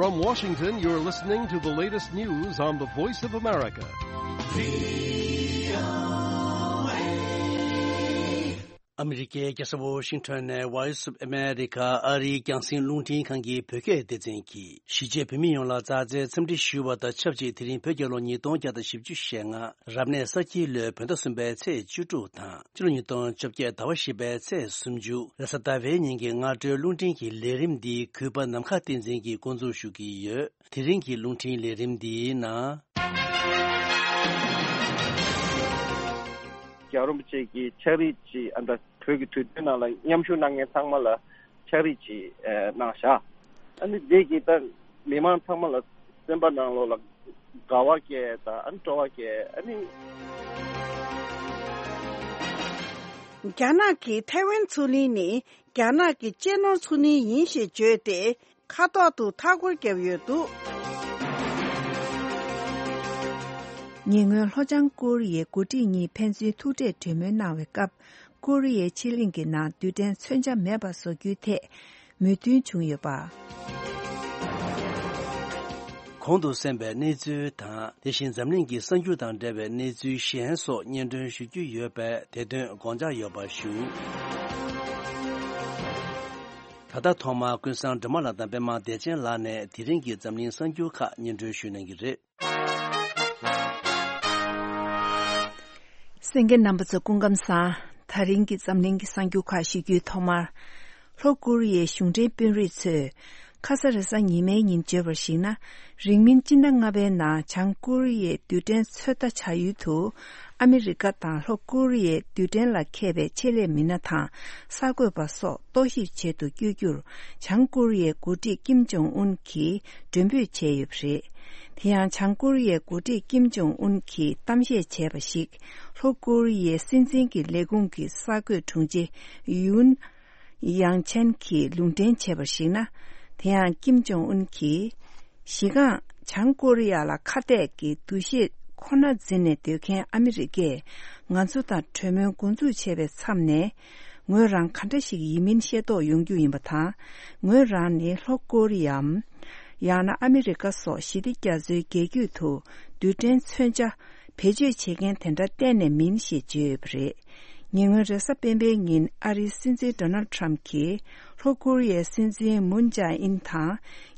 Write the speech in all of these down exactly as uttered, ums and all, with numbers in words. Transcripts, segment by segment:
From Washington, you're listening to the latest news on the Voice of America. ཨ་མི་རི་ཀའི་རྒྱལ་ས་ཝོ་ཤིང་ཊོན་ནས་Voice of America ཨ་རིའི་རྒྱང་སྲིང་རླུང་འཕྲིན་ཁང་གི་བོད་སྐད་སྡེ་ཚན་གྱིས་གཞིས་བྱེས་བོད་མི་ཡོངས་ལ་མཛའ་བརྩེའི་འཚམས་འདྲི་ཞུ་བ་དང་ཆབས་ཅིག་དེ་རིང་བོད་རྒྱལ་ལོ་ཉིས་སྟོང་བརྒྱ་དང་བཞི་བཅུ་ཞེ་ལྔ། རབ་གནས་ས་ཁྱི་ལོའི་བོད་ཟླ་གསུམ་པའི་ཚེས་བཅུ་དྲུག་དང་། ཕྱི་ལོ་ཉིས་སྟོང་བཅོ་བརྒྱད་ཟླ་བ་བཞི་པའི་ཚེས་སུམ་ཅུ། རེས་གཟའ་ཟླ་བའི་ཉིན་གྱི་སྔ་དྲོའི་རླུང་འཕྲིན་གྱི་ལས་རིམ་འདི་གུས་པ་ནམ་མཁའ་བསྟན་འཛིན་གྱིས་འགོ་འཛུགས་ཞུ་གི་ཡོད། དེ་རིང་གི་རླུང་འཕྲིན་ལས་རིམ་འདིའི་ནང་། རྒྱལ་བ་རིན་པོ་ཆེ་གིས་ཕྱག་བྲིས་ཅིག་ཨ་ད་བོད་ཀྱི་དུས་སྟོན་ནང་ལ་མཉམ་ཞུགས་གནང་མཁན་ཚང་མ་ལ་ཕྱག་བྲིས་ཅིག་ཨ་གནང་བཞག་ཨ་ནི་འདི་གིས་ད་མི་མང་ཚང་མ་ལ་སེམས་པ་ནང་ལོགས་ལ་དགའ་བ་སྐྱེ་དང་ཨ་ནི་སྤྲོ་བ་སྐྱེ་ཨ་ནི། རྒྱ་ནག་གིས་ཐའེ་ཝན་མཚོ་གླིང་ནི་རྒྱ་ནག་གི་གཅེས་ནོར་མཚོ་གླིང་ཡིན་ཞེས་བརྗོད་དེ། ཁ་ཐོག་ཏུ་མཐའ་སྐོར་བརྒྱབ་ཡོད་འདུག་ཉེ་སྔོན་ལྷོ་བྱང་ཀོ་རི་ཡའི་འགོ་ཁྲིད་གཉིས་ཕན་ཚུན་ཐུག་འཕྲད་གྲོས་མོལ་གནང་བའི་སྐབས། ཀོ་རི་ཡའི་ཕྱེད་གླིང་གི་ནང་རྡུལ་ཕྲན་མཚོན་ཆ་མེད་པ་བཟོ་རྒྱུའི་ཐད་མོས་མཐུན་བྱུང་ཡོད་པ། གོང་དུ་གསན་པའི་གནས་ཚུལ་དང་། དེ་བཞིན་འཛམ་གླིང་གི་གསར་འགྱུར་དང་འབྲེལ་བའི་གནས་ཚུལ་གཞན་སོགས་སྙན་སྒྲོན་ཞུ་རྒྱུ་ཡོད་པས། དེ་དོན་དགོངས་འཇགས་ཡོད་པ་ཞུ། ད་ལྟ་ཐོག་མར་ཀུན་བཟང་སྒྲོལ་མ་ལགས་དང་པད་མ་བདེ་ཆེན་ལགས་ནས་དེ་རིང་གི་འཛམ་གླིང་གསར་འགྱུར་ཁག་སྙན་སྒྲོན་ཞུ་གནང་གི་རེད། གསན་མཁན་རྣམ་པ་ཚོ་སྐུ་ཁམས་བཟང་། ད་རིང་གི་འཛམ་གླིང་གི་གསར་འགྱུར་ཁག་ཞུ་རྒྱུའི་ཐོག་མར། ལྷོ་ཀོ་རི་ཡའི་གཞུང་འབྲེལ་དཔོན་རིགས་ཚོས། ཁ་ས་རེས་གཟའ་ཉི་མའི་ཉིན་བརྗོད་པར་གཞིགས་ན། རིང་མིན་སྤྱི་ཟླ་ལྔ་པའི་ནང་བྱང་ཀོ་རི་ཡའི་རྡུལ་ཕྲན་ཚོད་ལྟ་བྱ་ཡུལ་དུ། ཨ་མི་རི་ཀ་དང་ལྷོ་ཀོ་རི་ཡའི་རྡུལ་ཕྲན་ལ་མཁས་པའི་ཆེད་ལས་མི་སྣ་དང་གསར་འགོད་པ་སོགས་རྟོག་ཞིབ་བྱེད་དུ་བསྐྱོད་རྒྱུར། བྱང་ཀོ་རི་ཡའི་འགོ་ཁྲིད་ཀིམ་ཇོང་ཨུན་གྱིས་མགྲོན་འབོད་བྱས་ཡོད་པ་རེད། དེ་ཡང་། བྱང་ཀོ་རི་ཡའི་འགོ་ཁྲིད་ཀིམ་ཇོང་ཨུན་གྱིས་གཏམ་བཤད་བྱས་པ་ཞིག་ལྷོ་ཀོ་རི་ཡའི་སྲིད་འཛིན་གྱི་ལས་ཁུངས་ཀྱི་གསར་འགོད་དྲུང་ཆེ་ཡུན་ཡང་ཆན་གྱིས་ལུང་འདྲེན་བྱས་པར་གཞིགས་ན། དེ་ཡང་། ཀིམ་ཇོང་ཨུན་གྱིས། གཞི་རྐང་། བྱང་ཀོ་རི་ཡ་ལ་ཁ་གཏད་ཀྱི་འདུ་ཤེས་ཁོ་ན་འཛིན་ནས་སྡོད་མཁན་ཨ་མི་རི་ཀས། ང་ཚོ་དང་གྲོས་མོལ་འགོ་འཛུགས་བྱས་པའི་མཚམས་ནས། ངོས་རང་ག་འདྲ་ཞིག་ཡིན་མིན་ཤེས་རྟོགས་ཡོང་རྒྱུ་ཡིན་པ་དང་། ངོས་རང་ནི་ལྷོ་ཀོ་རི་ཡའམ། ཡང་ན་ཨ་མི་རི་ཀ་སོགས་ཞི་བདེ་རྒྱ་མཚོའི་རྒྱལ་རྒྱུད་དུ་རྡུལ་ཕྲན་མཚོན་ཆ་བེད་སྤྱོད་བྱེད་མཁན་དེ་འདྲ་གཏན་ནས་མིན་ཞེས་བརྗོད་ཡོད་པ་རེད། ཉེ་སྔོན་རེས་གཟའ་སྤེན་པའི་ཉིན་ཨ་རིའི་སྲིད་འཛིན་ཌོ་ནལ་ཌི་ཊརམ་ཕི་གྱིས་ལྷོ་ཀོ་རི་ཡའི་སྲིད་འཛིན་མུན་ཇཱ་ཨིན་དང་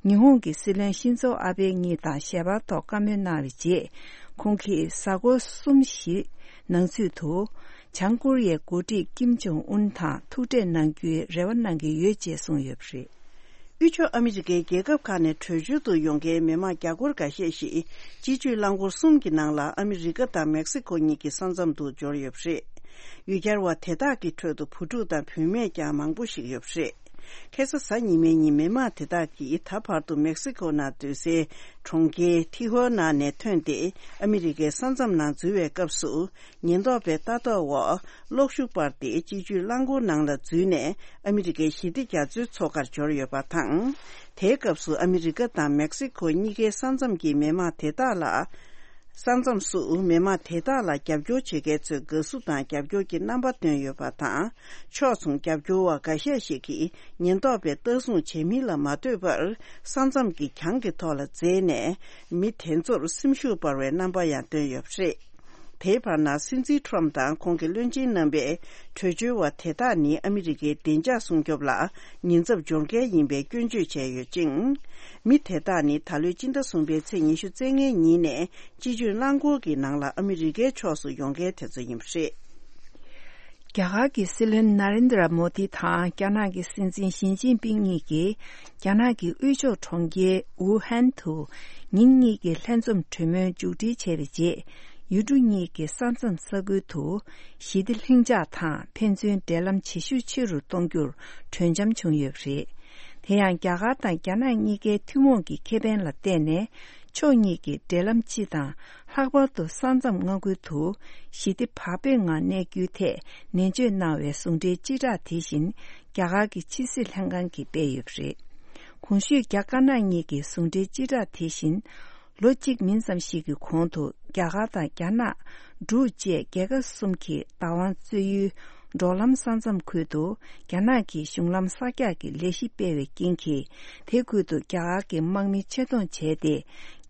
ཉི་ཧོང་གི་སྲིད་བློན་ཤིན་ཛོ་ཨ་བྷེ་གཉིས་དང་ཞལ་པར་ཐོག་བཀའ་མོལ་གནང་བའི་རྗེས། ཁོང་གིས་གཟའ་འཁོར་གསུམ་བཞི་ནང་ཚུད་དུ། བྱང་ཀོ་རི་ཡའི་འགོ་ཁྲིད་ཀིམ་ཇོང་ཨུན་དང་ཐུག་འཕྲད་གནང་རྒྱུའི་རེ་བ་གནང་གི་ཡོད་ཅེས་གསུངས་ཡོད་པ་རེད། དབུས་ཕྱོགས་ཨ་མི་རི་ཀའི་རྒྱལ་ཁབ་ཁག་ནས་བྲོས་བྱོལ་དུ་ཡོང་མཁན་མི་མང་རྒྱ་སྒོར་འགའ་ཤས་ཤིག་སྤྱི་སྤྱོད་རླངས་འཁོར་གསུམ་གྱི་ནང་ལ་ཨ་མི་རི་ཀ་དང་མེག་སི་ཀོ་གཉིས་ཀྱི་ས་མཚམས་དུ་འབྱོར་ཡོད་པ་རེད། ཡུལ་གྱར་བ་དེ་དག་གི་ཁྲོད་དུ་བུ་ཕྲུག་དང་བུད་མེད་ཀྱང་མང་པོ་ཞིག་ཡོད་པ་རེད། ཁ་སང་གཟའ་ཉི་མའི་ཉིན་མི་མང་དེ་དག་གིས་ད་བར་དུ་མེག་སི་ཀོ་ནང་སྡོད་སའི་གྲོང་ཁྱེར་ཐི་ཧོ་ནཱ་ནས་ཐོན་ཏེ་ཨ་མི་རི་ཀའི་ས་མཚམས་ནང་འཛུལ་བའི་སྐབས་སུ། ཉེན་རྟོག་པའི་ལྟ་རྟོག་འོག་གློག་ཤུགས་སྤར་ཏེ་སྤྱི་སྤྱོད་རླངས་འཁོར་ནང་ལ་འཛུལ་ནས་ཨ་མི་རི་ཀའི་ཞི་བདེ་རྒྱ་མཚོའི་མཚོ་ཁར་འབྱོར་ཡོད་པ་དང་། དེའི་སྐབས་སུ་ཨ་མི་རི་ཀ་དང་མེག་སི་ཀོ་གཉིས་ཀའི་ས་མཚམས་ཀྱི་མི་མང་དེ་དག་ལ། ས་མཚམས་སུ་མི་མང་དེ་དག་ལ་རྒྱབ་སྐྱོར་བྱེད་མཁན་ཚོས་དགའ་བསུ་དང་རྒྱབ་སྐྱོར་གྱི་རྣམ་པ་བཏོན་ཡོད་པ་དང་། ཕྱོགས་མཚུངས་རྒྱབ་སྐྱོར་བ་འགའ་ཤས་ཤིག་གིས་ཉེན་རྟོག་པས་ལྟ་སྲུང་བྱེད་མིན་ལ་མ་ལྟོས་པར་ས་མཚམས་ཀྱི་གྱང་གི་ཐོག་ལ་འཛེགས་ནས་མི་དེ་ཚོར་སེམས་ཤུགས་སྤར་བའི་རྣམ་པ་ཡང་བཏོན་ཡོད་པ་རེད། དེའི་བར་ན་སྲིད་འཛིན་ཊརམ་དང་ཁོང་གི་བློན་ཆེན་རྣམ་པས་བྲོས་བྱོལ་བ་དེ་དག་ནི་ཨ་མི་རི་ཀའི་བདེ་འཇགས་སྲུང་སྐྱོབ་ལ་ཉེན་ཚབས་འབྱོར་མཁན་ཡིན་པའི་སྐྱོན་བརྗོད་བྱས་ཡོད་ཅིང་། མི་དེ་དག་ནི་ད་ལོའི་སྤྱི་ཟླ་གསུམ་པའི་ཚེས་ཉི་ཤུ་རྩ་ལྔའི་ཉིན་ནས་སྤྱི་སྤྱོད་རླངས་འཁོར་གྱི་ནང་ལ་ཨ་མི་རི་ཀའི་ཕྱོགས་སུ་ཡོང་མཁན་དེ་ཚོ་ཡིན་པ་རེད། རྒྱ་གར་གྱི་སྲིད་བློན་ན་རེན་དྲ་མོ་དི་དང་རྒྱ་ནག་གི་སྲིད་འཛིན་ཞི་ཅིན་ཕིང་གཉིས་ཀྱིས་རྒྱ་ནག་གི་དབུས་ཕྱོགས་གྲོང་ཁྱེར་ཝུ་ཧན་དུ་ཉིན་གཉིས་ཀྱི་ལྷན་འཛོམས་གྲོས་མོལ་མཇུག་སྒྲིལ་བྱས་པའི་རྗེས། ཡུལ་གྲུ་གཉིས་ཀྱི་ས་མཚམས་ས་ཁུལ་དུ་ཞི་བདེ་ལྷིང་འཇགས་དང་ཕན་ཚུན་འབྲེལ་ལམ་བྱེད་ཤུགས་ཆེ་རུ་གཏོང་རྒྱུར་གྲོས་འཆམ་བྱུང་ཡོད་པ་རེད། དེ་ཡང་རྒྱ་གར་དང་རྒྱ་ནག་གཉིས་ཀའི་ཐུན་མོང་གི་ཁེ་ཕན་ལ་བརྟེན་ནས་ཕྱོགས་གཉིས་ཀྱི་འབྲེལ་ལམ་སྤྱི་དང་ལྷག་པར་དུ་ས་མཚམས་མངའ་ཁུལ་དུ་ཞི་བདེ་བག་ཕེབས་ངང་གནས་རྒྱུའི་ཐད་ནན་བརྗོད་གནང་བའི་ཟུང་འབྲེལ་སྤྱི་བསྒྲགས་དེ་བཞིན་རྒྱ་གར་གྱི་ཕྱི་སྲིད་ལྷན་ཁང་གིས་སྤེལ་ཡོད་པ་རེད། གོང་ཞུས་རྒྱ་དཀར་ནག་གཉིས་ཀྱི་ཟུང་འབྲེལ་སྤྱི་བསྒྲགས་དེ་བཞིན། ལོ་གཅིག་མིན་ཙམ་ཞིག་གི་གོང་དུ་རྒྱ་གར་དང་རྒྱ་ནག་འབྲུག་བཅས་རྒྱལ་ཁབ་གསུམ་གྱི་བདག་དབང་རྩོད་ཡུལ་ འབྲོག་ལམ་ས་མཚམས་ཁུལ་དུ་རྒྱ་ནག་གིས་གཞུང་ལམ་གསར་རྒྱག་གི་ལས་གཞི་སྤེལ་བའི་རྐྱེན་གྱིས། དེ་ཁུལ་དུ་རྒྱ་གར་གྱི་དམག་མི་ཆེད་གཏོང་བྱས་ཏེ། རྒྱ་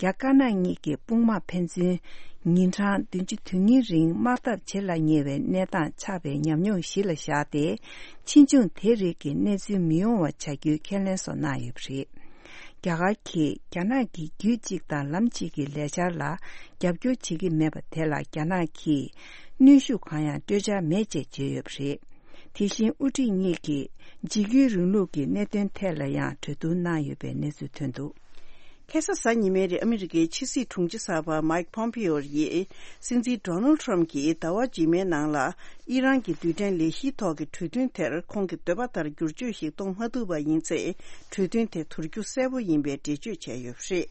དཀར་ནག་གཉིས་ཀྱི་དཔུང་དམག་ཕན་ཚུན་ཉིན་གྲངས་བདུན་ཅུ་དོན་གཉིས་རིང་དམག་འཐབ་བྱེད་ལ་ཉེ་བའི་གནས་སྟངས་ཆགས་པའི་ཉམས་མྱོང་གཞི་ལ་བཞག་སྟེ། ཕྱིས་འབྱུང་དེ་རིགས་ཀྱི་གནས་ཚུལ་མི་ཡོང་བ་བྱ་རྒྱུའི་ཁས་ལེན་སོགས་གནང་ཡོད་པ་རེད། རྒྱ་གར་གྱིས་རྒྱ་ནག་གི་རྒྱུད་གཅིག་དང་ལམ་གཅིག་གི་ལས་འཆར་ལ་རྒྱབ་སྐྱོར་བྱེད་ཀྱི་མེད་པ་དེ་ལ་རྒྱ་ནག་གིས་གནོན་ཤུགས་གང་ཡང་སྤྲོད་འཆར་མེད་ཅེས་བརྗོད་ཡོད་པ་རེད། དེ་བཞིན་དབུ་ཁྲིད་གཉིས་ཀྱིས་འཇིགས་སྐུལ་རིང་ལུགས་ཀྱི་གནད་དོན་ཐད་ལ་ཡང་གྲོས་བསྡུར་གནང་ཡོད་པའི་གནས་ཚུལ་ཐོན་འདུག། ཁ་སང་གཟའ་ཉི་མའི་རིང་ཨ་མི་རི་ཀའི་ཕྱི་སྲིད་དྲུང་ཆེ་གསར་པ་མའིག་པོམ་པེའོ་ཡིས། སྲིད་འཛིན་ཌོ་ནལ་ཊམ་གྱིས་ཟླ་བ་རྗེས་མའི་ནང་ལ་ཨི་རན་གྱི་རྡུལ་ཕྲན་ལས་གཞིའི་ཐོག་གི་གྲོས་མཐུན་དེར་ཁོང་གི་འདོད་པ་ལྟར་བསྒྱུར་བཅོས་ཤིག་གཏོང་མ་ཐུབ་པ་ཡིན་ཚེ། གྲོས་མཐུན་དེ་དུར་རྒྱུ་གསལ་པོ་ཡིན་པའི་འགྲེལ་བརྗོད་བྱས་ཡོད་པ་རེད།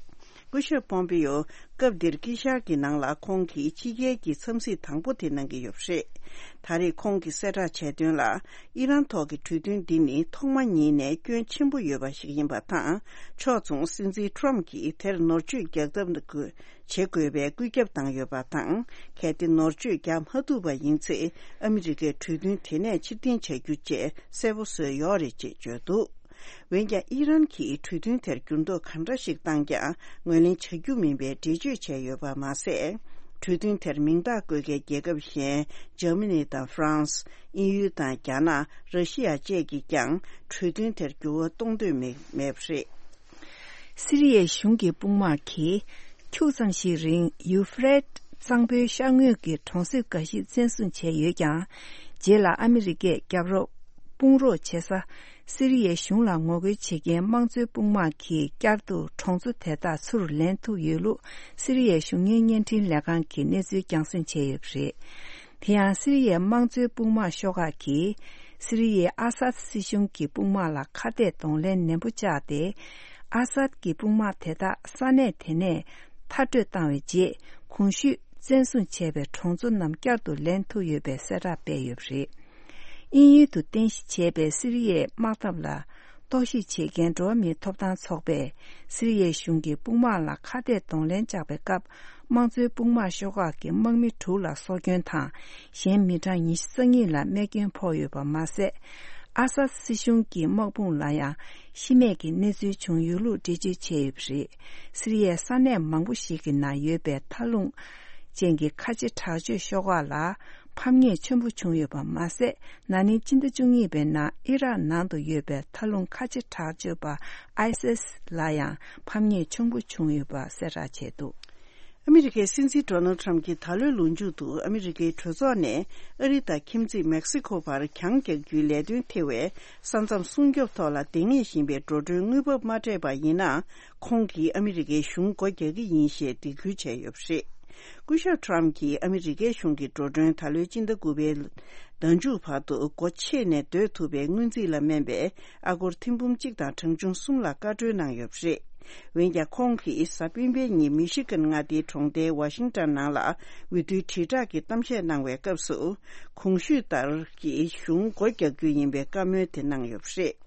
སྐུ་ཞབས་པོམ་པེའོ་སྐབས་འདིར་དཀྱིལ་ཤར་གྱི་ནང་ལ་ཁོང་གིས་ཕྱི་རྒྱལ་གྱི་འཚམས་གཟིགས་དང་པོ་དེ་གནང་གི་ཡོད་པ་རེད། ད་རེས་ཁོང་གིས་གསལ་བསྒྲགས་བྱས་དོན་ལ། ཨི་རན་ཐོག་གི་གྲོས་མཐུན་འདི་ནི་ཐོག་མ་ཉིད་ནས་སྐྱོན་ཆེན་པོ་ཡོད་པ་ཞིག་ཡིན་པ་དང་། ཕྱོགས་མཚུངས་སྲིད་འཛིན་ཊམ་གྱིས་དེར་ནོར་བཅོས་རྒྱག་ཐབས་དགོས། བྱེད་དགོས་པའི་བཀོད་ཁྱབ་བཏང་ཡོད་པ་དང་། གལ་ཏེ་ནོར་བཅོས་རྒྱག་མ་ཐུབ་པ་ཡིན་ཚེ། ཨ་མི་རི་ཀས་གྲོས་མཐུན་དེ་ནས་ཕྱིར་འཐེན་བྱ་རྒྱུ་བཅས་གསལ་པོ་བཟོས་ཡོད་རེད་ཅེས་བརྗོད་འདུག། འོན་ཀྱང་ཨི་རན་གྱིས་གྲོས་མཐུན་དེར་འགྱུར་ལྡོག་གང་འདྲ་ཞིག་བཏང་ཀྱང་ངོས་ལེན་བྱ་རྒྱུ་མིན་པའི་འགྲེལ་བརྗོད་བྱས་ཡོད་པ་མ་ཟད། གྲོས་མཐུན་དེར་མིང་རྟགས་བཀོད་མཁན་རྒྱལ་ཁབ་གཞན་འཇར་མ་ནི་དང་ཧྥ་རན་སི། དབྱིན་ཡུལ་དང་རྒྱ་ནག་ར་ཤི་ཡ་བཅས་ཀྱིས་ཀྱང་གྲོས་མཐུན་དེར་འགྱུར་བ་གཏོང་འདོད་མེད་མེད་པ་རེད། སི་རི་ཡའི་གཞུང་གི་དཔུང་དམག་གིས་ཁྱུག་ཙམ་ཞིག་རིང་ཡུ་ཧྥེ་རེད་གཙང་པོའི་ཤར་ངོས་ཀྱི་གྲོང་གསེབ་འགའ་ཞིག་བཙན་བཟུང་བྱས་ཡོད་ཀྱང་། རྗེས་ལ་ཨ་མི་རི་ཀས་རྒྱབ་རོགས་དཔུང་རོགས་བྱེད་ས། སི་རི་ཡའི་གཞུང་ལ་ངོ་རྒོལ་བྱེད་མཁན་དམངས་གཙོའི་དཔུང་དམག་གིས་བསྐྱར་དུ་གྲོང་ཚོ་དེ་དག་ཚུར་ལེན་ཐུབ་ཡོད་ལུགས་སི་རི་ཡའི་གཞུང་གཉེར་བརྙན་འཕྲིན་ལས་ཁང་གིས་གནས་ཚུལ་རྒྱང་སྲིང་བྱས་ཡོད་པ་རེད། དེ་ཡང་སི་རི་ཡའི་དམངས་གཙོའི་དཔུང་དམག་ཤོག་ཁག་གིས་སི་རི་ཡའི་ཨ་སཱད་སྲིད་གཞུང་གི་དཔུང་དམག་ལ་ཁ་གཏད་གདོང་ལེན་ནན་པོ་བཅག་སྟེ། ཨ་སཱད་ཀྱི་དཔུང་དམག་དེ་དག་ས་གནས་དེ་ནས་མཐར་སྐྲོད་བཏང་བའི་རྗེས། གོང་ཞུས་བཙན་བཟུང་བྱས་པའི་གྲོང་ཚོ་རྣམས་བསྐྱར་དུ་ལེན་ཐུབ་ཡོད་པའི་གསལ་བསྒྲགས་སྤེལ་ཡོད་པ་རེད། དབྱིན་ཡུལ་དུ་རྟེན་གཞི་བྱས་པའི་སི་རི་ཡའི་དམག་འཐབ་ལ་རྟོག་ཞིབ་བྱེད་མཁན་འགྲོ་བ་མིའི་ཐོབ་ཐང་ཚོགས་པས་སི་རི་ཡའི་གཞུང་གི་དཔུང་དམག་ལ་ཁ་གཏད་གདོང་ལེན་བཅག་པའི་སྐབས། དམངས་གཙོའི་དཔུང་དམག་ཤོག་ཁག་གི་དམག་མི་དྲུག་ལ་སྲོག་སྐྱོན་དང་། གཞན་མི་གྲངས་ཉི་ཤུ་རྩ་གཉིས་ལ་རྨས་སྐྱོན་ཕོག་ཡོད་པ་མ་ཟད། ཨ་སཱད་སྲིད་གཞུང་གི་དམག་དཔུང་ལ་ཡང་ཤི་རྨས་ཀྱི་གནས་ཚུལ་བྱུང་ཡོད་ལུགས་འགྲེལ་བརྗོད་བྱས་ཡོད་པ་རེད། སི་རི་ཡའི་ས་གནས་མང་པོ་ཞིག་གི་ནང་ཡོད་པའི་མཐའ་ལྷུང་ཅན་གྱི་ཁ་ཆེ་དྲག་སྤྱོད་ཤོག་ཁག་ལ་ཕམ་ཉེས་ཆེན་པོ་བྱུང་ཡོད་པ་མ་ཟད། ན་ནིང་སྤྱི་ཟླ་བཅུ་གཉིས་པའི་ནང་ཨི་རག་ནང་དུ་ཡོད་པའི་མཐའ་ལྷུང་ཁ་ཆེ་དྲག་སྤྱོད་པ་ཨའི་སི་ལ་ཡང་ཕམ་ཉེས་ཆེན་པོ་བྱུང་ཡོད་པ་གསལ་བསྒྲགས་བྱས་འདུག། ཨ་མི་རི་ཀའི་སྲིད་འཛིན་ཌོ་ནལ་ཊམ་གྱིས་ད་ལོའི་ལོ་མཇུག་ཏུ་ཨ་མི་རི་ཀའི་གྲོས་ཚོགས་ནས་ཨ་རི་དང་ཁྱིམ་མཚེས་མེག་སི་ཁོ་བར་གྱང་རྒྱག་རྒྱུའི་ལས་དོན་ཐེ་བའི་ས་མཚམས་སྲུང་སྐྱོབ་ཐོག་ལ་འདང་ངེས་བཞིན་པའི་འགྲོ་གྲོན་དངུལ་འབབ་མ་སྤྲད་པ་ཡིན་ན། ཁོང་གིས་ཨ་མི་རི་ཀའི་གཞུང་སྒོ་རྒྱག་གི་ཡིན་ཞེས་སྡིགས་སྐུལ་བྱས་ཡོད་པ་རེད། སྐུ་ཞབས་ཊམ་གྱིས་ཨ་མི་རི་ཀའི་གཞུང་གི་འགྲོ་གྲོན་ད་ལོའི་སྤྱི་ཟླ་དགུ་པའི་ཟླ་མཇུག་བར་དུ་སྒོ་ཕྱེ་ནས་སྡོད་ཐུབ་པའི་སྔོན་རྩིས་ལ་དམན་པའི་ཨ་སྒོར་ཐེར་འབུམ་གཅིག་དང་གྲངས་ཆུང་གསུམ་ལ་བཀའ་འཁྲོལ་གནང་ཡོད་པ་རེད། འོན་ཀྱང་ཁོང་གིས་གཟའ་སྤེན་པའི་ཉིན་མི་ཤི་གན་མངའ་སྡེའི་གྲོང་རྡལ་ཝ་ཤིང་ཊོན་ནང་ལ་འོས་བསྡུའི་དྲིལ་བསྒྲགས་ཀྱི་གཏམ་བཤད་གནང་བའི་སྐབས་སུ། གོང་ཞུས་ལྟར་གྱི་གཞུང་སྒོ་རྒྱག་རྒྱུ་ཡིན་པའི་བཀའ་མོལ་དེ་གནང་ཡོད་པ་རེད།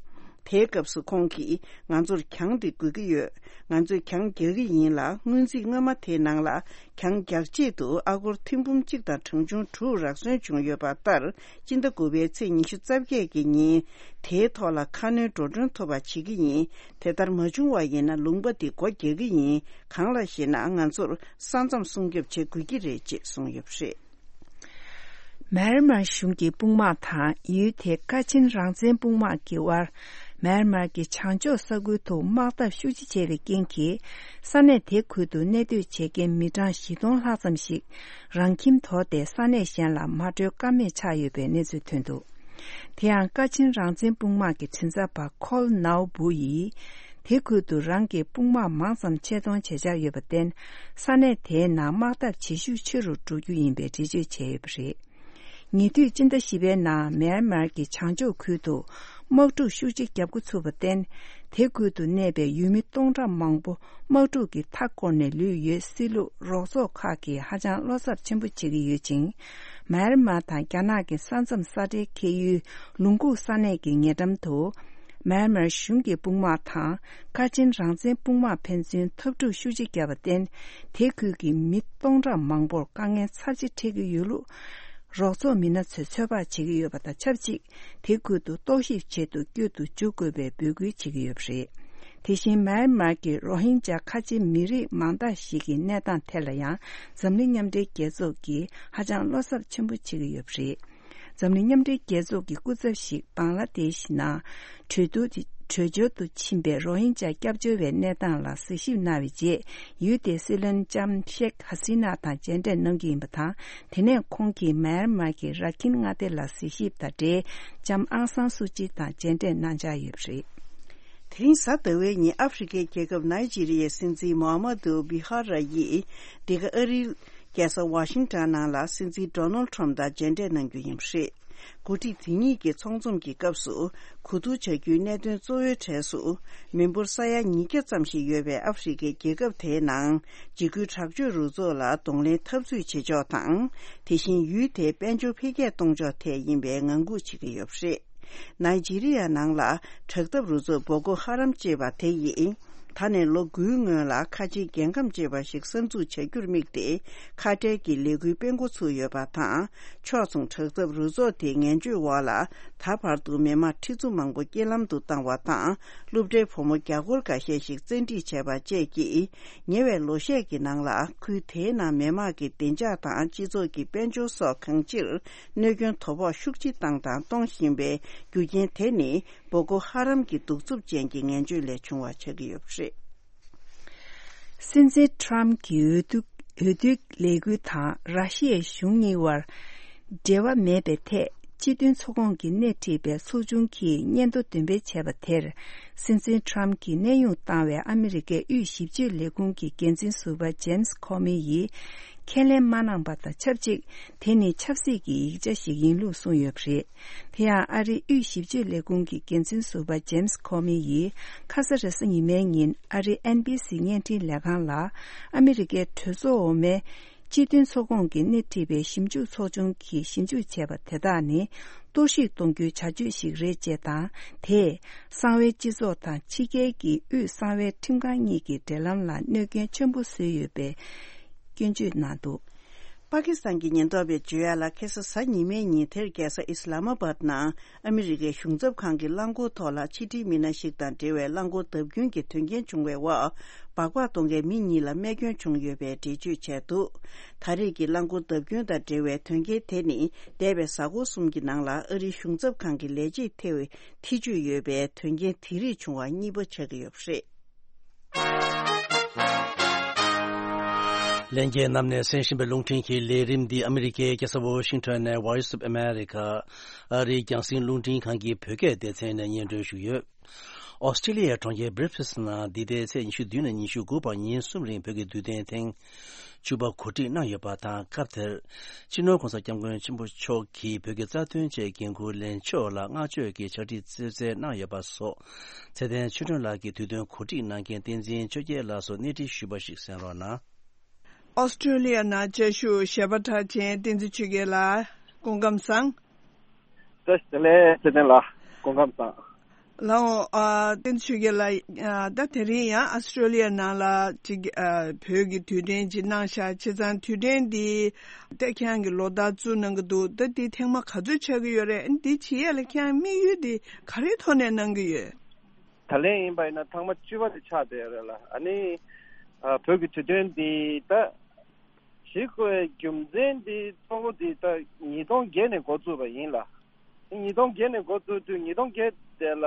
དེའི་སྐབས་སུ་ཁོང་གིས་ང་ཚོར་གྱང་དེ་དགོས་ཀྱི་ཡོད། ང་ཚོས་གྱང་རྒྱག་གི་ཡིན་ལ། སྔོན་རྩིས་སྔོན་མ་དེའི་ནང་ལ་གྱང་རྒྱག་ཆེད་དུ་ཨ་སྒོར་ཐེར་འབུམ་གཅིག་དང་གྲངས་ཆུང་དྲུག་རག་སོན་བྱུང་ཡོད་པ་ལྟར། སྤྱི་ཟླ་དགུ་པའི་ཚེས་ཉི་ཤུ་རྩ་བརྒྱད་ཀྱི་ཉིན་དེའི་ཐོག་ལ་ཁ་སྣོན་འགྲོ་གྲོན་ཐོབ་པ་བྱེད་ཀྱི་ཡིན། དེ་ལྟར་མ་བྱུང་བ་ཡིན་ན་ལུང་པ་འདི་སྒོ་རྒྱག་གི་ཡིན། གང་ལགས་ཤེ་ན་ང་ཚོར་ས་མཚམས་སྲུང་སྐྱོབ་བྱེད་དགོས་ཀྱི་རེད་ཅེས་གསུངས་ཡོད་པ་རེད། མཱ་ཡན་མར་གཞུང་གི་དཔུང་དམག་དང་ཡུལ་དེའི་ཀ་ཆིན་རང་བཙན་དཔུང་དམག་གི་དབར། མཱ་ཡན་མར་གྱི་བྱང་ཕྱོགས་ས་ཁུལ་དུ་དམག་འཐབ་ཤུགས་ཆེ་བྱས་པའི་རྐྱེན་གྱིས། ས་གནས་དེ་ཁུལ་དུ་གནས་སྡོད་བྱེད་མཁན་མི་གྲངས་བཞི་སྟོང་ལྷག་ཙམ་ཞིག་རང་ཁྱིམ་དོར་ཏེ་ས་གནས་གཞན་ལ་མ་བྲོས་ཀ་མེད་ཆགས་ཡོད་པའི་གནས་ཚུལ་ཐོན་འདུག། དེ་ཡང་ཀ་ཆིན་རང་བཙན་དཔུང་དམག་གི་མགྲིན་ཚབ་པ་ཁོལ་ནའོ་བུ་ཡིས། དེ་ཁུལ་དུ་རང་གི་དཔུང་དམག་མང་ཙམ་ཆེད་གཏོང་བྱེད་འཆར་ཡོད་པར་བརྟེན། ས་གནས་དེའི་ནང་དམག་འཐབ་བྱེད་ཤུགས་ཆེ་རུ་འགྲོ་རྒྱུ་ཡིན་པའི་འགྲེལ་བརྗོད་བྱས་ཡོད་པ་རེད། ཉེ་དུས་སྤྱི་ཟླ་བཞི་པའི་ནང་མཱ་ཡན་མར་གྱི་བྱང་ཕྱོགས་ཁུལ་དུ་དམག་འཁྲུག་ཤུགས་ཆེ་བརྒྱབ་འགོ་ཚུགས་པར་བརྟེན། དེ་ཁུལ་དུ་གནས་པའི་ཡུལ་མི་སྟོང་ཕྲག་མང་པོ་དམག་འཁྲུག་གི་མཐའ་བསྐོར་ནས་ལུས་ཡོད་སྲིད་ལུགས་རོགས་ཚོགས་ཁག་གིས་ཧ་ཅང་བློ་འཚབ་ཆེན་པོ་བྱེད་ཀྱི་ཡོད་ཅིང་། མཱ་ཡན་མར་དང་རྒྱ་ནག་གི་ས་མཚམས་ས་འབྲེལ་ཁེལ་ཡུལ་ལུང་ཁུག་ས་གནས་ཀྱི་ཉེ་འགྲམ་དུ། མཱ་ཡན་མར་གཞུང་གི་དཔུང་དམག་དང་ཀ་ཆིན་རང་བཙན་དཔུང་དམག་ཕན་ཚུན་འཐབ་འཁྲུག་ཤུགས་ཆེ་བརྒྱབ་པར་བརྟེན། དེ་ཁུལ་གྱི་མི་སྟོང་ཕྲག་མང་པོར་དཀའ་ངལ་ཚབས་ཆེ་འཕྲད་ཀྱི་ཡོད་ལུགས། རོགས་ཚོགས་མི་སྣ་ཚོས་ཚོད་དཔག་བྱེད་ཀྱི་ཡོད་པ་དང་ཆབས་ཅིག་དེ་ཁུལ་དུ་རྟོག་ཞིབ་ཆེད་དུ་བསྐྱོད་དུ་འཇུག་དགོས་པའི་འབོད་སྐུལ་བྱེད་ཀྱི་ཡོད་པ་རེད། དེ་བཞིན་མཱ་ཡན་མར་གྱི་རོ་ཧིན་ཇཱ་ཁ་ཆེ་མི་རིགས་མང་དག་ཞིག་གི་གནས་སྟངས་ཐད་ལ་ཡང་འཛམ་གླིང་མཉམ་འབྲེལ་རྒྱལ་ཚོགས་ཀྱིས་ཧ་ཅང་བློ་འཚབ་ཆེན་པོ་བྱེད་ཀྱི་ཡོད་པ་རེད། འཛམ་གླིང་མཉམ་འབྲེལ་རྒྱལ་ཚོགས་ཀྱི་སྐུ་ཚབ་ཞིག་བང་ལ་དེཤ་ནང་བྲོས་བྱོལ་དུ་ཕྱིན་པའི་རོ་ཧིན་ཇཱ་སྐྱབས་བཅོལ་བའི་གནས་སྟངས་ལ་གཟིགས་ཞིབ་གནང་བའི་རྗེས། ཡུལ་དེའི་སྲིད་བློན་ལྕམ་ཤེག་ཧ་སི་ན་དང་མཇལ་འཕྲད་གནང་རྒྱུ་ཡིན་པ་དང་། དེ་ནས་ཁོང་གིས་མཱ་ཡན་མར་གྱི་ར་ཁིན་མངའ་སྡེ་ལ་གཟིགས་ཞིབ་དང་འབྲེལ། ལྕམ་ཨང་སང་སུ་ཅི་དང་མཇལ་འཕྲད་གནང་འཆར་ཡོད་པ་རེད། དེ་རིང་གཟའ་ཟླ་བའི་ཉིན་ཨ་ཧྥེ་རི་ཁའི་རྒྱལ་ཁབ་ནཱི་ཇི་རི་ཡའི་སྲིད་འཛིན་མོ་ཧ་མ་དུ་བི་ཧ་ར་ཡིས་འདི་ག་ཨ་རིའི་རྒྱལ་ས་ཝ་ཤིང་ཊོན་ནང་ལ་སྲིད་འཛིན་ཌོ་ནལ་ཊམ་དང་མཇལ་འཕྲད་གནང་རྒྱུ་ཡིན་པ་རེད། འགོ་ཁྲིད་དེ་གཉིས་ཀྱི་ཚོགས་འཛོམས་ཀྱི་སྐབས་སུ་གོ་བསྡུར་བྱ་རྒྱུའི་གནད་དོན་གཙོ་བོའི་གྲས་སུ། མི་འབོར་ས་ཡ་ཉིས་བརྒྱ་ཙམ་ཞིག་ཡོད་པའི་ཨ་ཧྥེ་རི་ཁའི་རྒྱལ་ཁབ་དེའི་ནང་འཇིགས་སྐུལ་དྲག་སྤྱོད་རུ་ཚོགས་ལ་གདོང་ལེན་འཐབ་རྩོད་བྱེད་ཕྱོགས་དང་། དེ་བཞིན་ཡུལ་དེའི་དཔལ་འབྱོར་འཕེལ་རྒྱས་གཏོང་ཕྱོགས་ཐད་ཡིན་པའི་ངང་སྒུག་བྱེད་ཀྱི་ཡོད་པ་རེད། ནཱི་ཇི་རི་ཡ་ནང་ལ་དྲག་འཐབ་རུ་ཚོགས་བོ་ཀོ་ཧ་རམ་ཅེས་པ་དེ་ཡིས། ད་ནས་ལོ་དགུའི་སྔོན་ལ་ཁ་ཆེའི་རྒྱལ་ཁམས་ཅེས་པ་ཞིག་གསར་འཛུགས་བྱ་རྒྱུར་དམིགས་ཏེ། ཁ་བྲལ་གྱི་ལས་འགུལ་སྤེལ་འགོ་ཚུགས་ཡོད་པ་དང་། ཕྱོགས་མཚུངས་དྲག་འཐབ་རུ་ཚོགས་དེའི་ངན་བྱུས་འོག་ལ། ད་བར་དུ་མི་དམངས་ཁྲི་ཚོ་མང་པོ་རྐྱེན་ལམ་དུ་བཏང་བ་དང་། སློབ་གྲྭའི་བུ་མོ་བརྒྱ་སྐོར་འགའ་ཤས་ཤིག་བཙན་ཁྲིད་བྱས་པ་བཅས་ཀྱིས། ཉེ་བའི་ལོ་ཤས་ཀྱི་ནང་ལ། ཁུལ་དེའི་ནང་མི་དམངས་ཀྱི་བདེ་འཇགས་དང་། སྤྱི་ཚོགས་ཀྱི་དཔལ་འབྱོར་སོགས་གང་ཅིར་གནོད་སྐྱོན་དོ་ཕོག་ཤུགས་ཆེ་བཏང་དང་གཏོང་བཞིན་པའི་རྒྱུ་རྐྱེན་དེ་ནི། བོ་ཀོ་ཧ་རམ་གྱི་གདུག་རྩུབ་ཅན་གྱི་ངན་བྱུས་ལས་བྱུང་བ་ཆགས་ཀྱི་ཡོད་པ་རེད། སྲིད་འཛིན་ཊམ་གྱི་འོས་བསྡུ་འོས་བསྡུའི་ལས་འགུལ་དང་ར་ཤི་ཡའི་གཞུང་གཉིས་བར་འབྲེལ་བ་མེད་པའི་ཐད། སྤྱི་མཐུན་ཚོགས་ཁོངས་ཀྱིས་སྣེ་ཁྲིད་པའི་ཚོགས་ཆུང་གིས་སྙན་ཐོ་འདོན་སྤེལ་བྱས་པ་དེར། སྲིད་འཛིན་ཊམ་གྱིས་གནས་དབྱུང་བཏང་བའི་ཨ་མི་རི་ཀའི་དབུས་ཞིབ་དཔྱོད་ལས་ཁུངས་ཀྱི་འགན་འཛིན་ཟུར་པ་ཇེམ་སི་ཁོ་མི་ཡིས་ཁས་ལེན་མ་གནང་པ་དང་ཆབས་ཅིག་དེ་ནི་ཆབ་སྲིད་ཀྱི་ཡིག་ཆ་ཞིག་ཡིན་ལུགས་གསུངས་ཡོད་པ་རེད། དེ་ཡང་ཨ་རིའི་དབུས་ཞིབ་དཔྱོད་ལས་ཁུངས་ཀྱི་འགན་འཛིན་ཟུར་པ་ཇེམ་སི་ཁོ་མི་ཡིས་ཁ་ས་རེས་གཟའ་ཉི་མའི་ཉིན་ཨ་རིའི་ཨེན་བྷི་སི་བརྙན་འཕྲིན་ལས་ཁང་ལ། ཨ་མི་རི་ཀའི་གྲོས་ཚོགས་འོག་མའི་སྤྱི་མཐུན་ཚོགས་ཁོངས་ཀྱི་སྣེ་ཁྲིད་པའི་ཞིབ་འཇུག་ཚོགས་ཆུང་གིས་ཞིབ་འཇུག་བྱས་པ་དེ་དག་ནི་གཏོར་བཤིག་གཏོང་རྒྱུའི་བྱ་སྤྱོད་ཞིག་རེད་ཅེས་དང་། དེས་གསང་བའི་སྤྱི་ཚོགས་དང་ཕྱི་རྒྱལ་གྱི་དབུས་གསང་བའི་ཁྲིམས་ཁང་གཉིས་ཀྱི་འབྲེལ་ལམ་ལ་གནོད་སྐྱོན་ཆེན་པོ་བཟོས་ཡོད་པའི་སྐྱོན་བརྗོད་གནང་འདུག་པ་ཀི་སི་ཐན་གྱི་ཉེན་རྟོག་པས་བརྗོད་ཡག་ལ། ཁ་ས་གཟའ་ཉི་མའི་ཉིན་དེར་རྒྱལ་ས་ཨི་སི་ལ་མ་བཱད་ནང་ཨ་མི་རི་ཀའི་གཞུང་ཚབ་ཁང་གི་རླངས་འཁོར་ཐོག་ལ་ཕྱི་འབྲེལ་མི་སྣ་ཞིག་དང་འབྲེལ་བའི་རླངས་འཁོར་བརྡབ་སྐྱོན་གྱི་དོན་རྐྱེན་བྱུང་བའི་འོག་སྦག་སྦག་གཏོང་མཁན་མི་གཉིས་ལ་རྨས་སྐྱོན་བྱུང་ཡོད་པའི་འགྲེལ་བརྗོད་བྱས་འདུག་ད་རེས་ཀྱི་རླངས་འཁོར་བརྡབ་སྐྱོན་དང་འབྲེལ་བའི་དོན་རྐྱེན་དེ་ནི། འདས་པའི་གཟའ་འཁོར་གསུམ་གྱི་ནང་ལ་ཨ་རིའི་གཞུང་ཚབ་ཁང་གི་ལས་བྱེད་ཐེ་བའི་ཐེ་ཇུས་ཡོད་པའི་དོན་རྐྱེན་དེ་རིགས་བྱུང་བ་གཉིས་པ་ཆགས་ཀྱི་ཡོད་པ་རེད། ལྷན་རྒྱས་རྣམས་ནས་གསན་བཞིན་པའི་རླུང་འཕྲིན་གྱི་ལས་རིམ་འདི་ཨ་མི་རི་ཀའི་རྒྱལ་ས་ཝོ་ཤིང་ཊོན་ནས་Voice of America ཨ་རིའི་རྒྱང་སྲིང་རླུང་འཕྲིན་ཁང་གི་བོད་སྐད་སྡེ་ཚན་ནས་སྙན་སྒྲོན་ཞུས་ཡོད། ཨོ་སི་ཀྲི་ལི་ཡའི་གྲོང་ཁྱེར་སྦྲི་སྦེ་ནང་འདི་ཟླའི་ཚེས་ཉི་ཤུ་བདུན་ནས་ཉི་ཤུ་དགུ་བར་ཉིན་གསུམ་རིང་བོད་ཀྱི་དུས་སྟོན་ཐེངས་བཅུ་པ་གོ་སྒྲིག་གནང་ཡོད་པ་དང་། སྐབས་དེར་སྤྱི་ནོར་༸གོང་ས་༸སྐྱབས་མགོན་ཆེན་པོ་མཆོག་གིས་བོད་ཀྱི་རྩ་དོན་ཆེད་འགན་འཁུར་ལེན་ཕྱོགས་ལ་བསྔགས་བརྗོད་ཀྱི་ཕྱག་བྲིས་རྩེ་གསལ་གནང་ཡོད་པ་སོགས། ཚེ་བརྟན་ཆོས་སྒྲོན་ལགས་ཀྱིས་དུས་སྟོན་གོ་སྒྲིག་གནང་མཁན་བསྟན་འཛིན་ཆོས་རྒྱལ་ལགས་སུ་གནས་འདྲི་ཞུས་པ་ཞིག་གསན་རོགས་གནང་། ཨོ་སི་ཀྲི་ལི་ཡ་ནང་བཅའ་བཞུགས་གཞས་པ་གྲགས་ཅན་བསྟན་འཛིན་ཆོས་རྒྱལ་ལགས་སྐུ་ཁམས་བཟང་། བཀྲ་ཤིས་བདེ་ལེགས་ཚེ་བརྟན་ལགས། སྐུ་ཁམས་བཟང་། ལགས་འོང་། ཨ། བསྟན་འཛིན་ཆོས་རྒྱལ་ལགས། ཨ། ད་དེ་རིང་ཡང་ཨ་སི་ཀྲོ་ལི་ཡ་ནང་ལ་ཅིག་ཨ། བོད་ཀྱི་དུས་དྲན་ཅིག་གནང་ཤག་བྱས་ཙང་དུས་དྲན་འདི་ད་ཁྱེད་རང་གིས་ལོ་ལྟར་བཙུགས་གནང་གི་འདུག་ད་འདི་ཐེངས་མ་ག་ཚོད་ཆགས་ཀྱི་ཡོད་རེད། འདི་བྱེད་ཡ་ལ་ཁྱེད་རང་དམིགས་ཡུལ་འདི་ག་རེའི་ཐོག་ནས་གནང་གི་ཡོད། ད་ལན་ཡིན་པ་ཡིན་ན་ཐེངས་མ་བཅུ་པ་དེ་ཆགས་བསྡད་ཡོད་རེད་ལ། ཨ་ནི་ཨ། བོད་ཀྱི་དུས་དྲན་འདི་ད་བྱེད་དགོས་པའི་རྒྱུ་མཚན་འདི་གཙོ་བོ་འདི་ད་ཉིས་སྟོང་བརྒྱད་ནས་འགོ་བཙུགས་པ་ཡིན་ལ། ཉིས་སྟོང་བརྒྱད་ནས་འགོ་བཙུགས་དུས་ཉིས་སྟོང་བརྒྱད་དེ་ལ་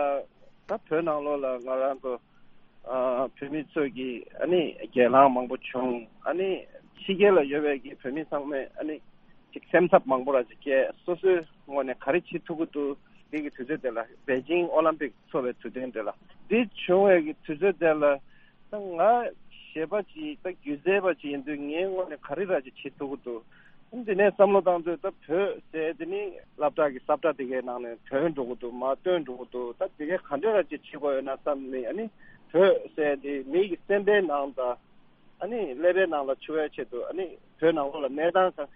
ད་བོད་ནང་ལོགས་ལ་ང་རང་ཚོ་ཨ། བོད་མི་ཚོས་ཀྱི་ཨ་ནི་སྒེར་ལངས་མང་པོ་བྱུང་། ཨ་ནི་ཕྱི་རྒྱལ་ལ་ཡོད་པའི་གི་བོད་མི་ཚང་མས་ཨ་ནི་ཅིག་སེམས་འཚབ་མང་པོ་ར་ཅིག་སྐྱེས། སོ་སོའི་ངོས་ནས་ག་རེ་བྱེད་ཐུབ་ཀྱི་འདུག་འདི་གི་དུས་ཚོད་དེ་ལ་པེ་ཅིང་ཨོ་ལམ་པིག་འཚོགས་པའི་དུས་དྲན་དེ་ལ། འདི་བྱུང་བའི་གི་དུས་ཚོད་དེ་ལ་ད་ང་གཞས་པ་ཅིག་ད་སྒྱུ་རྩལ་པ་ཅིག་ཡིན་དུས་ངའི་ངོས་ནས་ག་རེ་ར་ཅིག་བྱེད་ཐུབ་ཀྱི་འདུག་འདི་ནས་བསམ་བློ་བཏང་དུས་ད་བོད་ཟེར་དེ་ནི་སློབ་གྲྭ་གི་ས་བཀྲ་དེ་གའི་ནང་ནས་ཐོན་འགྲོ་གི་འདུག་མར་བཏོན་འགྲོ་གི་འདུག་ད་དེ་གའི་ག་འདྲ་ར་ཅིག་བྱེད་དགོས་ཡོད་ན་བསམ་ནས། ཨ་ནི་བོད་ཟེར་དེ་མི་གི་སེམས་པའི་ནང་དང་ཨ་ནི་ཀླད་པའི་ནང་ལ་ཆུད་པའི་ཆེད་དུ། ཨ་ནི་བོད་ནང་ལོགས་ལ་གནས་སྟངས་གང་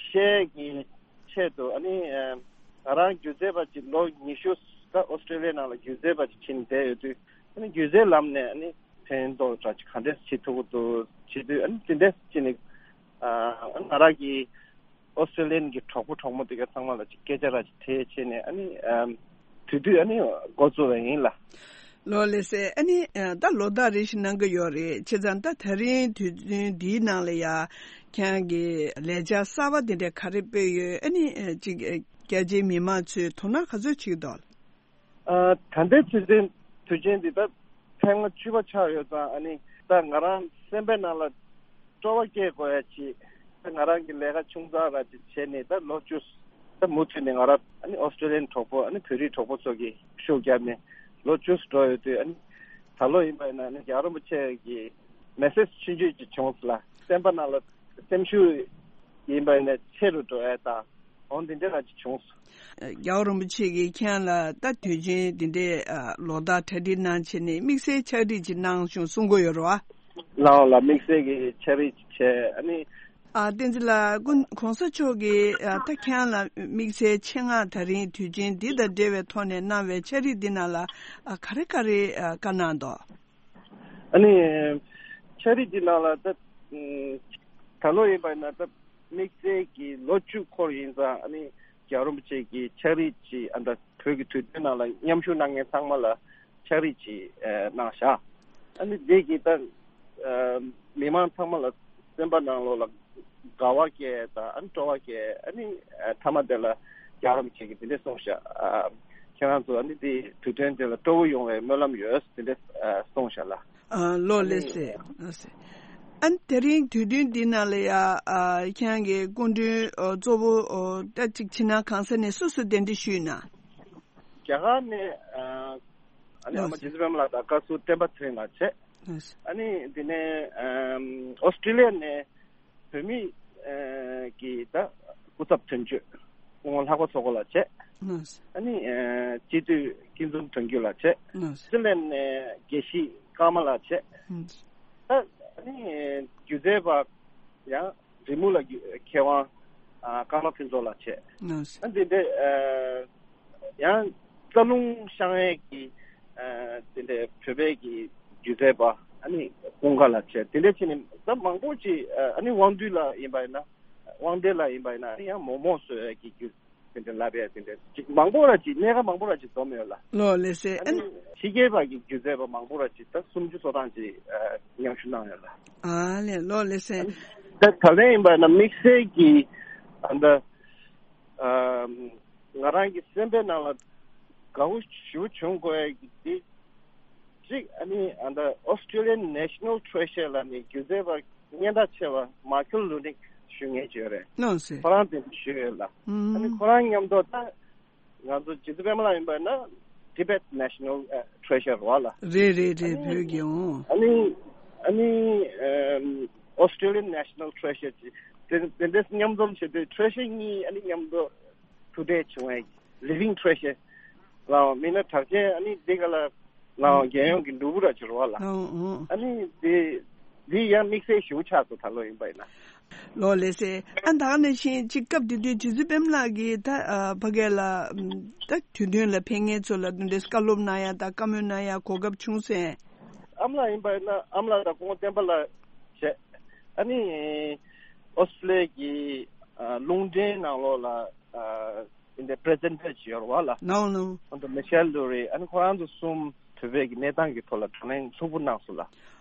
ཤེས་ཀྱི་ཆེད་དུ། ཨ་ནི་ང་རང་སྒྱུ་རྩལ་པ་ཅིག་ལོ་ཉི་ཤུ་ད་ཨོ་སི་ཀྲོ་ལི་ཡའི་ནང་ལ་སྒྱུ་རྩལ་པ་ཅིག་ཕྱིན་བསྡད་ཡོད་དུས། ཨ་ནི་སྒྱུ་རྩལ་ལམ་ནས་ཨ་ནི་ཕན་ཐོགས་འདྲ་ཅིག་ག་འདྲས་བྱེད་ཐུབ་ཀྱི་འདུག་བྱེད་དུས། ཨ་ནི་དེ་འདྲས་ཅིག་ནི་ཨ། ང་རང་གི་ ཨོ་སི་ཀྲི་ལི་ཡན་གྱི་གྲོགས་པོ་གྲོགས་མོ་དེ་ག་ཚང་མ་ལ་ཅིག་སྐད་ཆ་ར་ཅིག་དྲིས་བྱས་ནས། ཨ་ནི་ཨམ་དེ་དུས་ཨ་ནི་འགོ་བཙུགས་པ་ཡིན་ལགས། ལགས་ལགས་སེ། ཨ་ནི་ཨ་ད་ལོ་ཟླ་རེ་བཞིན་གནང་གི་ཡོད་རེད། བྱས་ཙང་ད་ད་རིང་དུས་ཚོད་འདིའི་ནང་ལ་ཡ་ཁྱེད་རང་གི་ལས་འཆར་གསར་པ་དེ་འདྲ་ག་རེ་སྤེལ་ཡོད། ཨ་ནི་ཨ་ཅིག་ཨ་རྒྱ་ཆེའི་མི་མང་ཚོས་དོ་སྣང་ག་ཚོད་བྱེད་ཀྱི་འདུག། ཨ་ད་ལྟའི་དུས་ཚོད་དུས་ཆེན་འདི་ད་ཐེངས་མ་བཅུ་པ་ཆགས་ཡོད་ཙང་། ཨ་ནི་ད་ང་རང་སེམས་པའི་ནང་ལ་སྤྲོ་བ་སྐྱེ་དགོས་ཡ་ཅིག་ད་ང་རང་གི་ལས་ཀ་ཆུང་ཙག་ར་ཅིག་བྱས་ནས། ད་ལོ་བཅུ་ད་མུ་མཐུད་ནས་ང་རང་ཨ་ནི་ཨོ་སི་ཀྲི་ལི་ཡན་གྲོགས་པོ། ཨ་ནི་བོད་རིགས་གྲོགས་པོ་ཚོ་གིས་ཤུགས་བརྒྱབ་ནས་ལོ་བཅུ་འགྲོ་ཡོད་དུས། ཨ་ནི་ད་ལོ་ཡིན་པ་ཡིན་ན་ཨ་ནི་རྒྱལ་བ་རིན་པོ་ཆེ་གི་མེ་སེ་ཇི་ཆུང་ཆུང་ཅིག་བྱུང་སོང་ལགས། སེམས་པ་ནང་ལ་སེམས་ཤུགས་ཡིན་པ་ཡིན་ན་ཆེ་རུ་འགྲོ་ཡ་དང་འོ་འདི་འདྲ་ར་ཅིག་བྱུང་སོང་། རྒྱལ་བ་རིན་པོ་ཆེ་གིས་ཁྱེད་ལ་ད་དུས་ཆེན་འདི་འདྲའི་ཨ་ལོ་ལྟར་གྲ་སྒྲིག་གནང་བྱས་ནས་དམིགས་བསལ་ཕྱག་བྲིས་ཅིག་གནང་བྱུང་གསུང་གི་ཡོད་རེད་བ། ལགས་ལགས། དམིགས་བསལ་གྱི་ཕྱག་བྲིས་ཅིག་བྱས། ཨ་ནི། ཨ་བསྟན་འཛིན་ལགས། གོང་གོང་ས་མཆོག་གིས་ཨ་ད་ཁྱེད་ལ་དམིགས་བསལ་ཆེད་མངགས་ད་རིང་དུས་ཆེན་འདི་དང་འབྲེལ་བའི་ཐོག་ནས་གནང་བའི་ཕྱག་བྲིས་འདི་ནང་ལ་ཨ་ག་རེ་ག་རེ་ཨ་བཀའ་གནང་འདུག། ཨ་ནི། ཕྱག་བྲིས་འདི་ནང་ལ་ད་ད་ལོ་ཡིན་པ་ཡིན་ན་ད་དམིགས་བསལ་གྱི་ལོ་བཅུ་འཁོར་ཡིན་ཙང་། ཨ་ནི་རྒྱལ་བ་རིན་པོ་ཆེ་གི་ཕྱག་བྲིས་ཅིག་ཨ་ད་བོད་ཀྱི་དུས་སྟོན་ནང་ལ་མཉམ་ཞུགས་གནང་མཁན་ཚང་མ་ལ་ཕྱག་བྲིས་ཅིག་ཨ་གནང་བཞག། ཨ་ནི་འདི་གིས་ད་ཨ་མི་མང་ཚང་མ་ལ་སེམས་པ་ནང་ལོགས་ལ་དགའ་བ་སྐྱེ་དང་། ཨ་ནི་སྤྲོ་བ་སྐྱེ། ཨ་ནི་ཨ་མཐའ་མ་དེ་ལ་རྒྱལ་བ་རིན་པོ་ཆེ་གིས་འདི་འདྲས་གསུངས་བཞག། ཨ་ཁྱེད་རང་ཚོ་ཨ་ནི་འདི་དུས་སྟོན་དེ་ལ་སྤྲོ་བོ་ཡོང་བའི་སྨོན་ལམ་ཡོད། འདི་འདྲས་ཨ་གསུངས་བཞག་ལགས། ཨ་ལགས་ལགས་སེ། ལགས་སེ། ཨ་ནི་དེ་རིང་དུས་སྟོན་འདི་ནང་ལ་ཡ་ཨ་ཁྱེད་རང་གི་སྐུ་མགྲོན་ཨ་གཙོ་བོ་ཨ་ད་ཅིག་ཕྱི་ནང་གང་ས་ནས་སུ་སུ་གདན་འདྲེན་ཞུས་ན། རྒྱ་གར་ནས་ཨ་ཨ་ནི་ཨ་མ་ལགས་སེ། རྗེ་བཙུན་པད་མ་ལགས་དང་བཀའ་ཟུར་བསྟན་པ་ཚེ་རིང་ལགས་བྱས། ལགས་སེ། ཨ་ནི་འདི་ནས་ཨམ་ཨོ་སི་ཀྲི་ལི་ཡ་ནས་བོད་མི་ཨ་གི་ད་སྐུ་ཚབ་དོན་གཅོད་སྐུ་ངོ་ལྷག་པ་མཚོ་སྐོར་ལགས་བྱས། ལགས་སེ། ཨ་ནི་ཨ་སྤྱི་འཐུས་སྐྱིད་འཛོམས་དོན་གཅོད་ལགས་བྱས། ལགས་སེ། སི་ལན་ནས་དགེ་བཤེས་ཀརྨ་ལགས་བྱས། ལགས་སེ། ད་ཨ་ནི་སྒྱུ་རྩལ་པ་ཡང་རི་མོ་ལ་མཁས་དབང་ཨ་ཀརྨ་ཕུན་ཚོགས་ལགས་བྱས། ལགས་སོ། ཨ་འདི་འདྲ་ཨ་ཡང་རྩ་རླུང་བཤང་ཡས་ཀྱི་ཨ་འདི་འདྲ་བོད་པའི་གི་སྒྱུ་རྩལ་པ་ཨ་ནི་ཀུན་དགའ་ལགས་བྱས། དེ་འདྲ་བྱས་ནས་ད་མང་པོ་ཅིག་ཨ་ནི་དབང་འདུས་ལགས་ཡིན་པ་ཡིན་ན། དབང་འདུས་ལགས་ཡིན་པ་ཡིན་ན་ཨ་ནི་ཡང་མོག་མོག་བཟོ་ཡས་ཀྱི་སྒྱུ་དེ་འདྲ་ལབ་ཡ་དེ་འདྲ་ཅིག་མང་པོ་ར་ཅིག་གནད་འགག་མང་པོ་ར་ཅིག་འཛོམས་ཡོད་ལ། ལོ་ལེ་སེ་ཨ་ཨ་ནི་ཕྱི་རྒྱལ་བ་གི་སྒྱུ་རྩལ་པ་མང་པོ་ར་ཅིག་ད་སུམ་ཅུ་སོ་གྲངས་ཅིག་ཨ་མཉམ་ཞུགས་གནང་ཡོད་ལ། ཨ་ལེ་ལོ་ལེ་སེ། ཨ་ནི་ད་ད་ལན་ཡིན་པ་ན་དམིགས་བསལ་གྱི་ཨ་ད་ཨ་ང་རང་གི་སེམས་པའི་ནང་ལ་དགའ་བོ་ཞེ་པོ་བྱུང་དགོས་ཡ་གི་དེ་གཅིག་ཨ་ནི་ཨ་ད་Australian National Treasure་ལ་ནི་སྒྱུ་རྩལ་པ་སྙན་གྲགས་ཆེ་བ་མཱ་ཁེལ་ལུ་ནིག་ཞུ་མཁན་ཅིག་ཡོད་རེད། ལོ་སེ། ཁོ་རང་དེ་ཞུས་ཡོད་ལ། ཨ་ནི་ཨུམ། ཁོ་རང་མཉམ་དུ་ད་ང་ཚོ་རྗེ་བཙུན་པད་མ་ལགས་ཡིན་པ་ན་Tibet National Treasure་རེད་བ་ལ། རེད་རེད་རེད། ཨ་ནི་བོད་ཀྱི་འོང་། ཨ་ནི་ཨ་ནི་ཨམ་Australian National Treasure་ཅིག་དེ་དེ་འདྲས་མཉམ་འཛོམས་བྱེད་དུས་Treasure་གཉིས་ཨ་ནི་མཉམ་དུ་ཐུག་འཕྲད་བྱུང་བའི་Living Treasure་ལའང་མིན་ན་གྲགས་ཅན་ཨ་ནི་འདི་ག་ལ་ལའང་རྒྱལ་ཡོངས་ཀྱི་ནོར་བུ་ར་ཅིག་རེད་བ་ལ། ཨོ་ཨོ། ཨ་ནི་འདི་འདི་ཡང་དམིགས་བསལ་ཞེ་པོ་ཆགས་སོང་ད་ལོ་ཡིན་པ་ཡིན་ན། ལོ་ལེ་སེ། ཨ་ད་ག་ནང་བཞིན་ཅིག་སྐབས་དེ་དུས་རྗེ་བཙུན་པད་མ་ལགས་ཀྱིས་ད་ཨ་ཕ་གི་ལ་ཨམ་ད་དུས་སྟོན་ལ་ཕེབས་མཁན་ཚོ་ལ་འདི་འདྲའི་བཀའ་སློབ་གནང་ཡ་དང་བཀའ་མོལ་གནང་ཡ་གོ་སྐབས་བྱུང་སོང་། ཨ་མ་ལགས་ཡིན་པ་ཡིན་ན་ཨ་མ་ལགས་དང་སྐུ་ངོ་བསྟན་པ་ལགས་བྱས། ཨ་ནི་ཨོ་སི་ཀྲི་ལི་ཡ་གི་ཨ་རླུང་འཕྲིན་ནང་ལོགས་ལ་ཨ་འདི་འདྲའི་པི་རི་ཛེན་ཊར་ཅིག་ཡོད་རེད་བ་ལ། ནའོ་ནའོ། ཨ་ནི་མི་ཤེལ་ལུ་རི། ཨ་ནི་ཁོ་རང་ཚོ་གསུམ་བོད་པའི་གི་གནས་སྟངས་ཀྱི་ཐོག་ལ་བགྲོ་གླེང་ལྷུག་པོ་གནང་སོང་ལ།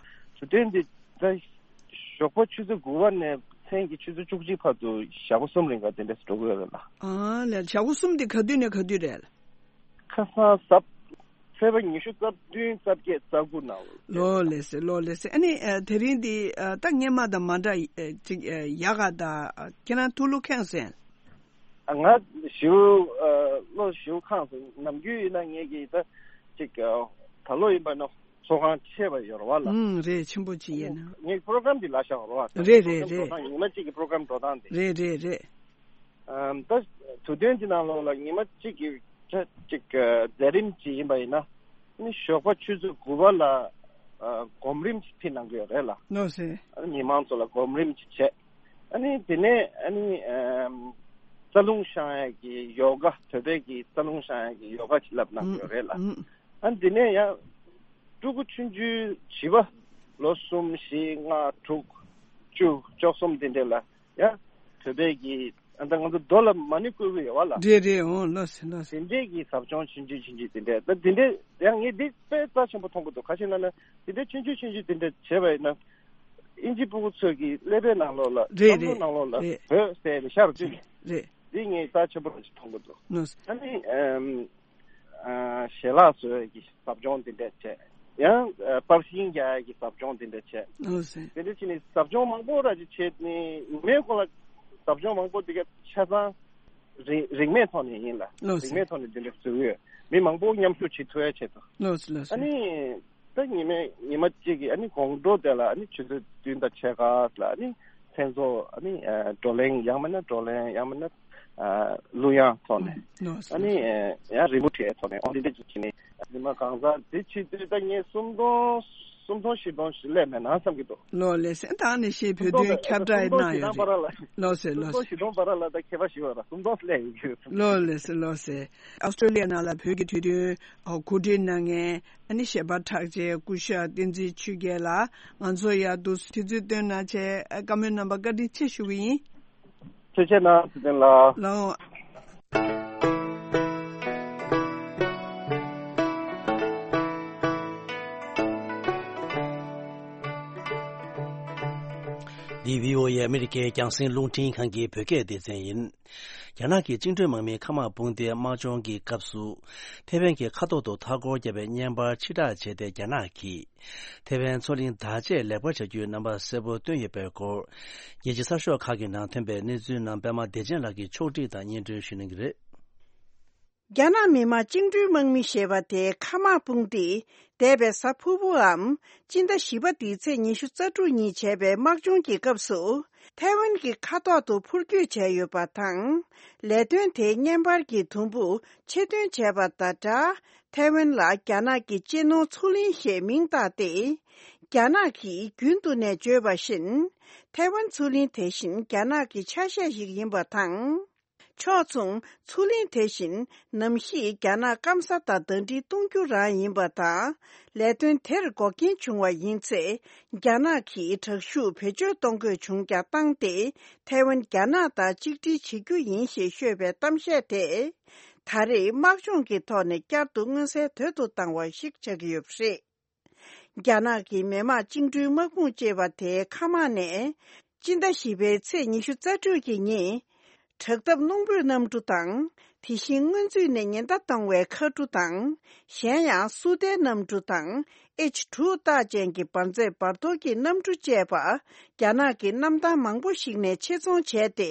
དུས་སྟོན་འདི་ད་ཞོགས་པ་ཆུ་ཚོད་དགུ་པ་ནས་མཚན་གྱི་ཆུ་ཚོད་བཅུ་གཅིག་བར་དུ་ཞག་པོ་གསུམ་རིང་ག་དེ་འདྲས་འགྲོ་གི་ཡོད་རེད་ལ། ཨ་ལས་ཞག་པོ་གསུམ་དེ་ག་དུས་ནས་ག་དུས་རེད། ཁ་སང་གཟའ་ཚེས་པ་ཉི་ཤུ་རྩ་བདུན་རྩ་བརྒྱད་རྩ་དགུ་ནང་ལོ་ལོ་ལེ་སེ་ལོ་ལེ་སེ། ཨ་ནི་ཨ་དེ་རིང་འདི་ཨ་ད་སྔོན་མ་དང་མ་འདྲ་ཨ་ཅིག་ཨ་ཡག་ག་ད་ཨ་ཁྱེད་རང་ཐུགས་བློ་ཁེངས་སོང་། ཨ་ང་ཞེ་པོ་ཨ་བློ་ཞེ་པོ་ཁེངས་སོང་། ནམ་རྒྱུན་ཡིན་ན་ངེད་ཀྱི་ད་ཅིག་ཨ་ད་ལོ་ཡིན་པ་ན་ཚོགས་ཁང་ཆེ་བ་ཡོད་རེད་བ་ལ། ཨུམ་རེད། ཆེན་པོ་ཅིག་ཡིན་ན། ངེད་པོ་རོ་གྷ་རམ་འདི་ལ་བཞག་རེད་བ། རེད་རེད་པོ་རོ་གྷ་རམ་རེད། འགྲོ་སྟངས་ཉི་མ་གཅིག་གི་པོ་རོ་གྷ་རམ་འགྲོ་སྟངས་འདི། རེད་རེད་རེད། ཨམ་ད་དུས་སྟོན་གྱི་ནང་ལོགས་ལ་ཉི་མ་གཅིག་གི་ཆ་གཅིག་གི་མཛད་རིམ་ཅིག་ཡིན་པ་ཡིན་ན། ནི་ཞོགས་པ་ཆུ་ཚོད་དགུ་པ་ལ་ཨ་སྒོམ་རིམ་ཅིག་ཕུལ་གནང་གི་ཡོད་རེད་ལ། ལོ་སེ། ཨ་ནི་མི་མང་ཚོ་ལ་སྒོམ་རིམ་ཅིག་བྱས། ཨ་ནི་དེ་ནས་ཨ་ནི་ཨམ་རྩ་རླུང་བཤང་ཡས་ཀྱི་ཡོ་ག་བོད་པའི་གི་རྩ་རླུང་བཤང་ཡས་ཀྱི་ཡོ་ག་ཅིག་བསླབ་གནང་གི་ཡོད་རེད་ལ། ཨུམ། ཨ་ནི་དེ་ནས་ཡང་ཕྲུ་གུ་ཆུང་ཆུང་བྱིས་པ་ལོ་གསུམ་བཞི་ལྔ་དྲུག་བཅུ་བཅུ་གསུམ་དེ་འདྲས་ལ། ཡང་བོད་པའི་གི་ ད་ང་ཚོ་རྡོ་ལ་མ་ཎི་བརྐོས་ཀྱི་ཡོད་བ་ལ། རེད་རེད། འོང་། ལགས་སེ་ལགས་སེ། དེ་འདྲས་ཀྱི་ཟབ་སྦྱོང་ཆུང་ཆུང་ཆུང་ཆུང་དེ་འདྲས། ད་དེ་འདྲས་ཡང་ངས་འདི་དཔེ་རྩ་ཆེན་པོ་མཐོང་གི་འདུག་ག་ཞིག་ལབ་ན། དེ་འདྲས་ཆུང་ཆུང་ཆུང་ཆུང་དེ་འདྲས་བྱས་པ་ཡིན་ན། ཨིན་ཇི་སྤུ་གུ་ཚོས་ཀྱི་ཀླད་པའི་ནང་ལོགས་ལ། རེད་བསམ་བློ་རེད་ནང་ལོགས་ལ། རེད། བོད་ཟེར་ནས་ཤར་བསྡུས་ནས། རེད། འདི་ངས་རྩ་ཆེན་པོ་རང་ཞིག་མཐོང་གི་འདུག་ལགས་སེ། ཨ་ནི་ཨམ། ཨ། ཞལ་ལག་བཟོ་ཡས་ཀྱི་ཟབ་སྦྱོང་དེ་འདྲ་བྱས། ཡང་། ཨ། པར་ཤིང་རྒྱག་ཡས་ཀྱི་ཟབ་སྦྱོང་དེ་འདྲ་བྱས། ལགས་སེ། དེ་འདྲ་བྱས་ནས་ཟབ་སྦྱོང་མང་པོ་ར་ཅིག་བྱས་ནས། ཉི་མའི་གོང་ལ་ཟབ་སྦྱོང་མང་པོ་དེ་ག་ཆ་ཚང་རིན་རིན་མེད་ཐོག་ནས་ཡིན་ལ། ལགས་སེ། རིན་མེད་ཐོག་ནས་དེ་འདྲ་བཟོ་གི་ཡོད། མི་མང་པོ་མཉམ་ཞུགས་བྱེད་ཐུབ་ཡ་ཆེད་དུ། ལགས་སེ་ལགས་སེ། ཨ་ནི། ད་ཉི་མ་ཉི་མ་གཅིག་གི་ཨ་ནི་དགོང་དྲོ་དེ་ལ་ཨ་ནི་ཆུ་ཚོད་བདུན་དང་ཕྱེད་ཀ་ལ་ཨ་ནི་མཚན་ཚོགས། ཨ་ནི་ཨ་བགྲོ་གླེང་ཡང་མིན་ན་བགྲོ་གླེང་ཡང་མིན་ན་ཨ་གླུ་དབྱངས་ཐོག་ནས། ལགས་སོ། ཨ་ནི་ཨ་ཡང་རི་མོ་བྲིས་ཐོག་ནས། ཨོ་འདི་འདྲ་ཅིག་བྱས་ནས་ཉི་མ་གང་ཟག་དེ་ཕྱི་དུས་ད་ངས་སུམ་སྟོང་སུམ་སྟོང་བཞི་སྟོང་ཞིག་སླེབས་མེད་ན་བསམ་གྱི་འདུག་ལགས་སེ། ད་ནི་ཤེས་བོད་དོན་ཁྱབ་བསྒྲགས་གནང་ཡོད་རེད། ལགས་སེ་ལགས་སེ། སུམ་སྟོང་བཞི་སྟོང་བར་ལ་ད་མཁས་པ་ཞིག་ཡོད་ར། སུམ་སྟོང་སླེབས་ཡོད་ཀྱི་ཡོད། ལགས་སེ་ལགས་སེ། ཨོ་སི་ཀྲོ་ལི་ཡ་ནང་ལ་བོད་ཀྱི་དུས་སྟོན་གོ་སྒྲིག་གནང་མཁན། ཨ་ནི་གཞས་པ་གྲགས་ཅན་སྐུ་ཞབས་བསྟན་འཛིན་ཆོས་རྒྱལ་ལགས། ང་ཚོ་ཡར་འདུག་སེ་དུས་ཚོད་བཏོན་གནང་བྱས། བཀའ་མོལ་གནང་བར་བཀའ་དྲིན་ཆེ་ཞུ་གི་ཡིན། ཐུགས་རྗེ་གནང་། ཚེ་བརྟན་ལགས། ལགས་འོང་། འདི་བྷི་ཨོ་ཨེ་ཨ་མི་རི་ཀའི་རྒྱང་སྲིང་རླུང་འཕྲིན་ཁང་གི་བོད་སྐད་སྡེ་ཚན་ཡིན། རྒྱ་ནག་གི་བཅིངས་འགྲོལ་དམག་མིའི་མཁའ་དམག་དཔུང་སྡེའི་དམག་སྦྱོང་གི་སྐབས་སུ། ཐེ་ཝན་གྱི་མཁའ་ཐོག་ཏུ་མཐའ་སྐོར་བརྒྱབ་པའི་བརྙན་པར་ཕྱིར་བསྒྲགས་བྱས་ཏེ། རྒྱ་ནག་གིས་ཐེ་ཝན་མཚོ་གླིང་བདག་གཅེས་ལེགས་པར་བྱ་རྒྱུའི་རྣམ་པ་གསལ་པོ་བཏོན་ཡོད་པའི་སྐོར། རྒྱལ་སྤྱིའི་གསར་ཤོག་ཁག་གི་ནང་ཐོན་པའི་གནས་ཚུལ་རྣམས་པད་མ་བདེ་ཆེན་ལགས་ཀྱིས་ཕྱོགས་སྒྲིག་དང་སྙན་སྒྲོན་ཞུ་གནང་གི་རེད། རྒྱ་ནག་མི་དམངས་བཅིངས་འགྲོལ་དམག་མི་ཞེས་པ་དེའི་མཁའ་དམག་དཔུང་སྡེས་འདས་པའི་གཟའ་ཕུར་བུའམ་སྤྱི་ཟླ་བཞི་པ་འདིའི་ཚེས་ཉི་ཤུ་རྩ་དྲུག་ཉིན་བྱས་པའི་དམག་སྦྱོང་གི་སྐབས་སུ། ཐའེ་ཝན་གྱི་མཁའ་ཐོག་ཏུ་འཕུར་སྐྱོད་བྱས་ཡོད་པ་དང་། ལས་དོན་དེའི་བརྙན་པར་གྱི་དུམ་བུ་ཆེད་འདོན་བྱས་པ་དང་སྦྲགས། ཐའེ་ཝན་ལ་རྒྱ་ནག་གི་གཅེས་ནོར་མཚོ་གླིང་ཞེས་མིང་བཏགས་ཏེ། རྒྱ་ནག་གིས་རྒྱུན་དུ་ནས་བརྗོད་པ་བཞིན། ཐའེ་ཝན་མཚོ་གླིང་དེ་བཞིན་རྒྱ་ནག་གི་ཆ་ཤས་ཤིག་ཡིན་པ་དང་། ཕྱོགས་མཚུངས། མཚོ་གླིང་དེ་བཞིན་ནམ་ཞིག་རྒྱ་ནག་སྐམ་ས་དང་ཟླ་སྒྲིལ་གཏོང་རྒྱུ་རང་ཡིན་པ་དང་། ལས་དོན་དེར་འགོག་རྐྱེན་བྱུང་བ་ཡིན་ཚེ། རྒྱ་ནག་གིས་དྲག་ཤུགས་བེད་སྤྱོད་གཏོང་དགོས་བྱུང་ཀྱང་བཏང་སྟེ། ཐའེ་ཝན་རྒྱ་ནག་དང་གཅིག་སྒྲིལ་བྱེད་རྒྱུ་ཡིན་ཞེས་ཤོད་པའི་གཏམ་བཤད་དེ། ད་རེས་དམག་སྦྱོང་གི་ཐོག་ནས་བསྐྱར་དུ་མངོན་གསལ་དོད་དུ་བཏང་བ་ཞིག་ཆགས་ཀྱི་ཡོད་པ་རེད། རྒྱ་ནག་གི་མི་དམངས་བཅིངས་འགྲོལ་དམག་དཔུང་ཅེས་པ་དེའི་མཁའ་དམག་ནས། སྤྱི་ཟླ་བཞི་པའི་ཚེས་ཉི་ཤུ་རྩ་དྲུག་གི་ཉིན། དྲག་འཐབ་རླུང་བུའི་གནམ་གྲུ་དང་། དེ་བཞིན་སྔོན་ཚུད་ནས་ཉེན་བརྡ་གཏོང་བའི་མཁའ་གྲུ་དང་། གཞན་ཡང་སུ་ཏའི་གནམ་གྲུ་དང་། ཨེཆ་དྲུག་རྟགས་ཅན་གྱི་འབར་རྫས་འབར་གཏོར་གྱི་གནམ་གྲུ་བཅས་པ། རྒྱ་ནག་གི་གནམ་ཐང་མང་པོ་ཞིག་ནས་ཆེད་རྫོང་བྱས་ཏེ།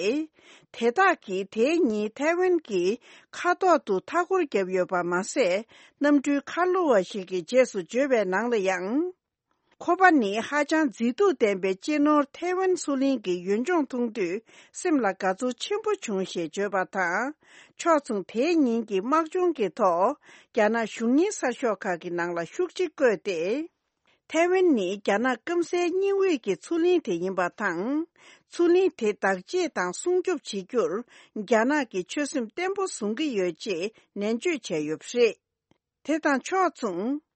དེ་དག་གིས་དེའི་ཉིན་ཐའེ་ཝན་གྱི་མཁའ་ཐོག་ཏུ་མཐའ་སྐོར་བརྒྱབ་ཡོད་པ་མ་ཟད། གནམ་གྲུའི་ཁ་ལོ་བ་ཞིག་གིས་རྗེས་སུ་བརྗོད་པའི་ནང་ལ་ཡང་། ཁོ་པ་ནི་ཧ་ཅང་མཛེས་སྡུག་ལྡན་པའི་གཅེས་ནོར་ཐའེ་ཝན་མཚོ་གླིང་གི་ཡུལ་ལྗོངས་མཐོང་དུས་སེམས་ལ་དགའ་ཚོར་ཆེན་པོ་བྱུང་ཞེས་བརྗོད་པ་དང་། ཕྱོགས་མཚུངས། དེའི་ཉིན་གྱི་དམག་སྦྱོང་གི་ཐོག་རྒྱ་ནག་གཞུང་གཉེར་གསར་ཤོག་ཁག་གི་ནང་ལ་ཤུགས་ཆེ་བཀོད་དེ། ཐའེ་ཝན་ནི་རྒྱ་ནག་སྐམ་སའི་སྙིང་དབུས་ཀྱི་མཚོ་གླིང་དེ་ཡིན་པ་དང་། མཚོ་གླིང་དེ་བདག་གཅེས་དང་སྲུང་སྐྱོབ་བྱེད་རྒྱུར། རྒྱ་ནག་གིས་ཆོད་སེམས་བརྟན་པོ་བཟུང་གི་ཡོད་ཅེས་ནན་བརྗོད་བྱས་ཡོད་པ་རེད། དེ་དང་ཕྱོགས་མཚུངས།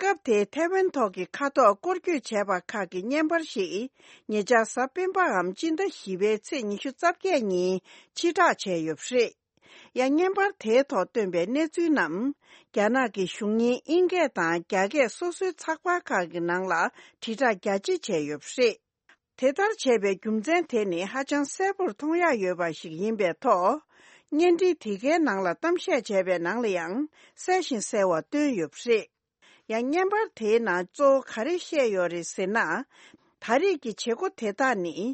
སྐབས་དེའི་ཐའེ་ཝན་ཐོག་གི་མཁའ་ཐོག་སྐོར་སྐྱོད་བྱས་པ་ཁག་གི་བརྙན་པར་ཞིག་ཉེ་ཆར་གཟའ་སྤེན་པའམ་སྤྱི་ཟླ་བཞི་པའི་ཚེས་ཉི་ཤུ་རྩ་བརྒྱད་ཉིན་ཕྱིར་བསྒྲགས་བྱས་ཡོད་པ་རེད། ཡང་བརྙན་པར་དེའི་ཐོག་བཏོན་པའི་གནས་ཚུལ་རྣམས། རྒྱ་ནག་གི་གཞུང་གཉེར་ཨིན་སྐད་དང་རྒྱ་སྐད་སོ་སོའི་ཚགས་པར་ཁག་གི་ནང་ལ་དྲིལ་བསྒྲགས་རྒྱ་ཆེ་བྱས་ཡོད་པ་རེད། དེ་ལྟར་བྱས་པའི་རྒྱུ་མཚན་དེ་ནི་ཧ་ཅང་གསལ་པོར་མཐོང་ཡག་ཡོད་པ་ཞིག་ཡིན་པའི་ཐོག་བརྙན་འཕྲིན་དེ་གའི་ནང་ལ་གཏམ་བཤད་བྱས་པའི་ནང་ལ་ཡང་གསལ་ཞིང་གསལ་བ་བཏོན་ཡོད་པ་རེད། ཡང་བརྙན་པར་དེའི་ནང་གཙོ་བོ་ག་རེ་བཤད་ཡོད་རེད་ཟེར་ན། ད་རེས་ཀྱི་བྱེད་སྒོ་དེ་དག་ནི།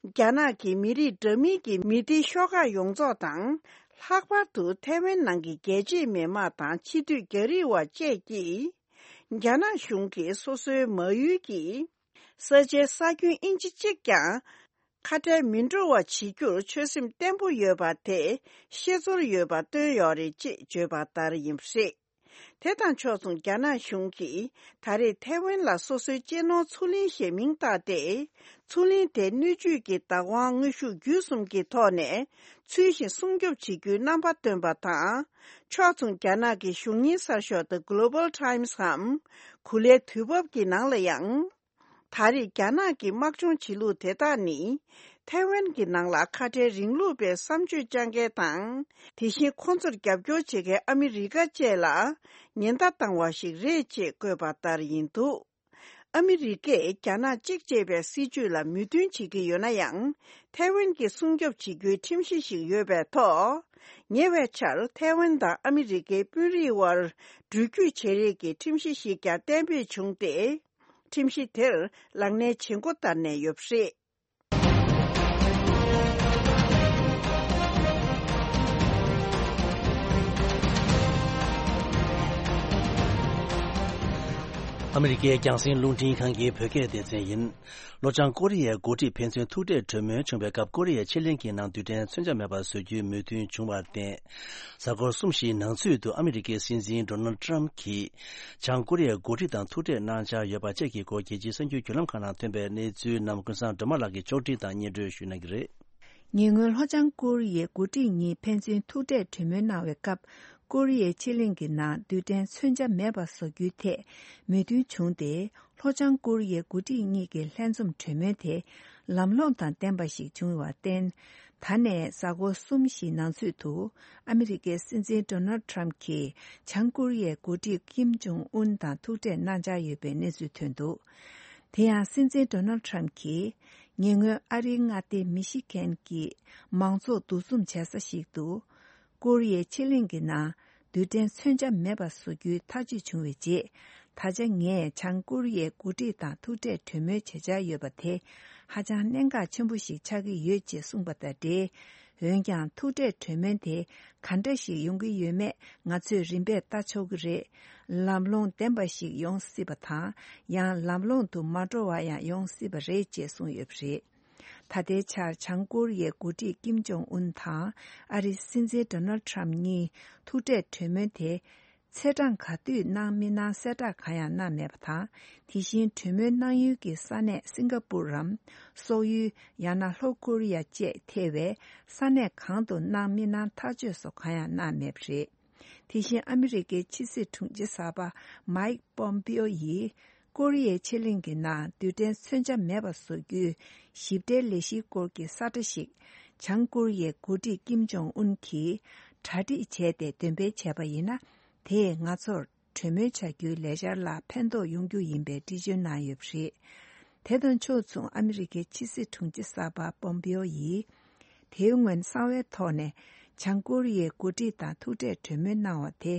རྒྱ་ནག་གི་མི་རིགས་འདྲ་མིན་གྱི་མི་སྡེ་ཤོག་ཁག་ཡོངས་རྫོགས་དང་། ལྷག་པར་དུ་ཐའེ་ཝན་ནང་གི་རྒྱལ་གཅེས་མི་དམངས་དང་ཕྱི་སྡོད་རྒྱ་རིགས་བ་བཅས་ཀྱིས། རྒྱ་ནག་གཞུང་གིས་སོ་སོའི་མ་ཡུལ་གྱི་ས་ཆའི་ས་ཁྱོན་ཨིན་ཅི་གཅིག་ཀྱང་ཁ་བྲལ་མི་འགྲོ་བ་བྱེད་རྒྱུར་ཆོད་སེམས་བརྟན་པོ་ཡོད་པ་དེ་ཤེས་ཚོར་ཡོད་པ་བཏོན་ཡོད་རེད་ཅེས་བརྗོད་པ་ལྟར་ཡིན་པ་རེད། དེ་དང་ཕྱོགས་མཚུངས། རྒྱ་ནག་གཞུང་གིས་ད་རེས་ཐའེ་ཝན་ལ་སོ་སོའི་གཅེས་ནོར་མཚོ་གླིང་ཞེས་མིང་བཏགས་ཏེ། མཚོ་གླིང་དེ་སྣོད་བཅུད་ཀྱི་བདག་དབང་དངོས་ཤུགས་བརྒྱུད་གསུམ་གྱི་ཐོག་ནས་ཚུལ་བཞིན་སྲུང་སྐྱོབ་བྱེད་རྒྱུའི་རྣམ་པ་བཏོན་པ་དང་། ཕྱོགས་མཚུངས། རྒྱ་ནག་གི་གཞུང་གཉེར་གསར་ཤོག་The Global Times འམ་གུ་ལའི་དུས་བབ་ཀྱི་ནང་ལ་ཡང་། ད་རེས་རྒྱ་ནག་གི་དམག་སྦྱོང་བྱེད་ལུགས་དེ་དག་ནི། ཐའེ་ཝན་གྱི་ནང་ལ་ཁ་བྲལ་རིང་ལུགས་པའི་བསམ་སྤྱོད་བཅངས་མཁན་དང་། དེ་བཞིན་ཁོང་ཚོར་རྒྱབ་སྐྱོར་བྱེད་མཁན་ཨ་མི་རི་ཀ་བཅས་ལ་ཉེན་བརྡ་བཏང་བ་ཞིག་རེད་ཅེས་བཀོད་པ་ལྟར་ཡིན་འདུག་ཨ་མི་རི་ཀས་རྒྱ་ནག་གཅིག་ཅེས་པའི་སྲིད་ཇུས་ལ་མོས་མཐུན་བྱེད་ཀྱི་ཡོད་ན་ཡང་། ཐའེ་ཝན་གྱི་སྲུང་སྐྱོབ་བྱེད་རྒྱུའི་ཁྲིམས་གཞི་ཞིག་ཡོད་པའི་ཐོག་ཉེ་བའི་ཆར་ཐའེ་ཝན་དང་ཨ་མི་རི་ཀའི་དཔོན་རིགས་དབར་འགྲུལ་སྐྱོད་བྱེད་རེས་ཀྱི་ཁྲིམས་གཞི་ཞིག་ཀྱང་གཏན་འབེབས་བྱུང་སྟེ། ཁྲིམས་གཞི་དེར་ལག་ལེན་བྱེད་འགོ་བསྟར་ནས་ཡོད་པ་རེད། ཨ་མི་རི་ཀའི་རྒྱང་སྲིང་རླུང་འཕྲིན་ཁང་གི་བོད་སྐད་སྡེ་ཚན་ཡིན། ལྷོ་བྱང་ཀོ་རི་ཡའི་འགོ་ཁྲིད་ཕན་ཚུན་ཐུག་འཕྲད་གྲོས་མོལ་བྱུང་བའི་སྐབས། ཀོ་རི་ཡའི་ཕྱེད་གླིང་གི་ནང་རྡུལ་ཕྲན་མཚོན་ཆ་མེད་པ་བཟོ་རྒྱུའི་མོས་མཐུན་བྱུང་བར་བརྟེན། གཟའ་འཁོར་གསུམ་བཞིའི་ནང་ཚུད་དུ་ཨ་མི་རི་ཀའི་སྲིད་འཛིན་ཌོ་ནལ་ཊམ་གྱིས་བྱང་ཀོ་རི་ཡའི་འགོ་ཁྲིད་དང་ཐུག་འཕྲད་གནང་འཆར་ཡོད་པ་བཅས་ཀྱི་སྐོར་རྒྱལ་སྤྱིའི་གསར་འགྱུར་བརྒྱུད་ལམ་ཁག་ནང་ཐོན་པའི་གནས་ཚུལ་རྣམས་ཀུན་བཟང་སྒྲོལ་མ་ལགས་ཀྱིས་ཕྱོགས་སྒྲིག་དང་སྙན་སྒྲོན་ཞུ་གནང་གི་རེད། ཉེ་སྔོན་ལྷོ་བྱང་ཀོ་རི་ཡའི་འགོ་ཁྲིད་གཉིས་ཕན་ཚུན་ཐུག་འཕྲད་གྲོས་མོལ་གནང་བའི་སྐབས། ཀོ་རི་ཡའི་ཕྱེད་གླིང་གི་ནང་རྡུལ་ཕྲན་མཚོན་ཆ་མེད་པ་བཟོ་རྒྱུའི་ཐད་མོས་མཐུན་བྱུང་སྟེ། ལྷོ་བྱང་ཀོ་རི་ཡའི་འགོ་ཁྲིད་གཉིས་ཀྱི་ལྷན་འཛོམས་གྲོས་མོལ་དེ་ལམ་ལྷོང་དང་ལྡན་པ་ཞིག་བྱུང་བར་བརྟེན། ད་ནས་གཟའ་འཁོར་གསུམ་བཞིའི་ནང་ཚུད་དུ་ཨ་མི་རི་ཀའི་སྲིད་འཛིན་ཌོ་ནལ་ཊམ་གྱིས་བྱང་ཀོ་རི་ཡའི་འགོ་ཁྲིད་ཀིམ་ཇོང་ཨུན་དང་ཐུག་འཕྲད་གནང་འཆར་ཡོད་པའི་གནས་ཚུལ་ཐོན་འདུག་དེ་ཡང་སྲིད་འཛིན་ཌོ་ནལ་ཊམ་གྱིས་ཉེ་སྔོན་ཨ་རིའི་མངའ་སྡེ་མི་ཤི་གན་གྱི་མང་ཚོགས་འདུ་འཛོམས་བྱེད་ས་ཞིག་ཏུ། ཀོ་རི་ཡའི་ཕྱེད་གླིང་གི་ནང་རྡུལ་ཕྲན་མཚོན་ཆ་མེད་པ་བཟོ་རྒྱུའི་ཐག་གཅོད་བྱུང་བའི་རྗེས། ད་ཆ་ངས་བྱང་ཀོ་རི་ཡའི་འགོ་ཁྲིད་དང་ཐུག་འཕྲད་གྲོས་མོལ་བྱེད་འཆར་ཡོད་པ་དེ་ཧ་ཅང་གནད་འགག་ཆེན་པོ་ཞིག་ཆགས་ཀྱི་ཡོད་ཅེས་གསུངས་པ་དང་འབྲེལ། འོན་ཀྱང་ཐུག་འཕྲད་གྲོས་མོལ་དེ་ག་འདྲ་ཞིག་ཡོང་གི་ཡོད་མེད་ང་ཚོས་རིམ་པས་ལྟ་ཆོག་གི་རེད། ལམ་ལྷོང་ལྡན་པ་ཞིག་ཡོང་སྲིད་པ་དང་། ཡང་ལམ་ལྷོང་དུ་མ་འགྲོ་བ་ཡང་ཡོང་སྲིད་པ་རེད་ཅེས་གསུངས་ཡོད་པ་རེད། ད་ལྟའི་ཆར་བྱང་ཀོ་རི་ཡའི་འགོ་ཁྲིད་ཀིམ་ཇོང་ཨུན་དང་ཨ་རིའི་སྲིད་འཛིན་ཌོ་ནལ་ཊམ་གཉིས་ཐུག་འཕྲད་གྲོས་མོལ་དེ། ཚེས་གྲངས་ག་དུས་གནང་མི་གནང་གསལ་བསྒྲགས་གང་ཡང་གནང་མེད་པ་དང་། དེ་བཞིན་གྲོས་མོལ་གནང་ཡུལ་གྱི་ས་གནས་སིང་ག་པུར་རམ། སོག་ཡུལ། ཡང་ན་ལྷོ་ཀོ་རི་ཡ་བཅས་ཐེ་བའི་ས་གནས་གང་དུ་གནང་མི་གནང་ཐག་གཅོད་སོགས་གང་ཡང་གནང་མེད་པ་རེད། དེ་བཞིན་ཨ་མི་རི་ཀའི་ཕྱི་སྲིད་དྲུང་ཆེ་གསར་པ་མའིག་པོམ་པིའོ་ཡིས། ཀོ་རི་ཡའི་ཕྱེད་གླིང་གི་ནང་རྡུལ་ཕྲན་མཚོན་ཆ་མེད་པ་བཟོ་རྒྱུའི་ཞིབ་ཕྲའི་ལས་གཞིའི་སྐོར་གྱི་ས་ཁྲ་ཞིག་བྱང་ཀོ་རི་ཡའི་འགོ་ཁྲིད་ཀིམ་ཇོང་ཨུན་གྱིས་གྲ་སྒྲིག་བྱས་ཏེ་འདོན་སྤེལ་བྱས་པ་ཡིན་ན། དེས་ང་ཚོར་གྲོས་མོལ་བྱ་རྒྱུའི་ལས་འཆར་ལ་ཕན་ཐོགས་ཡོང་རྒྱུ་ཡིན་པའི་འགྲེལ་བརྗོད་གནང་ཡོད་པ་རེད། དེ་དང་ཕྱོགས་མཚུངས་ཨ་མི་རི་ཀའི་ཕྱི་སྲིད་དྲུང་ཆེ་གསར་པ་པོམ་པིའོ་ཡིས། དེའི་སྔོན་གསང་བའི་ཐོག་ནས་བྱང་ཀོ་རི་ཡའི་འགོ་ཁྲིད་དང་ཐུག་འཕྲད་གྲོས་མོལ་གནང་བ་དེ་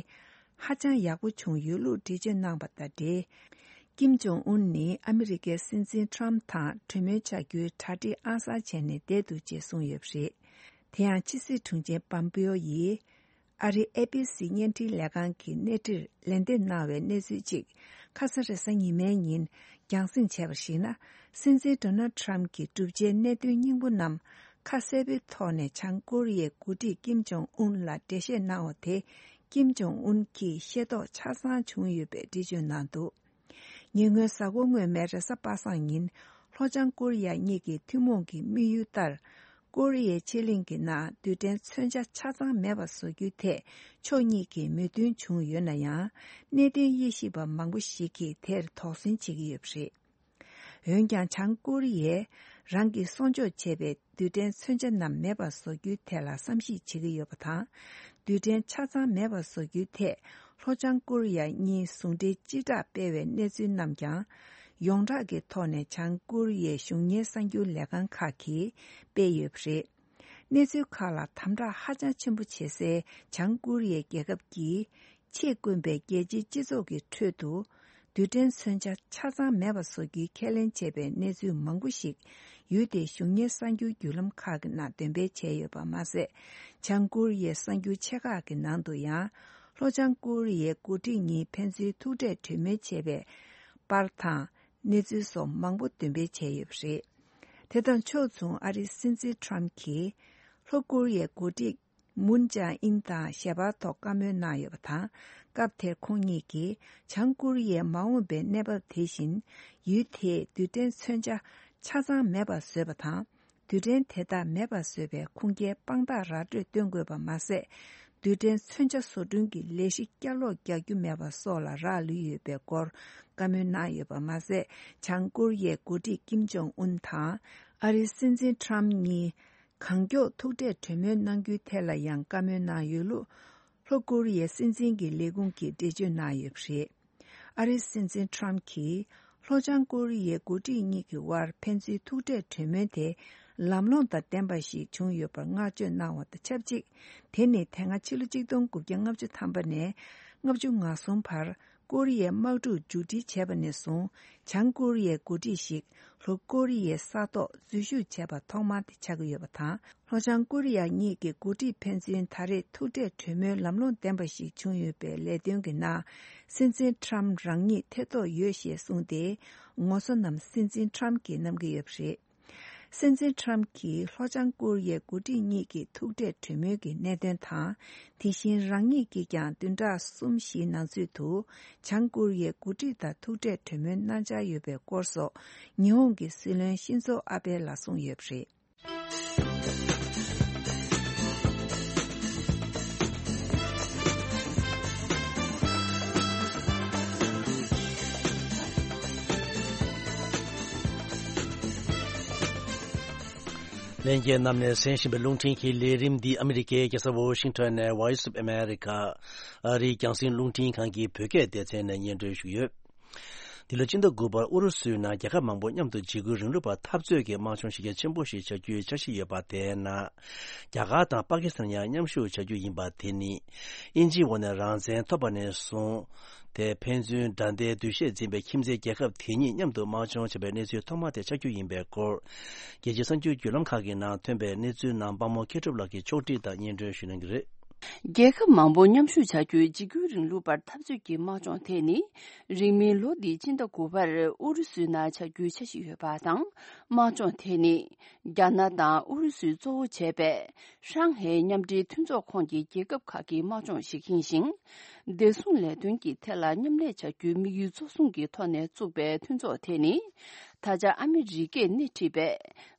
ཧ་ཅང་ཡག་པོ་བྱུང་ཡོད་ལུགས་འགྲེལ་བརྗོད་གནང་བ་དང་འབྲེལ། ཀིམ་ཇོང་ཨུན་ནི་ཨ་མི་རི་ཀའི་སྲིད་འཛིན་ཊམ་དང་གྲོས་མོལ་བྱ་རྒྱུའི་གྲ་སྒྲིག་ཨང་གསར་བྱས་ནས་བསྡད་འདུག་ཅེས་གསུངས་ཡོད་པ་རེད། དེ་ཡང་ཕྱི་སྲིད་དྲུང་ཆེ་པམ་པིའོ་ཡིས། ཨ་རིའི་ཨེ་བི་སི་བརྙན་འཕྲིན་ལས་ཁང་གི་གནས་འདྲིར་ལན་འདེབས་གནང་བའི་གནས་ཚུལ་གཅིག་ཁ་ས་རེས་གཟའ་ཉི་མའི་ཉིན་རྒྱང་སྲིང་བྱས་པར་གཞིགས་ན། སྲིད་འཛིན་ཌོ་ནལ་ཊམ་གྱི་བསྒྲུབ་བྱའི་གནད་དོན་སྙིང་པོ་རྣམས་ཁ་གསལ་པོའི་ཐོག་ནས་བྱང་ཀོ་རི་ཡའི་འགོ་ཁྲིད་ཀིམ་ཇོང་ཨུན་ལ་འགྲེལ་བཤད་གནང་བ་དེ་ཀིམ་ཇོང་ཨུན་གྱིས་ཤེས་རྟོགས་ཆ་ཚང་བྱུང་ཡོད་པའི་འགྲེལ་བརྗོད་གནང་འདུག་ཉེ་སྔོན་གཟའ་འཁོར་སྔོན་མའི་རེས་གཟའ་པ་སངས་ཉིན། ལྷོ་བྱང་ཀོ་རི་ཡ་གཉིས་ཀྱི་ཐུན་མོང་གི་དམིགས་ཡུལ་ལྟར། ཀོ་རི་ཡའི་ཕྱེད་གླིང་གི་ནང་རྡུལ་ཕྲན་མཚོན་ཆ་ཆ་ཚང་མེད་པ་བཟོ་རྒྱུའི་ཐད་ཕྱོགས་གཉིས་ཀྱིས་མོས་མཐུན་བྱུང་ཡོད་ན་ཡང་། གནད་དོན་དབྱེ་ཞིབ་པ་མང་པོ་ཞིག་གིས་དེར་དོགས་ཟོན་བྱེད་ཀྱི་ཡོད་པ་རེད། འོན་ཀྱང་། བྱང་ཀོ་རི་ཡས་རང་གིས་གསོག་འཇོག་བྱས་པའི་རྡུལ་ཕྲན་མཚོན་ཆ་རྣམས་མེད་པར་བཟོ་རྒྱུའི་ཐད་ལ་བསམ་གཞིག་བྱེད་ཀྱི་ཡོད་པ་དང་། རྡུལ་ཕྲན་ཆ་ཚང་མེད་པར་བཟོ་རྒྱུའི་ཐད། ལྷོ་བྱང་ཀོ་རི་ཡ་གཉིས་ཟུང་འབྲེལ་སྤྱི་བསྒྲགས་སྤེལ་བའི་གནས་ཚུལ་རྣམས་ཀྱང་། ཡོངས་གྲགས་ཀྱི་ཐོག་ནས་བྱང་ཀོ་རི་ཡའི་གཞུང་གཉེར་གསར་འགྱུར་ལས་ཁང་ཁག་གིས་སྤེལ་ཡོད་པ་རེད། གནས་ཚུལ་ཁག་ལ་དམ་དྲག་ཧ་ཅང་ཆེན་པོ་བྱེད་སའི་བྱང་ཀོ་རི་ཡའི་རྒྱལ་ཁབ་ཀྱིས། ཆེས་དཀོན་པའི་རྒྱལ་སྤྱིའི་སྤྱི་ཚོགས་ཀྱི་ཁྲོད་དུ། རྡུལ་ཕྲན་མཚོན་ཆ་ཆ་ཚང་མེད་པ་བཟོ་རྒྱུའི་ཁས་ལེན་བྱས་པའི་གནས་ཚུལ་མང་པོ་ཞིག་ཡུལ་དེའི་གཞུང་གཉེར་གསར་འགྱུར་བརྒྱུད་ལམ་ཁག་གི་ནང་འདོན་སྤེལ་བྱས་ཡོད་པ་མ་ཟད། བྱང་ཀོ་རི་ཡའི་གསར་འགྱུར་ཆེ་ཁག་གི་ནང་དུ་ཡང་། ལྷོ་བྱང་ཀོ་རི་ཡའི་འགོ་ཁྲིད་གཉིས་ཕན་ཚུན་ཐུག་འཕྲད་གྲོས་མོལ་བྱས་པའི་པར་དང་། གནས་ཚུལ་སོགས་མང་པོ་འདོན་སྤེལ་བྱས་ཡོད་པ་རེད། དེ་དང་ཕྱོགས་མཚུངས་ཨ་རིའི་སྲིད་འཛིན་ཊམ་གྱིས། ལྷོ་ཀོ་རི་ཡའི་འགོ་ཁྲིད། མུན་ཅང་ཨིན་དང་ཞལ་པར་ཐོག་བཀའ་མོལ་གནང་ཡོད་པ་དང་། སྐབས་དེར་ཁོང་གཉིས་ཀྱིས་བྱང་ཀོ་རི་ཡའི་མ་འོངས་པའི་གནས་བབ་དེ་བཞིན། ཡུལ་དེས་རྡུལ་ཕྲན་མཚོན་ཆ་ཆ་ཚང་མེད་པར་བཟོས་པ་དང་། རྡུལ་ཕྲན་དེ་དག་མེད་པར་བཟོས་པའི་ཁུངས་སྐྱེལ་དཔང་རྟགས་ར་སྤྲོད་སྟོན་དགོས་པ་མ་ཟད། རྡུལ་ཕྲན་མཚོན་ཆ་བཟོ་སྐྲུན་གྱི་ལས་གཞི་བསྐྱར་ལོག་རྒྱག་རྒྱུ་མེད་པ་སོགས་ལ་རག་ལུས་ཡོད་པའི་སྐོར་བཀའ་མོལ་གནང་ཡོད་པ་མ་ཟད། བྱང་ཀོ་རི་ཡའི་འགོ་ཁྲིད་ཀིམ་ཇོང་ཨུན་དང་། ཨ་རིའི་སྲིད་འཛིན་ཁྲམ་གཉིས་གང་མགྱོགས་ཐུག་འཕྲད་གྲོས་མོལ་གནང་རྒྱུའི་ཐད་ལ་ཡང་བཀའ་མོལ་གནང་ཡོད་ལུགས། ལྷོ་ཀོ་རི་ཡའི་སྲིད་འཛིན་གྱི་ལས་ཁུངས་ཀྱིས་འགྲེལ་བརྗོད་གནང་ཡོད་པ་རེད། ཨ་རིའི་སྲིད་འཛིན་ཁྲམ་གྱིས་ལྷོ་བྱང་ཀོ་རི་ཡའི་འགོ་ཁྲིད་གཉིས་ཀྱི་དབར་ཕན་ཚུན་ཐུག་འཕྲད་གྲོས་མོལ་དེ་ལམ་ལྷོང་དང་ལྡན་པ་ཞིག་བྱུང་ཡོད་པར་བསྔགས་བརྗོད་གནང་བ་དང་ཆབས་ཅིག་དེ་ནི་དེ་སྔ་ཕྱི་ལོ་ཆིག་སྟོང་དགུ་བརྒྱ་ལྔ་བཅུ་ཐམ་པ་ནས་ལྔ་བཅུ་ང་གསུམ་བར་ཀོ་རི་ཡའི་དམག་འཁྲུག་མཇུག་སྒྲིལ་བྱས་པ་ནས་བཟུང་། བྱང་ཀོ་རི་ཡའི་འགོ་ཁྲིད་ཞིག་ལྷོ་ཀོ་རི་ཡའི་ས་ཐོག་འཛུལ་ཞུགས་བྱས་པ་ཐོག་མ་དེ་ཆགས་ཀྱི་ཡོད་པ་དང་། ལྷོ་བྱང་ཀོ་རི་ཡ་གཉིས་ཀྱི་འགོ་ཁྲིད་ཕན་ཚུན་ད་རེས་ཐུག་འཕྲད་གྲོས་མོལ་ལམ་ལྷོང་ལྡན་པ་ཞིག་བྱུང་ཡོད་པའི་ལས་དོན་གྱི་ནང་། སྲིད་འཛིན་ཁྲམ་རང་ཉིད་ཐེ་གཏོགས་ཡོད་ཞེས་གསུངས་ཏེ། ངོ་སོ་རྣམས་སྲིད་འཛིན་ཁྲམ་གྱིས་བསྣམས་ཀྱི་ཡོད་པ་རེད། སྲིད་འཛིན་ཁྲམ་གྱིས་ལྷོ་བྱང་ཀོ་རི་ཡའི་འགོ་ཁྲིད་གཉིས་ཀྱི་ཐུག་འཕྲད་གྲོས་མོལ་གྱི་གནད་དོན་དང་། དེ་བཞིན་རང་ཉིད་ཀྱིས་ཀྱང་བདུན་ཕྲག་གསུམ་བཞིའི་ནང་ཚུད་དུ་བྱང་ཀོ་རི་ཡའི་འགོ་ཁྲིད་དང་ཐུག་འཕྲད་གྲོས་མོལ་གནང་འཆར་ཡོད་པའི་སྐོར་སོགས། ཉི་ཧོང་གི་སྲིད་བློན་ཤིན་ཛོ་ཨ་བྷེ་ལ་གསུངས་ཡོད་པ་རེད། ལྷན་རྒྱས་རྣམས་ནས་གསན་བཞིན་པའི་རླུང་འཕྲིན་གྱི་ལས་རིམ་འདི་ཨ་མི་རི་ཀའི་རྒྱལ་ས་ཝོ་ཤིང་ཊོན་ནས་Voice of America ཨ་རིའི་རྒྱང་སྲིང་རླུང་འཕྲིན་ཁང་གི་བོད་སྐད་སྡེ་ཚན་ནས་སྙན་སྒྲོན་ཞུས་ཡོད། འདི་ལོ་སྤྱི་ཟླ་དགུ་པར་ཨུ་རུ་སུའི་ནང་རྒྱལ་ཁབ་མང་པོ་མཉམ་དུ་འཇིགས་སྐུལ་རིང་ལུགས་པ་འཐབ་རྩོད་ཀྱི་དམག་སྦྱོང་གཞི་རྒྱ་ཆེན་པོ་ཞིག་བྱ་རྒྱུའི་འཆར་གཞི་ཡོད་པ་དེའི་ནང་། རྒྱ་གར་དང་པ་ཀི་སི་ཐན་ཡང་མཉམ་ཞུགས་བྱ་རྒྱུ་ཡིན་པ་དེ་ནི། དབྱིན་ཇིའི་འོག་ནས་རང་བཙན་ཐོབ་པ་ནས་བཟུང་། དེ་ཕན་ཚུན་དགྲ་ཟླའི་འདུ་ཤེས་འཛིན་པའི་ཁྱིམ་མཚེས་རྒྱལ་ཁབ་དེ་གཉིས་མཉམ་དུ་དམག་སྦྱོང་བྱས་པའི་གནས་ཚུལ་ཐོག་མ་དེ་ཆགས་རྒྱུ་ཡིན་པའི་སྐོར། རྒྱལ་སྤྱིའི་གསར་འགྱུར་བརྒྱུད་ལམ་ཁག་གི་ནང་ཐོན་པའི་གནས་ཚུལ་རྣམས་དཔང་མོ་མཁས་གྲུབ་ལགས་ཀྱིས་ཕྱོགས་སྒྲིག་དང་སྙན་སྒྲོན་ཞུ་གནང་གི་རེད། རྒྱལ་ཁབ་མང་པོ་མཉམ་ཞུགས་བྱ་རྒྱུའི་འཇིགས་སྐུལ་རིང་ལུགས་པར་འཐབ་རྩོད་ཀྱི་དམག་སྦྱོང་དེ་ནི། རིང་མིན་ལོ་འདིའི་སྤྱི་ཟླ་དགུ་པར་ཨུ་རུ་སུའི་ནང་བྱ་རྒྱུའི་འཆར་གཞི་ཡོད་པ་དང་། དམག་སྦྱོང་དེ་ནི། རྒྱ་ནག་དང་ཨུ་རུ་སུས་གཙོ་བོ་བྱས་པའི། ཧྲང་ཧའེ་མཉམ་འབྲེལ་མཐུན་ཚོགས་ཁོངས་ཀྱི་རྒྱལ་ཁབ་ཁག་གི་དམག་སྦྱོང་ཞིག་ཡིན་ཞིང་། བདེ་སྲུང་ལས་དོན་གྱི་ཐད་ལ་མཉམ་ལས་བྱ་རྒྱུའི་དམིགས་ཡུལ་གཙོ་བཟུང་གི་ཐོག་ནས་བཙུགས་པའི་མཐུན་ཚོགས་དེ་ནི། ད་ཆ་ཨ་མི་རི་ཀས་སྣེ་ཁྲིད་པའི་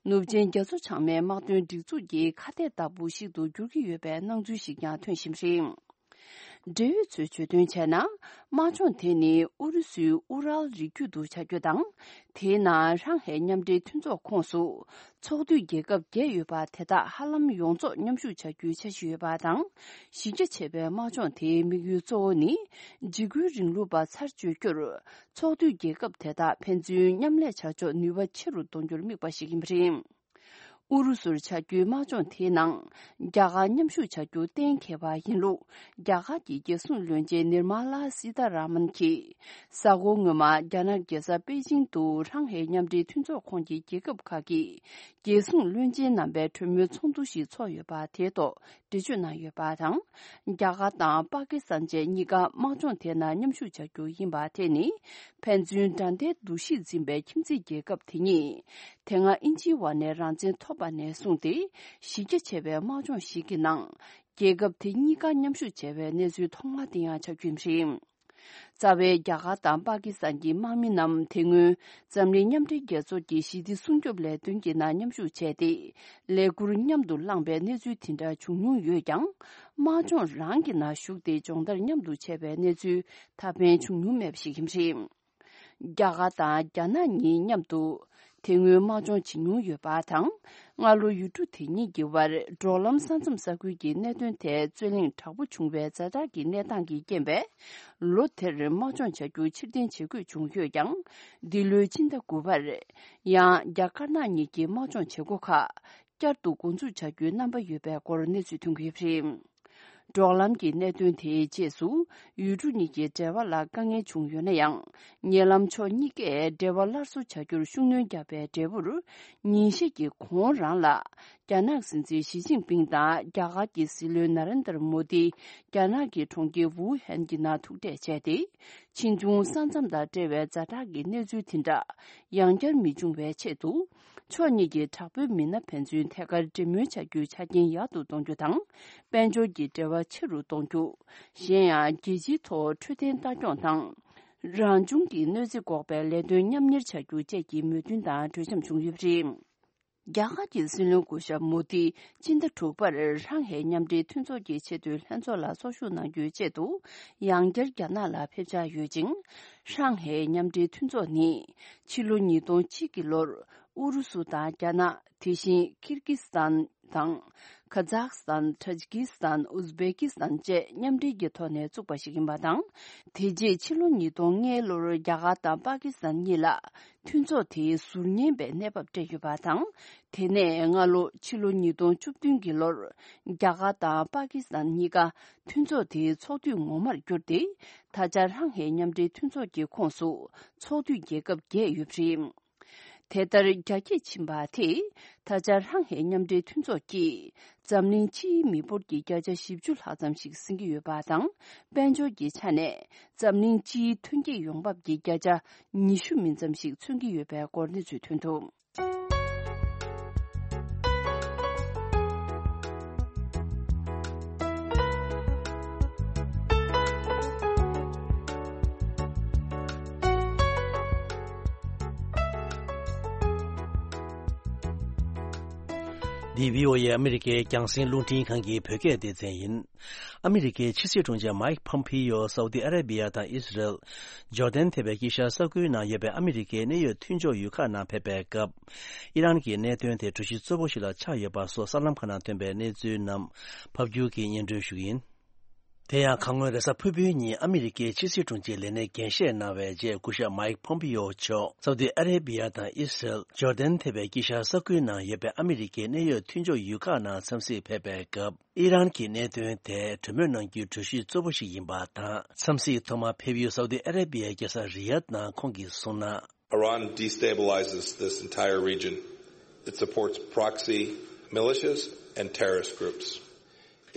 ནུབ་ཆིངས་རྒྱ་མཚོ་བྱང་མའི་དམག་དོན་སྒྲིག་འཛུགས་ཀྱི་ཁ་གཏད་ལྟ་བུ་ཞིག་ཏུ་འགྱུར་གྱི་ཡོད་པའི་སྣང་ཚུལ་ཞིག་ཀྱང་ཐོན་བཞིན་པ་རེད། འབྲེལ་ཡོད་ཚོས་བརྗོད་དོན་བྱས་ན། དམག་སྦྱོང་དེ་ནི་ཨུ་རུ་སུའི་ཨུ་རལ་རི་རྒྱུད་དུ་བྱ་རྒྱུ་དང་། དེའི་ནང་ཧྲང་ཧའེ་མཉམ་འབྲེལ་མཐུན་ཚོགས་ཁོངས་སུ། ཚོགས་འཐུས་རྒྱལ་ཁབ་བརྒྱད་ཡོད་པ་དེ་དག་ཧ་ལམ་ཡོངས་རྫོགས་མཉམ་ཞུགས་བྱ་རྒྱུའི་འཆར་གཞི་ཡོད་པ་དང་། གཞི་རྒྱ་ཆེ་བའི་དམག་སྦྱོང་དེའི་དམིགས་ཡུལ་གཙོ་བོ་ནི། འཇིགས་སྐུལ་རིང་ལུགས་པ་ཚར་གཅོད་རྒྱུར། ཚོགས་འཐུས་རྒྱལ་ཁབ་དེ་དག་ཕན་ཚུན་མཉམ་ལས་བྱ་ཕྱོགས་ནུས་པ་ཆེ་རུ་གཏོང་རྒྱུར་དམིགས་པ་ཞིག་ཡིན་པ་རེད། ཨུ་རུ་སུར་བྱ་རྒྱུའི་དམག་སྦྱོང་དེའི་ནང་། རྒྱ་གར་མཉམ་ཞུགས་བྱ་རྒྱུ་གཏན་འཁེལ་བ་ཡིན་ལུགས། རྒྱ་གར་གྱི་རྒྱལ་སྲུང་བློན་ཆེན་ནིར་མ་ལ་སི་ཐ་ར་མན་གྱིས། གཟའ་འཁོར་སྔོན་མ་རྒྱ་ནག་རྒྱལ་ས་པེ་ཅིང་དུ་ཧྲང་ཧའེ་མཉམ་འབྲེལ་མཐུན་ཚོགས་ཁོངས་ཀྱི་རྒྱལ་ཁབ་ཁག་གི་རྒྱལ་སྲུང་བློན་ཆེན་རྣམ་པའི་གྲོས་མོལ་ཚོགས་འདུ་ཞིག་ཚོགས་ཡོད་པ་དེའི་ཐོག་འགྲེལ་བརྗོད་གནང་ཡོད་པ་དང་། རྒྱ་གར་དང་པ་ཀི་སི་ཐན་བཅས་གཉིས་ཀ་དམག་སྦྱོང་དེ་ནང་མཉམ་ཞུགས་བྱ་རྒྱུ་ཡིན་པ་དེ་ནི། ཕན་ཚུན་དགྲ་ཟླའི་འདུ་ཤེས་འཛིན་པའི་ཁྱིམ་མཚེས་རྒྱལ་ཁབ་དེ་གཉིས། དེ་སྔ་དབྱིན་ཇིའི་འོག་ནས་རང་བཙན་ཐོབ་པ་ནས་བཟུང་སྟེ། གཞི་རྒྱ་ཆེ་བའི་དམག་སྦྱོང་ཞིག་གི་ནང་། རྒྱལ་ཁབ་དེ་གཉིས་ཀ་མཉམ་ཞུགས་བྱས་པའི་གནས་ཚུལ་ཐོག་མ་དེ་ཡང་ཆགས་རྒྱུ་ཡིན་པ་རེད། རྩ་བའི་རྒྱ་གར་དང་པ་ཀི་སི་ཐན་གྱི་དམག་མི་རྣམས་དེ་སྔོན་འཛམ་གླིང་མཉམ་འབྲེལ་རྒྱལ་ཚོགས་ཀྱི་ཞི་བདེ་སྲུང་སྐྱོབ་ལས་དོན་གྱི་ནང་མཉམ་ཞུགས་བྱས་ཏེ། ལས་འཁུར་མཉམ་དུ་བླངས་པའི་གནས་ཚུལ་དེ་འདྲ་བྱུང་མྱོང་ཡོད་ཀྱང་། དམག་སྦྱོང་རང་གི་ནང་ཞུགས་ཏེ་སྦྱོང་བརྡར་མཉམ་དུ་བྱས་པའི་གནས་ཚུལ་ད་ཕན་བྱུང་མྱོང་མེད་པ་ཞིག་ཡིན་པ་རེད། རྒྱ་གར་དང་རྒྱ་ནག་གཉིས་མཉམ་དུ་དེ་སྔོན་དམག་སྦྱོང་བྱེད་མྱོང་ཡོད་པ་དང་། སྔ་ལོ་ཡུལ་གྲུ་དེ་གཉིས་ཀྱི་དབར་འབྲོག་ལམ་ས་མཚམས་ས་ཁུལ་གྱི་གནད་དོན་ཐད་རྩོད་གླེང་དྲག་པོ་བྱུང་བའི་ཛ་དྲག་གི་གནས་སྟངས་ཀྱི་རྐྱེན་པས། ལོ་དེར་དམག་སྦྱོང་བྱ་རྒྱུ་ཕྱིར་འཐེན་བྱེད་དགོས་བྱུང་ཡོད་ཀྱང་། འདི་ལོའི་ཕྱི་ཟླ་དགུ་པར། ཡང་རྒྱ་དཀར་ནག་གཉིས་ཀྱི་དམག་སྦྱོང་བྱེད་སྒོ་ཁག་བསྐྱར་དུ་འགོ་འཛུགས་བྱ་རྒྱུའི་རྣམ་པ་ཡོད་པའི་སྐོར་གནས་ཚུལ་ཐོན་གྱི་ཡོད་པ་རེད། འབྲོག་ལམ་གྱི་གནད་དོན་དེའི་རྗེས་སུ། ཡུལ་གྲུ་གཉིས་ཀྱི་འབྲེལ་བ་ལ་དཀའ་ངལ་བྱུང་ཡོད་ན་ཡང་། ཉེ་ལམ་ཕྱོགས་གཉིས་ཀས་འབྲེལ་བ་སླར་གསོ་བྱ་རྒྱུར་ཤུགས་སྣོན་བརྒྱབ་པའི་འབྲས་བུར། ཉིན་ཤས་ཀྱི་གོང་རང་ལ། རྒྱ་ནག་སྲིད་འཛིན་ཞི་ཅིན་ཕིང་དང་རྒྱ་གར་གྱི་སྲིད་བློན་ན་རེན་དར་མོ་དི། རྒྱ་ནག་གི་གྲོང་ཁྱེར་ཝུ་ཧན་གྱི་ནང་ཐུག་འཕྲད་བྱས་ཏེ། ཕྱིས་འབྱུང་ས་མཚམས་དང་འབྲེལ་བའི་ཛ་དྲག་གི་གནས་ཚུལ་དེ་འདྲ། ཡང་བསྐྱར་མི་འབྱུང་བའི་ཆེད་དུ། ཕྱོགས་གཉིས་ཀྱི་དྲག་པོའི་མི་སྣ་ཕན་ཚུན་ཐད་ཀར་འབྲེལ་མོལ་བྱ་རྒྱུའི་ཆ་རྐྱེན་ཡག་ཏུ་གཏོང་རྒྱུ་དང་། དཔལ་འབྱོར་གྱི་འབྲེལ་བ་ཆེ་རུ་གཏོང་རྒྱུ། གཞན་ཡང་རྒྱལ་སྤྱིའི་ཐོག་འཕྲོད་བསྟེན་ལྟ་སྐྱོང་དང་། རང་བྱུང་གི་གནོད་འཚེ་འགོག་པའི་ལས་དོན་མཉམ་གཉེར་བྱ་རྒྱུ་བཅས་ཀྱི་མོས་མཐུན་དང་གྲོས་འཆམ་བྱུང་ཡོད་པ་རེད། རྒྱ་གར་གྱི་སྲིད་བློན་སྐུ་ཞབས་མོ་དི་སྤྱི་ཟླ་དྲུག་པར་ཧྲང་ཧེ་མཉམ་འབྲེལ་མཐུན་ཚོགས་ཀྱི་ཆེས་མཐོའི་ལྷན་ཚོགས་ལ་ཚོགས་ཞུགས་གནང་རྒྱུའི་ཆེད་དུ་ཡང་བསྐྱར་རྒྱ་ནག་ལ་ཕེབས་འཆར་ཡོད་ཅིང་། ཧྲང་ཧེ་མཉམ་འབྲེལ་མཐུན་ཚོགས་ནི་ཕྱི་ལོ་ཉིས་སྟོང་གཅིག་གི་ལོར་ཨུ་རུ་སུ་དང་རྒྱ་ནག་དེ་བཞིན་ཀིར་ཀི་སི་ཐན་དང་། ཁ་ཛག་སི་ཐན། ཏཱ་ཇི་ཀི་སི་ཐན། ཨུ་ཛི་བེ་ཀི་སི་ཐན་བཅས་མཉམ་འབྲེལ་གྱི་ཐོག་ནས་བཙུགས་པ་ཞིག་ཡིན་པ་དང་། དེ་རྗེས་ཕྱི་ལོ་ཉིས་སྟོང་ལྔ་ལོར་རྒྱ་གར་དང་པ་ཀི་སི་ཐན་གཉིས་ལ་མཐུན་ཚོགས་དེའི་ཟུར་ཉན་པའི་གནས་བབ་སྤྲད་ཡོད་པ་དང་། དེ་ནས་སྔ་ལོ་ཕྱི་ལོ་ཉིས་སྟོང་བཅུ་བདུན་གྱི་ལོར་རྒྱ་གར་དང་པ་ཀི་སི་ཐན་གཉིས་ཀ་མཐུན་ཚོགས་དེའི་ཚོགས་འཐུས་ངོ་མར་གྱུར་ཏེ། ད་ཆ་ཧྲང་ཧེ་མཉམ་འབྲེལ་མཐུན་ཚོགས་ཀྱི་ཁོངས་སུ་ཚོགས་འཐུས་རྒྱལ་ཁབ་བརྒྱད་ཡོད་པ་རེད། དེ་ལྟར་རྒྱ་སྐྱེད་ཕྱིན་པ་དེས་ད་ཆ་ཧྲང་ཧེ་མཉམ་འབྲེལ་མཐུན་ཚོགས་ཀྱིས་འཛམ་གླིང་སྤྱིའི་མི་འབོར་གྱི་བརྒྱ་ཆ་བཞི་བཅུ་ལྷག་ཙམ་ཞིག་ཟིན་གྱི་ཡོད་པ་དང་། དཔལ་འབྱོར་གྱི་ཆ་ནས་འཛམ་གླིང་སྤྱིའི་ཐོན་སྐྱེད་ཡོང་འབབ་ཀྱི་བརྒྱ་ཆ་ཉི་ཤུ་མིན་ཙམ་ཞིག་མཚོན་གྱི་ཡོད་པའི་སྐོར་གནས་ཚུལ་ཐོན་འདུག་འདི་བྷི་ཨོ་ཨེ་ཨ་མི་རི་ཀའི་རྒྱང་སྲིང་རླུང་འཕྲིན་ཁང་གི་བོད་སྐད་སྡེ་ཚན་ཡིན། ཨ་མི་རི་ཀའི་ཕྱི་སྲིད་དྲུང་ཆེ་མའིག་ཕོམ་པི་ཡོ་སའུ་ཏི་ཨ་རེ་བི་ཡ་དང་ཨི་སི་རེལ། ཇོར་ཌན་ཐེ་བའི་དཀྱིལ་ཤར་ས་ཁུལ་ནང་ཡོད་པའི་ཨ་མི་རི་ཀའི་གནད་ཡོད་མཐུན་ཕྱོགས་ཡུལ་ཁག་ནང་ཕེབས་པའི་སྐབས། ཨི་རན་གྱི་གནད་དོན་དེ་གྲོས་གཞི་གཙོ་བོ་ཞིག་ལ་ཆགས་ཡོད་པ་སོགས་གསར་ལམ་ཁག་ནང་ཐོན་པའི་གནས་ཚུལ་རྣམས་ཕབ་སྒྱུར་གྱིས་སྙན་སྒྲོན་ཞུ་གི་ཡིན། དེ་ཡང་གང་སྔོན་རེས་གཟའ་ཕུར་བུའི་ཉིན་ཨ་མི་རི་ཀའི་ཕྱི་སྲིད་དྲུང་ཆེའི་ལས་གནས་འགན་བཞེས་གནང་བའི་རྗེས་སྐུ་ཞབས་མའིག་ཕོམ་པི་ཡོ་མཆོག་སའུ་ཏི་ཨ་རེ་བི་ཡ་དང་ཨི་སི་རེལ། ཇོར་ཌན་ཐེ་བའི་དཀྱིལ་ཤར་ས་ཁུལ་ནང་ཡོད་པའི་ཨ་མི་རི་ཀའི་གནད་ཡོད་མཐུན་ཕྱོགས་ཡུལ་ཁག་ནང་འཚམས་གཟིགས་ཕེབས་པའི་སྐབས། ཨི་རན་གྱི་གནད་དོན་དེ་གྲོས་མོལ་གནང་རྒྱུའི་གྲོས་གཞི་གཙོ་བོ་ཞིག་ཡིན་པ་དང་། འཚམས་གཟིགས་ཐོག་མར་ཕེབས་ཡུལ་སའུ་ཏི་ཨ་རེ་བི་ཡའི་རྒྱལ་ས་རི་ཡཱད་ནང་ཁོང་གིས་གསུངས་ན། Iran destabilizes this entire region. It supports proxy militias and terrorist groups.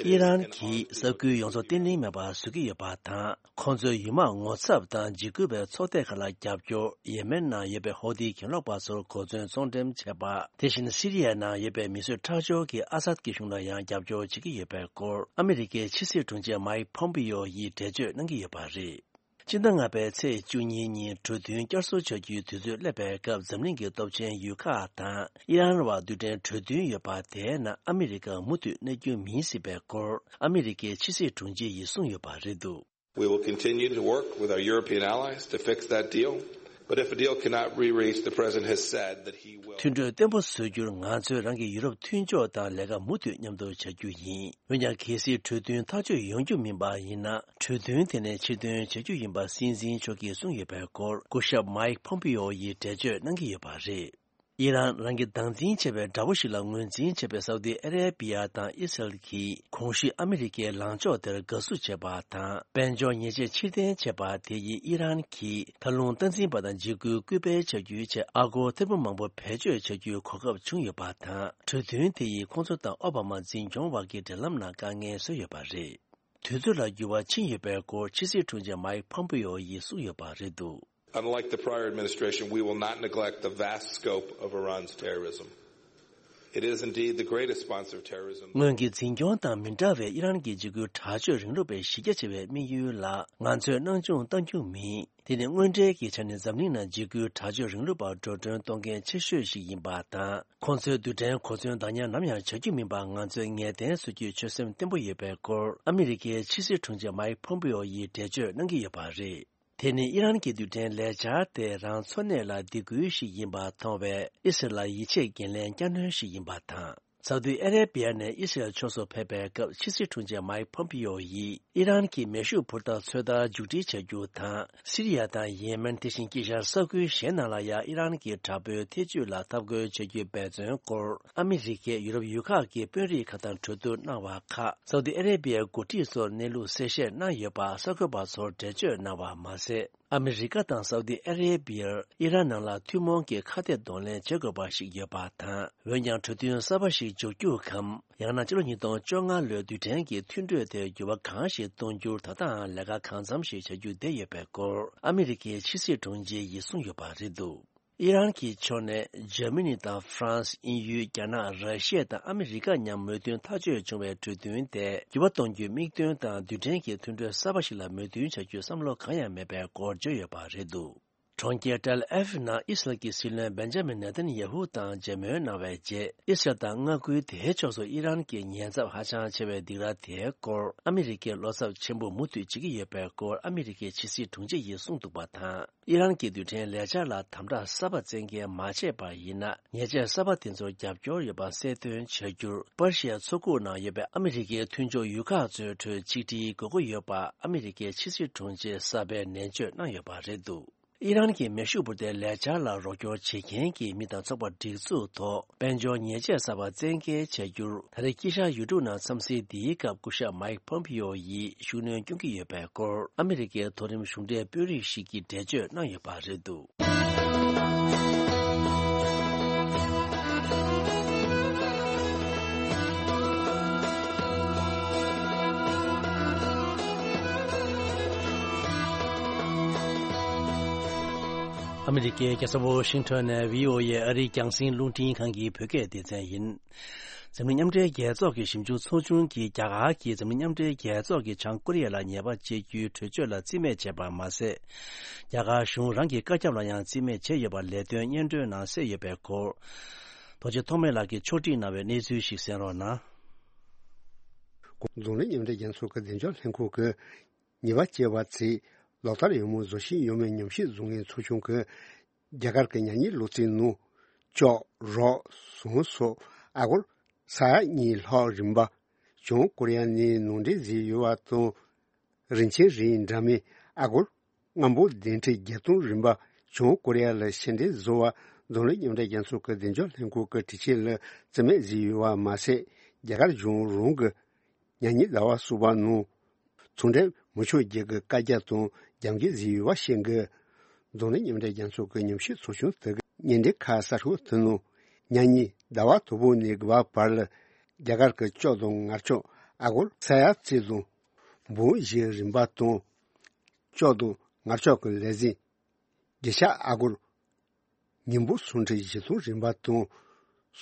It is ཨི་རན་གྱིས་ས་ཁུལ་ཡོངས་རྫོགས་བརྟན་ལྷིང་མེད་པར་བཟོ་གི་ཡོད་པ་དང་། ཁོང་ཚོས་ཡུལ་དམག་ངོ་ཚབ་དང་འཇིགས་སྐུལ་བའི་ཚོགས་སྡེ་ཁག་ལ་རྒྱབ་སྐྱོར། ཡེ་མེན་ནང་ཡོད་པའི་ཧོ་ཏི་གྱེན་ལོག་པ་ཚོར་གོ་མཚོན་ཚོང་འགྲེམས་བྱས་པ། དེ་བཞིན་སི་རི་ཡའི་ནང་ཡོད་པའི་མི་གསོད་ཁྲག་སྦྱོར་གྱིས་ཨ་སད་ཀྱི་གཞུང་ལ་ཡང་རྒྱབ་སྐྱོར་བྱེད་ཀྱི་ཡོད་པའི་སྐོར། ཨ་མི་རི་ཀའི་ཕྱི་སྲིད་དྲུང་ཆེ་མའིག་ཕོམ་པི་ཡོ་ཡིས་འགྲེལ་བརྗོད་གནང་གི་ཡོད་པ་རེད། སྤྱི་ཟླ་ལྔ་པའི་ཚེས་བཅུ་གཉིས་ཉིན་གྲོས་མཐུན་བསྐྱར་གསོ་བྱ་རྒྱུའི་དུས་ཚོད་སླེབས་པའི་སྐབས། འཛམ་གླིང་གི་སྟོབས་ཆེན་ཡུལ་ཁག་དང་ཨི་རན་བར་རྡུལ་ཕྲན་གྲོས་མཐུན་ཡོད་པ། དེའི་ནང་ཨ་མི་རི་ཀ་མུ་མཐུད་གནས་རྒྱུ་མིན་སྲིད་པའི་སྐོར། ཨ་མི་རི་ཀའི་ཕྱི་སྲིད་དྲུང་ཆེ་ཡིས་གསུངས་ཡོད་པ་རེད་འདུག We will continue to work with our European allies to fix that deal, but if a deal cannot be reached, the president has said that he will. མཐུན་གྲོས་བརྟན་པོ་བཟོ་རྒྱུར་ང་ཚོས་རང་གི་ཡུ་རོབ་མཐུན་ཕྱོགས་དང་ལས་ཀ་མུ་མཐུད་མཉམ་དུ་བྱ་རྒྱུ་ཡིན། འོན་ཀྱང་། གལ་སྲིད་གྲོས་མཐུན་ཐག་གཅོད་ཡོང་རྒྱུ་མིན་པ་ཡིན་ན། གྲོས་མཐུན་དེ་ནས་ཕྱིར་འདོན་བྱ་རྒྱུ་ཡིན་པ་སྲིད་འཛིན་མཆོག་གིས་གསུངས་ཡོད་པའི་སྐོར། སྐུ་ཞབས་མའིག་ཕོམ་པི་ཡོ་ཡིས་འགྲེལ་བརྗོད་གནང་གི་ཡོད་པ་རེད། ཨི་རན་རང་གིས་སྟངས་འཛིན་བྱས་པའི་དགྲ་བོ་ཞིག་ལ་ངོས་འཛིན་བྱས་པའི་སའུ་ཏི་ཨ་རེ་བི་ཡ་དང་ཨི་སི་རལ་གྱིས། གོང་ཞུས་ཨ་མི་རི་ཀའི་ལངས་ཕྱོགས་དེར་དགའ་བསུ་བྱས་པ་དང་། དཔལ་འབྱོར་ཉེས་ཆད་ཕྱིར་འཐེན་བྱས་པ་དེ་ཡིས་ཨི་རན་གྱིས་མཐར་ལྷུང་སྟངས་འཛིན་པ་དང་འཇིགས་སྐུལ་སྐུལ་སྤེལ་བྱ་རྒྱུའི་ཆེད་ཨ་སྒོར་ཐེར་འབུམ་མང་པོ་བེད་སྤྱོད་བྱ་རྒྱུའི་གོ་སྐབས་བྱུང་ཡོད་པ་དང་། གྲོས་མཐུན་དེ་ཡིས་ཁོང་ཚོ་དང་ཨོ་བྷ་མ་འཛིན་སྐྱོང་བར་གྱི་འབྲེལ་ལམ་ནང་དཀའ་ངལ་བཟོས་ཡོད་པ་རེད། དུས་ཚོད་ལ་འགྱུར་བ་ཕྱིན་ཡོད་པའི་སྐོར་ཕྱི་སྲིད་དྲུང་ཆེ་མའིག་ཕོམ་པི་ཡོ་ཡིས་གསུངས་ཡོད་པ་རེད་འདུག Unlike the prior administration, we will not neglect the vast scope of Iran's terrorism. It is indeed the greatest sponsor of terrorism. སྔོན་གྱི་འཛིན་སྐྱོང་དང་མི་འདྲ་བའི་ཨི་རན་གྱི་འཇིགས་སྐུལ་དྲག་སྤྱོད་རིང་ལུགས་པའི་གཞི་རྒྱ་ཆེ་བའི་དམིགས་ཡུལ་ལ་ང་ཚོས་སྣང་ཆུང་གཏང་རྒྱུ་མིན། དེ་ནི་དངོས་འབྲེལ་གྱི་ཆ་ནས་འཛམ་གླིང་ནང་འཇིགས་སྐུལ་དྲག་སྤྱོད་རིང་ལུགས་པར་འགྲོ་གྲོན་གཏོང་མཁན་ཆེ་ཤོས་ཤིག་ཡིན་པ་དང་། ཁོང་ཚོའི་རྡུལ་ཕྲན་གོ་མཚོན་བདག་ཉར་ནམ་ཡང་བྱ་རྒྱུ་མིན་པ་ང་ཚོས་ངེས་གཏན་བཟོ་རྒྱུའི་ཆོད་སེམས་བརྟན་པོ་ཡོད་པའི་སྐོར། ཨ་མི་རི་ཀའི་ཕྱི་སྲིད་དྲུང་ཆེ་མའིག་ཕོམ་པི་ཡོ་ཡིས་འགྲེལ་བརྗོད་གནང་གི་ཡོད་པ་རེད། དེ་ནི་ཨི་རན་གྱི་རྡུལ་ཕྲན་ལས་འཆར་དེ་རང་འཚོ་གནས་ལ་སྡིགས་སྐུལ་ཞིག་ཡིན་པར་མཐོང་བས། ཨི་སི་རལ་ལ་ཡིད་ཆེས་འགན་ལེན་བསྐྱར་སྣོན་ཞིག་ཡིན་པ་དང་། སའུ་ཏི་ཨ་རེ་བི་ཡ་ནས་ཨི་སི་རལ་ཕྱོགས་སུ་ཕེབས་པའི་སྐབས། ཕྱི་སྲིད་དྲུང་ཆེ་མའིག་ཕོམ་པི་ཡོ་ཡིས་ཨི་རན་གྱི་མེ་ཤུགས་འཕུར་མདའ་ཚོད་ལྟ་མཇུག་སྒྲིལ་བྱ་རྒྱུ་དང་། སི་རི་ཡ་དང་ཡེ་མེན། དེ་བཞིན་དཀྱིལ་ཤར་ས་ཁུལ་གཞན་རྣམས་ལ་ཡང་ཨི་རན་གྱི་དྲག་པོའི་ཐེ་ཇུས་ལ་འཐབ་རྒོལ་བྱ་རྒྱུའི་འབད་བརྩོན་སྐོར། ཨ་མི་རི་ཀས་ཡུ་རོབ་ཡུལ་ཁག་གི་དཔོན་རིགས་ཁག་དང་གྲོས་བསྡུར་གནང་བ་ཁག། སའུ་ཏི་ཨ་རེ་བི་ཡའི་འགོ་ཁྲིད་ཚོར་གནས་ལུགས་གསལ་བཤད་གནང་ཡོད་པ་གསར་འགོད་པ་ཚོར་འགྲེལ་བརྗོད་གནང་བ་མ་ཟད། ཨ་མི་རི་ཀ་དང་སའུ་ཏི་ཨ་རེ་བི་ཡར་ཨི་རན་ནང་ལ་ཐུན་མོང་གི་ཁ་གཏད་གདོང་ལེན་བྱེད་དགོས་པ་ཞིག་ཡོད་པ་དང་། འོན་ཀྱང་། གྲོས་མཐུན་གསར་པ་ཞིག་འཇོག་རྒྱུ་གམ། ཡང་ན། ཕྱི་ལོ་ཉིས་སྟོང་བཅོ་ལྔ་ལོའི་རྡུལ་ཕྲན་གྱི་མཐུན་གྲོས་དེར་འགྱུར་བ་གང་ཞིག་གཏོང་རྒྱུར་ད་ལྟའང་ལས་ཀ་གང་འཚམ་ཞིག་བྱ་རྒྱུ་བསྡད་ཡོད་པའི་སྐོར། ཨ་མི་རི་ཀའི་ཕྱི་སྲིད་དྲུང་ཆེ་ཡིས་གསུངས་ཡོད་པ་རེད་འདུག་ཨི་རན་གྱི་ཕྱོགས་ནས། འཇར་མ་ནི་དང་ཧྥ་རན་སི། དབྱིན་ཡུལ། རྒྱ་ནག་ར་ཤི་ཡ་དང་ཨ་མི་རི་ཀ་མཉམ་མོས་མཐུན་ཐག་གཅོད་བྱུང་བའི་གྲོས་མཐུན་དེ་འགྱུར་བ་གཏོང་རྒྱུའི་དམིགས་དོན་དང་། རྡུལ་ཕྲན་གྱི་མཐུན་གྲོས་གསར་པ་ཞིག་ལ་མོས་མཐུན་བྱ་རྒྱུའི་བསམ་བློ་གང་ཡང་མེད་པའི་སྐོར་བརྗོད་ཡོད་པ་རེད་འདུག་གྲོང་ཁྱེར་ཏེལ་ཨེ་ཝི་ནང་ཨི་སི་རལ་གྱི་སྲིད་བློན་བེན་ཇ་མིན་ནེ་ཐན་ཡ་ཧུ་དང་མཇལ་མོལ་གནང་བའི་རྗེས། ཨི་སི་རལ་དང་མངའ་ཁུལ་དེའི་ཕྱོགས་སུ་ཨི་རན་གྱི་ཉེན་ཚབས་ཧ་ཅང་ཆེ་བའི་སྡིགས་ར་དེའི་སྐོར་ཨ་མི་རི་ཀའི་བློ་འཚབ་ཆེན་པོ་མུ་མཐུད་བྱེད་ཀྱི་ཡོད་པའི་སྐོར་ཨ་མི་རི་ཀའི་ཕྱི་སྲིད་དྲུང་ཆེ་ཡིས་གསུངས་འདུག་པ་དང་། ཨི་རན་གྱི་རྡུལ་ཕྲན་ལས་འཆར་ལ་དམ་དྲག་གསར་པ་བཙན་འགེལ་མ་བྱས་པ་ཡིན་ན། ཉེས་ཆད་གསར་པ་དེ་ཚོར་རྒྱབ་སྐྱོར་ཡོད་པ་གསལ་སྟོན་བྱ་རྒྱུར། པར་ཤི་ཡ་མཚོ་ཁུག་ནང་ཡོད་པའི་ཨ་མི་རི་ཀའི་མཐུན་ཕྱོགས་ཡུལ་ཁག་ཚོའི་ཁྲོད་ཆིག་སྒྲིལ་དགོས་མཁོ་ཡོད་པ་ཨ་མི་རི་ཀའི་ཕྱི་སྲིད་དྲུང་ཆེ་གསར་པས་ནན་བརྗོད་གནང་ཡོད་པ་རེད་འདུག་ཨི་རན་གྱི་མེ་ཤུགས་འཕུར་མདེལ་ལས་འཆར་ལ་རོགས་སྐྱོར་བྱེད་མཁན་གྱི་མི་དང་ཚོགས་པ་སྒྲིག་འཛུགས་ཐོག་དཔལ་འབྱོར་ཉེས་ཆད་གསར་པ་བཙན་འགེལ་བྱ་རྒྱུར། ད་རེས་དཀྱིལ་ཤར་ཡུལ་གྲུ་ནང་འཚམས་གཟིགས་འདིའི་སྐབས་སྐུ་ཞབས་མའིག་ཕོམ་པིའོ་ཡིས་ཤུགས་སྣོན་སྐྱོན་གྱི་ཡོད་པའི་སྐོར་ཨ་མི་རི་ཀའི་མཐོ་རིམ་གཞུང་འབྲེལ་དཔོན་རིགས་ཤིག་གིས་འགྲེལ་བརྗོད་གནང་ཡོད་པ་རེད་འདུག་ཨ་མི་རི་ཀའི་རྒྱལ་ས་ཝོ་ཤིང་ཊོན་ནས་བྷི་ཨོ་ཨེ་ཨ་རིའི་རྒྱང་སྲིང་རླུང་འཕྲིན་ཁང་གི་བོད་སྐད་སྡེ་ཚན་ཡིན། འཛམ་གླིང་མཉམ་འབྲེལ་རྒྱལ་ཚོགས་ཀྱི་ཞིབ་འཇུག་ཚོགས་ཆུང་གིས་རྒྱ་གར་གྱིས་འཛམ་གླིང་མཉམ་འབྲེལ་རྒྱལ་ཚོགས་ཀྱིས་བྱང་ཀོ་རི་ཡ་ལ་ཉེས་པ་བཅད་རྒྱུའི་གྲོས་ཆོད་ལ་རྩིས་མེད་བྱས་པ་མ་ཟད། རྒྱ་གར་གཞུང་རང་གི་བཀའ་ཁྱབ་ལ་ཡང་རྩིས་མེད་བྱས་ཡོད་པ་ལས་དོན་སྙན་སྒྲོན་ནང་གསལ་ཡོད་པའི་སྐོར། རྡོ་རྗེ་ཐོགས་མེད་ལགས་ཀྱིས་ཕྱོགས་སྒྲིག་གནང་བའི་གནས་ཚུལ་ཞིག་གསན་རོགས་གནང་། འཛམ་གླིང་མཉམ་འབྲེལ་རྒྱལ་ཚོགས་ཀྱི་བདེ་འཇགས་ལྷན་ཁང་གིས་ཉེས་པ་བཅད་པ་ཚོས་ལག་བསྟར་ཡོང་མུས་བཟོ་བཞིན་ཡོད་མེད་ཉམས་ཞིབ་བཟོ་མཁན་ཚོགས་ཆུང་གིས། རྒྱ་གར་གྱི་ཉ་ཉིན་ལོ་ཚིགས་ནང་ཅོག་རོ་ཟོང་སོགས་ཨ་སྒོར་ས་ཡ་གཉིས་ལྷག་རིན་པ་བྱང་ཀོ་རི་ཡ་ནས་ནང་འདྲེན་བཟོས་ཡོད་པ་དང་། རིན་ཆེན་རིགས་འདྲ་མིན་ཨ་སྒོར་སྔ་འབོར་བདུན་ཁྲི་བརྒྱད་སྟོང་རིན་པ་བྱང་ཀོ་རི་ཡ་ལ་ཕྱིར་འདྲེན་བཟོ་བར་འཛམ་གླིང་མཉམ་འབྲེལ་རྒྱལ་ཚོགས་ཀྱི་བདེ་འཇགས་ལྷན་ཁང་གི་དྲི་ཆད་ལ་རྩིས་མེད་བཟོས་ཡོད་པ་མ་ཟད། རྒྱ་གར་གཞུང་རང་གི་ཉ་ཉིན་ཟླ་བ་གསུམ་པ་ནང་ཚོང་འབྲེལ་མི་ཆོག་རྒྱུ་གི་བཀའ་རྒྱ་དང་རྒྱབ་འགལ་བཟོས་ཡོད་པ་ཤེས་དགོས། འཛམ་གླིང་མཉམ་འབྲེལ་རྒྱལ་ཚོགས་ཀྱི་ཉམས་ཞིབ་ཚོགས་ཆུང་དེ་གི་བརྙན་འཕྲིན་ཁ་གསར་ཤོག་དེ་ནང་ཉ་ཉིན་ཟླ་བ་དང་པོ་ནས་དགུ་པ་བར་ལ་རྒྱ་གར་གྱི་ཅོག་དང་མངར་ཅོག་ཨ་སྒོར་ས་ཡ་གཅིག་དང་འབུམ་བཞིའི་རིན་པ་དང་། ཅོག་དང་མངར་ཅོག་གི་ལས་ཟིན་རྒྱུ་ཆ་ཨ་སྒོར་ཉིས་འབོར་སུམ་ཁྲི་བཞི་སྟོང་རིན་པ་དང་།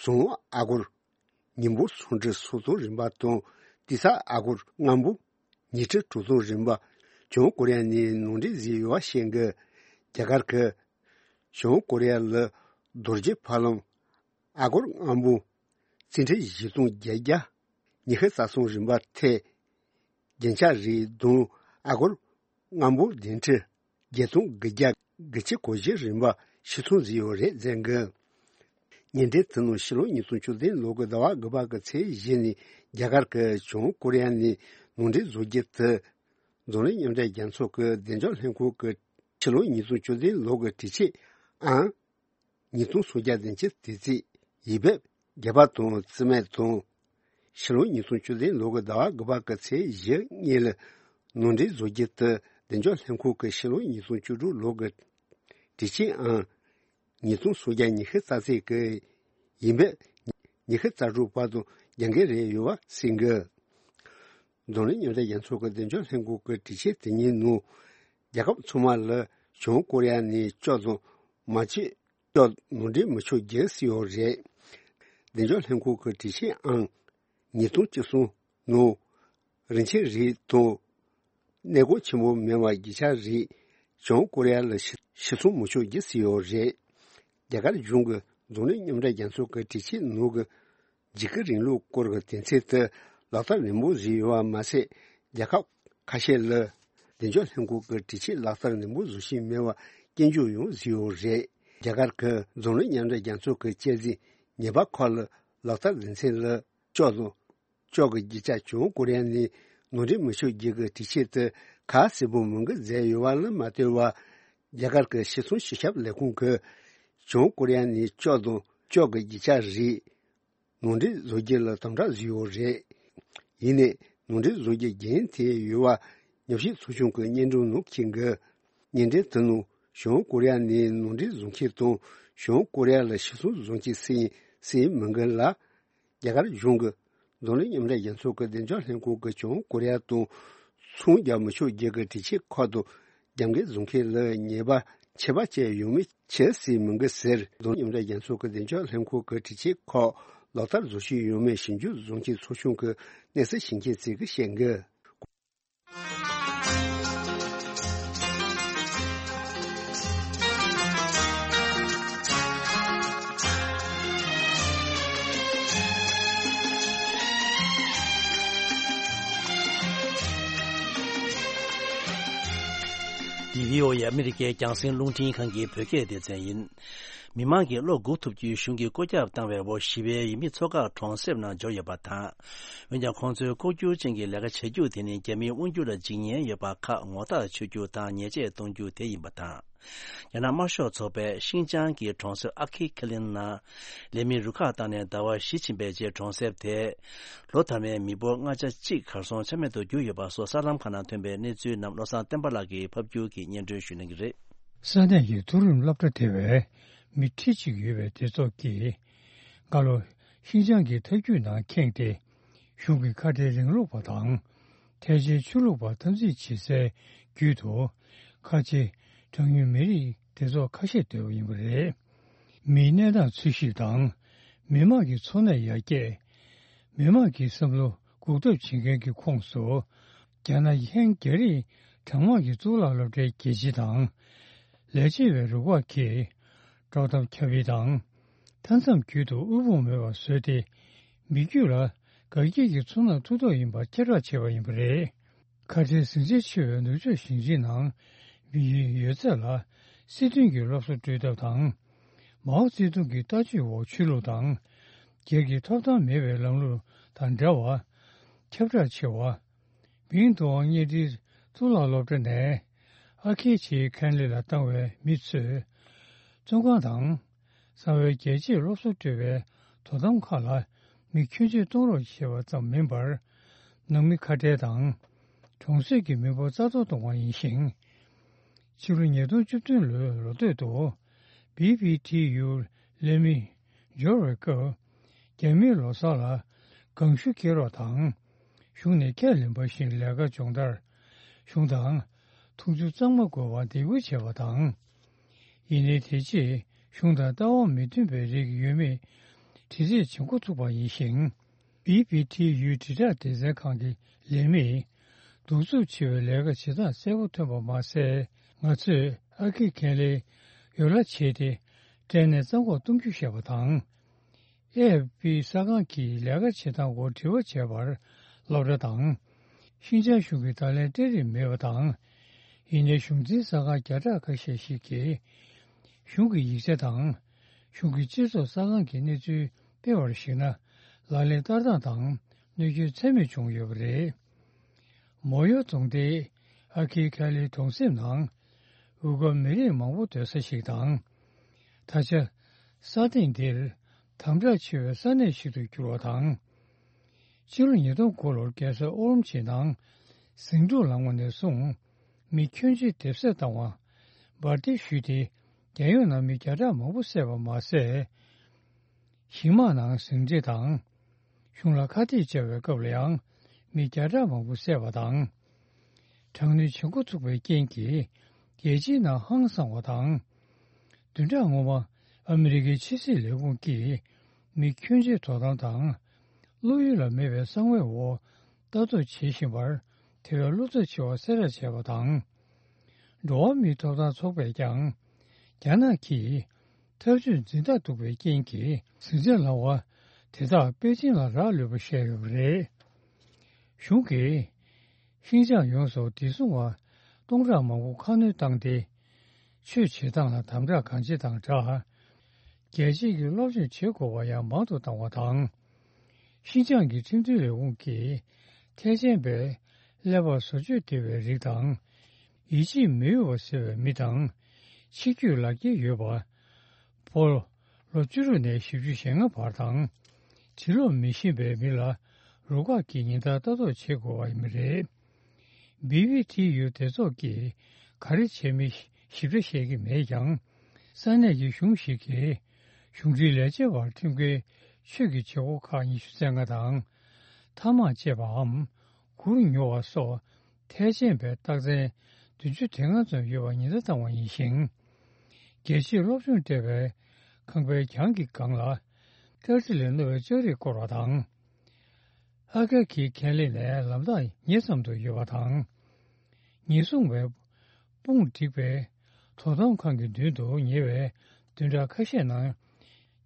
ཟོང་ཨ་སྒོར་ཉིས་འབོར་སུམ་ཁྲི་སུམ་སྟོང་རིན་པ་དང་། ཏི་སེ་ཨ་སྒོར་ལྔ་འབོར་ཉི་ཁྲི་དྲུག་སྟོང་རིན་པ་བྱང་ཀོ་རི་ཡ་ནས་ནང་འདྲེན་བཟོས་ཡོད་པ་ཤེས་དགོས། རྒྱ་གར་གྱིས་བྱང་ཀོ་རི་ཡ་ལ་རྡོ་རྗེ་ཕ་ལམ་ཨ་སྒོར་ལྔ་འབོར་རྩིས་ཁྲི་བཞི་སྟོང་བརྒྱད་བརྒྱ་ཉི་ཤུ་རྩ་གསུམ་རིན་པ་ཐེ། རྒྱན་ཆ་རིགས་བདུན་ཨ་སྒོར་ལྔ་འབོར་བདུན་ཁྲི་བརྒྱད་སྟོང་དགུ་བརྒྱ་དགུ་བཅུ་གོ་བཞི་རིན་པ་ཕྱིར་ཚོང་བཟོས་ཡོད་རེད་གསུངས་འདུག་བརྙན་འཕྲིན་དེ་ནང་ཕྱི་ལོ་ཉིས་སྟོང་བཅུ་བདུན་ལོ་གི་ཟླ་བ་དགུ་པ་གི་ཚེས་བཞི་ཉིན་རྒྱ་གར་གྱིས་བྱང་ཀོ་རི་ཡ་ནས་ནང་འདྲེན་བཟོ་རྒྱུ་དེ། འཛམ་གླིང་མཉམ་འབྲེལ་རྒྱལ་ཚོགས་ཀྱི་བདེ་འཇགས་ལྷན་ཁང་གི་ཕྱི་ལོ་ཉིས་སྟོང་བཅུ་བདུན་ལོ་གི་དྲི་ཆད་ཨང་ཉིས་སྟོང་སུམ་བརྒྱ་བདུན་ཅུ་དེ་ཚོ་ཡིག་འབེབས་བརྒྱབ་པ་དང་རྩིས་མེད་དང་། ཕྱི་ལོ་ཉིས་སྟོང་བཅུ་བདུན་ལོ་གི་ཟླ་བ་དགུ་པ་གི་ཚེས་བཞི་ཉིན་ལ་ནང་འདྲེན་བཟོ་རྒྱུ་དེ་བདེ་འཇགས་ལྷན་ཁང་གི་ཕྱི་ལོ་ཉིས་སྟོང་བཅུ་དྲུག་ལོ་གི་དྲི་ཆད་ཨང་ཉིས་སྟོང་སུམ་བརྒྱ་ཉི་ཤུ་རྩ་གཅིག་གི་ཡིག་འབེབས་ཉི་ཤུ་རྩ་དྲུག་བར་དུ་རྒྱབ་འགལ་རེད་ཡོད་པ་གསུངས་འདུག་འཛམ་གླིང་མཉམ་འབྲེལ་རྒྱལ་ཚོགས་ཀྱི་བདེ་འཇགས་ལྷན་ཁང་གི་དྲི་ཆད་དེ་ཉིན་ནང་རྒྱལ་ཁབ་ཚང་མ་ལ་བྱང་ཀོ་རི་ཡ་ནས་ཅོག་དང་མ་བཅད་ཅོག་ནང་འདྲེན་མི་ཆོག་རྒྱུ་གསུངས་ཡོད་རེད། བདེ་འཇགས་ལྷན་ཁང་གི་དྲི་ཆད་ཨང་ཉིས་སྟོང་བཅུ་གསུམ་ནང་རིན་ཆེན་རིགས་དང་གནས་སྐོར་ཆེན་པོ་མིན་པ་རྒྱུ་ཆ་རིགས་བྱང་ཀོ་རི་ཡ་ལ་ཕྱིར་ཕྱིར་ཚོང་མི་ཆོག་རྒྱུ་གསུངས་ཡོད་རེད། རྒྱ་གར་གཞུང་གིས་འཛམ་གླིང་མཉམ་འབྲེལ་རྒྱལ་ཚོགས་ཀྱི་དྲི་ཆད་ནང་གི་འཇིགས་སྐུལ་རིང་ལུགས་སྐོར་གྱི་དོན་ཚན་དེ་ལག་བསྟར་ནན་པོ་བཟོས་ཡོད་པ་མ་ཟད། རྒྱལ་ཁབ་ཁ་ཤས་ལ་བདེ་འཇགས་ལྷན་ཁང་གི་དྲི་ཆད་ལག་བསྟར་ནན་པོ་བཟོ་བཞིན་མེད་པར་སྐྱོན་བརྗོད་ཡང་བཟོས་ཡོད་རེད། རྒྱ་གར་གྱིས་འཛམ་གླིང་མཉམ་འབྲེལ་རྒྱལ་ཚོགས་ཀྱི་བཅའ་སྲིད་ཉེས་པ་ཁག་ལ་ལག་བསྟར་དོན་ཚན་ལ་ཅོག་དང་ཅོག་གི་རྒྱུ་ཆ་བྱང་ཀོ་རི་ཡ་ནས་ནང་འདྲེན་མི་ཆོག་རྒྱུ་གི་དྲི་ཆད་དེ་ཁ་གསལ་པོ་མི་འགོད་མཛད་ཡོད་པ་ལ་མ་ལྟོས་པར། རྒྱ་གར་གྱི་ཕྱིར་ཚོང་སྤྱི་ཁྱབ་ལས་ཁུངས་ཀྱིས་བྱང་ཀོ་རི་ཡ་ནས་ཅོག་དང་ཅོག་གི་རྒྱུ་ཆ་རིགས་ནང་འདྲེན་བཟོ་རྒྱུ་ལ་དམ་དྲག་བཟོས་ཡོད་རེད། ཡིན་ནའི་ནང་འདྲེན་བཟོ་རྒྱུ་རྒྱུན་མཐུད་ཡོད་པ་ཉམས་ཞིབ་ཚོགས་ཆུང་གི་སྙན་སྒྲོན་ནང་འཁོད་འདུག་བརྙན་འཕྲིན་དེ་ནང་བྱང་ཀོ་རི་ཡ་ནས་ནང་འདྲེན་བཟོ་མཁན་དང་བྱང་ཀོ་རི་ཡ་ལ་ཕྱིར་ཚོང་བཟོ་མཁན་སུ་ཡིན་སུ་ཡིན་མི་འགའ་ལ། རྒྱ་གར་གཞུང་གིས་འཛམ་གླིང་མཉམ་འབྲེལ་རྒྱལ་ཚོགས་ཀྱི་བདེ་འཇགས་ལྷན་ཁང་གིས་བྱང་ཀོ་རི་ཡ་དང་ཚོང་རྒྱག་མི་ཆོག་རྒྱུ་གི་དྲི་ཆད་ཁག་དང་རྒྱབ་འགལ་བཟོ་མཁན་ལ་ཉེས་པ་ཆད་པ་བཅད་ཡོད་མེད་ཆེད་སྲིད་མི་འགའ་ཟེར། འཛམ་གླིང་མཉམ་འབྲེལ་རྒྱལ་ཚོགས་ཀྱི་བདེ་འཇགས་ལྷན་ཁང་གི་དྲི་ཆད་ཁག་ལག་བསྟར་བཟོ་བཞིན་ཡོད་མེད་ཞིབ་འཇུག་བཟོ་མཁན་ཚོགས་ཆུང་གི་གནས་ཚུལ་ཞིབ་མཁན་ཚོས་ཀྱིས་བཤད་འདུག་བྷི་ཨོ་ཨེ་ཨ་མི་རི་ཀའི་རྒྱང་སྲིང་རླུང་འཕྲིན་ཁང་གི་བོད་སྐད་སྡེ་ཚན་ཡིན། མི་མང་གིས་བློ་འགུག་ཐུབ་རྒྱུའི་གཞུང་གིས་བཀོད་ཁྱབ་བཏང་བའི་འོག་ཞི་བའི་ཡུལ་མི་ཚོ་ཁག་གྲོང་གསེབ་ནང་འབྱོར་ཡོད་པ་དང་། འོན་ཀྱང་ཁོང་ཚོའི་ལྐོག་གྱུར་ཅན་གྱི་ལས་ཀ་བྱེད་རྒྱུ་དེ་ནི་རྒྱ་མིའི་དབང་སྒྱུར་ལ་འཇིགས་ཉེན་ཡོད་པ་ཁག་ངོ་རྟགས་ཆོད་རྒྱུ་དང་ཉེས་ཆད་གཏོང་རྒྱུ་དེ་ཡིན་པ་དང་། རྒྱ་ནག་དམར་ཤོག་ཚོགས་པས་ཤིན་ཅང་གི་གྲོང་གསེབ་ཨ་ཁི་ཁེ་ལིན་ནང་ལས་མི་རུ་ཁག་བཏང་ནས་ཟླ་བ་བཞི་ཕྱིན་པའི་རྗེས་གྲོང་གསེབ་དེ་ལོ་མཐའ་མའི་མི་འབོར་ལྔ་ཆ་གཅིག་གར་སོང་ཆ་མེད་དུ་གྱུར་ཡོད་པ་སོགས་གསར་ལམ་ཁག་ནང་ཐོན་པའི་གནས་ཚུལ་རྣམས་བློ་བཟང་བསྟན་པ་ལགས་ཀྱིས་ཕབ་སྒྱུར་གྱིས་སྙན་སྒྲོན་ཞུ་གནང་གི་རེད། ས་གནས་ཀྱི་མཐོ་རིམ་སློབ་གྲྭ་དེ་བས་མི་ཁྲི་གཅིག་ཡོད་པའི་སྡེ་ཚོགས་ཀྱིས་སྔ་ལོ་ཤིན་ཅང་གི་ཐབས་ཇུས་ནང་ཁེངས་ཏེ། གཞུང་གི་ཁ་བྲལ་རིང་ལུགས་པ་དང་། ཐལ་ཆེའི་ཆོས་ལུགས་པ་འཐབ་འཛིང་བྱེད་སའི་བརྒྱུད་དུ། ཁ་ཆེ་གྲངས་ཉུང་མི་རིགས་སྡེ་ཚོགས་ཁ་ཤས་འདུས་པ་ཡིན་པ་རེད། མིའི་གནས་སྟངས་འཚོལ་ཞིབ་དང་། མི་དམངས་ཀྱི་འཚོ་གནས་ཡར་རྒྱས། མི་དམངས་ཀྱི་བསམ་བློ་འགུག་ཐབས་བྱེད་མཁན་གྱི་ཁོངས་སུ། རྒྱ་ནག་གི་ཧན་རྒྱ་རིགས་གྲངས་མང་གི་གཙུག་ལག་སློབ་གྲྭའི་དགེ་ཆེ་དང་། ལས་བྱེད་པའི་རུ་ཁག་གིས་དཀྲོག་གཏམ་ཁྱབ་སྤེལ་དང་། མཐའ་མཚམས་བརྒྱུད་དུ་དབུལ་ཕོངས་མེད་པར་བཟོས་ཏེ། མི་རྒྱུད་ལ་དགའ་སྐྱིད་ཀྱི་ཚོར་སྣང་ཐུབ་ཐབས་ཡིན་པར་ཁྱབ་བསྒྲགས་བྱས་པ་ཡིན་པ་རེད། ཁ་བྲལ་ཟིང་ཆ་ཆེ་བའི་ནུབ་ཕྱོགས་ཞིང་ཆེན་ནང་མི་ཡུལ་ཡོད་ཚད་ལ་སྲིད་དོན་གྱི་སློབ་གསོ་སྤྲོད་ཐབས་དང་། མའོ་ཙེ་ཏུང་གི་ལྟ་སྤྱོད་འོག་ཆོས་ལུགས་དང་། སྒེར་གྱི་ཐོབ་ཐང་མེད་པའི་ལམ་ལུགས་དང་འདྲ་བར་ཁྱབ་བསྒྲགས་ཆེ་བ། མིང་ཏུའང་གཉའ་ཁྲིའི་གཙུག་ལག་སློབ་གྲྭ་ནས་ཨ་ཁེ་ཆེའི་ཁན་ལི་ལ་བཏང་བའི་མི་ཚོས། བཙོན་ཁང་དང་། གསང་བའི་རྒྱལ་གཅེས་སློབ་གསོ་སྤྲོད་པའི་དོ་དམ་ཁག་ལ་མི་ཁྱོན་ཆེ་གཏོང་རོགས་ཞེས་པ་ཙམ་མིན་པར། ནང་མི་ཁ་བྲལ་དང་། གྲོང་གསེབ་ཀྱི་མི་འབོར་རྩ་གཏོར་གཏོང་བ་ཡིན་ཞིང་། ཕྱི་ལོ་ཉིས་སྟོང་བཅུ་བདུན་ལོའི་ལོ་སྟོད་དུ། བི་བི་ཊི་ཡུ་ལས་མི་འབྱོར་བའི་སྐབས། རྒྱ་མིའི་ལོ་གསར་ལ་སྒང་ཤུགས་སྐྱེལ་རོགས་དང་། གཞུང་ནས་ཁས་ལེན་པ་བཞིན་ལས་ཀ་སྦྱོང་བརྡར། གཞུང་དང་། འཐུང་ཆུ་གཙང་མ་དགོས་པར་འདེད་སྐུལ་བྱས་པ་དང་། ཡིན་ནའི་དེ་རྗེས་གཞུང་དང་ལྟ་བ་མི་མཐུན་པའི་རིགས་ཡོད་མེད་དྲི་རྩད་བྱེད་འགོ་ཚུགས་པ་ཡིན་ཞིང་། བི་བི་ཊི་ཡུའི་དྲིལ་བསྒྲགས་སྡེ་ཚན་ཁང་གི་ལས་མིས། གདུག་རྩུབ་ཆེ་བའི་ལས་ཀ་བྱེད་སྟངས་གསལ་པོ་ཐོན་པ་མ་ཟད། ང་ཚོས་ཨ་ཁེ་ཁེ་ལེ་ཡོ་ལ་བྱས་ཏེ། སྐྲན་ནད་རྩ་འགོག་གཏོང་རྒྱུ་བཤད་པ་དང་། ཨེ་ཨེཕ་པི་གསར་ཁང་གིས་ལས་ཀ་བྱེད་སྟངས་སྐོར་དྲི་བ་བྱས་པར་སློབ་གྲྭ་དང་། ཤིན་ཅང་གཞུང་གིས་བརྡ་ལན་སྤྲད་རིན་མེད་པ་དང་། ཡིན་ནའི་གཞུང་འཛིན་གསར་ཁང་བརྒྱ་ཕྲག་ཁ་ཤས་ཤིག་གིས། གཞུང་གི་ཡིག་ཆ་དང་། གཞུང་གི་སྤྱི་ཚོགས་གསར་ཁང་གི་གནས་ཚུལ་སྤེལ་བར་གཞིགས་ན། ལག་ལེན་བསྟར་སྟངས་དང་གནོད་སྐྱོན་ཚད་མེད་བྱུང་ཡོད་པ་རེད། མོ་ཡོ་རྫོང་དེ་ཨ་ཁི་ཁ་ལིའི་གྲོང་གསེབ་ནང་། ཝུ་གོ་མི་རིགས་མང་པོ་སྡོད་ས་ཞིག་དང་། ད་ཆ། ས་སྟེང་འདིར་དམ་དྲག་ཆེ་བའི་ས་གནས་ཤིག་ཏུ་གྱུར་བ་དང་། ཕྱི་ལོ་ཉིས་སྟོང་དགུ་ལོར་རྒྱལ་ས་ཨོ་རོམ་ཆི་ནང་ཟིང་འཁྲུག་ལངས་པ་ནས་བཟུང་། མི་ཁྱོན་ཆེ་སྡེབ་གསོད་བཏང་བ། འབར་མདེལ་གཞུས་ཏེ་རྒྱལ་ཡོངས་ནང་མི་བརྒྱ་ཕྲག་མང་པོ་བསད་པ་མ་ཟད། ཞིང་དམག་ནང་ཟིང་འཁྲུག་དང་། གཞུང་ལ་ཁ་གཏད་བཅག་པའི་སྐབས་ལ་ཡང་མི་བརྒྱ་ཕྲག་མང་པོ་བསད་པ་དང་། དྲག་གནོན་བྱེད་འགོ་ཚུགས་པའི་རྐྱེན་གྱིས་རྒྱལ་སྤྱིའི་ནང་ཧང་སངས་པ་དང་། བདུན་ཕྲག་སྔོན་མ་ཨ་མི་རི་ཀའི་ཕྱི་སྲིད་ལས་ཁུངས་ཀྱིས་མི་ཁྱོན་ཆེ་དོ་དམ་དང་། བློ་ཡུལ་ལ་མེད་པའི་གསང་བའི་འོག་ལྟ་རྟོག་བྱེད་བཞིན་པར་དེ་བས་བློ་འཚབ་ཆེ་བ་གསལ་བསྒྲགས་བྱས་པ་དང་། འགྲོ་བ་མིའི་ཐོབ་ཐང་ཚོགས་པས་ཀྱང་། རྒྱ་ནག་གིས་ཐབས་ཇུས་འཛིན་སྟངས་སྡུག་པའི་རྐྱེན་གྱིས་ཟིང་ཆ་ལངས་པ་དེ་དག་པེ་ཅིང་ལ་རག་ལུས་པ་བཤད་ཡོད་པ་རེད། གཞུང་གིས་ཤིན་ཅང་ཡོངས་སུ་བདེ་སྲུང་བ་སྟོང་ཕྲག་མང་པོ་ཁ་སྣོན་བཏང་སྟེ། ཆོས་བྱེད་སྟངས་ལ་དམ་དྲག་གང་བྱེད་དང་སྦྲགས། རྒྱལ་སྤྱིའི་གི་སློབ་སྦྱོང་བྱེད་དགོས་པ་ཡང་མང་དུ་བཏང་བ་དང་། ཤིན་ཅང་གི་ཁྲིམས་མཐུན་ལས་ཁུངས་ཀྱིས་ཐེག་ཆེན་པའི་ཀླད་པ་བཟོ་བཅོས་བདེ་བའི་རིགས་དང་། ཡིད་ཆེས་མི་འོས་པ་ཟེར་བའི་མི་དང་། ཆིག་བརྒྱུད་ལག་འཁྱེར་ཡོད་པ། ཕོ། ལོ་བཅུ་དྲུག་ནས་བཞི་བཅུ་ཞེ་ལྔ་བར་དང་། གྲི་ལོག་མི་ཤེས་པའི་མི་ལ་རུ་ཁག་གིས་ཉེན་བརྡ་ལྟ་རྟོག་བྱེད་དགོས་པ་ཡིན་པ་རེད། བི་བི་ཊི་ཡུ་སྡེ་ཚོགས་ཀྱིས་ག་རེ་བྱས་མིན་ཞིབ་ཕྲ་བཤད་ཀྱི་མེད་ཀྱང་། ས་གནས་ཀྱི་གཞུང་ཞིག་གིས་གཞུང་འབྲེལ་ལས་བྱེད་པར་ཁྲིམས་འགལ་ཆོས་ཀྱི་བྱེད་སྒོ་ཁག་ཉི་ཤུ་རྩ་ལྔ་དང་། ཐ་མག་བཅད་པའམ་གུར་ཉོ་བ་སོགས་ཐལ་ཆེན་པའི་རྟགས་མཚན་བདུན་ཅུ་དོན་ལྔ་ཙམ་ཡོད་པར་ཉེན་བརྡ་བཏང་བ་ཡིན་ཞིང་། རྒྱལ་སྤྱིའི་སློབ་སྦྱོང་སྤྲད་པའི་ཁང་པའི་གྱང་གི་སྒང་ལ་སྐྲ་གྲི་ལས་རྣོ་བའི་ལྕགས་རིགས་བསྐོར་བ་དང་། ཨ་ཀ་ཁི་ཁེ་ལི་ནས་ལམ་ཐག་ཉེ་ཙམ་དུ་ཡོད་པ་དང་། ཉེན་སྲུང་བས་དཔུང་བསྒྲིགས་པའི་དོ་དམ་ཁང་གི་མདུན་དུ་ཉེ་བའི་བདུན་ཕྲག་ཁ་ཤས་ནང་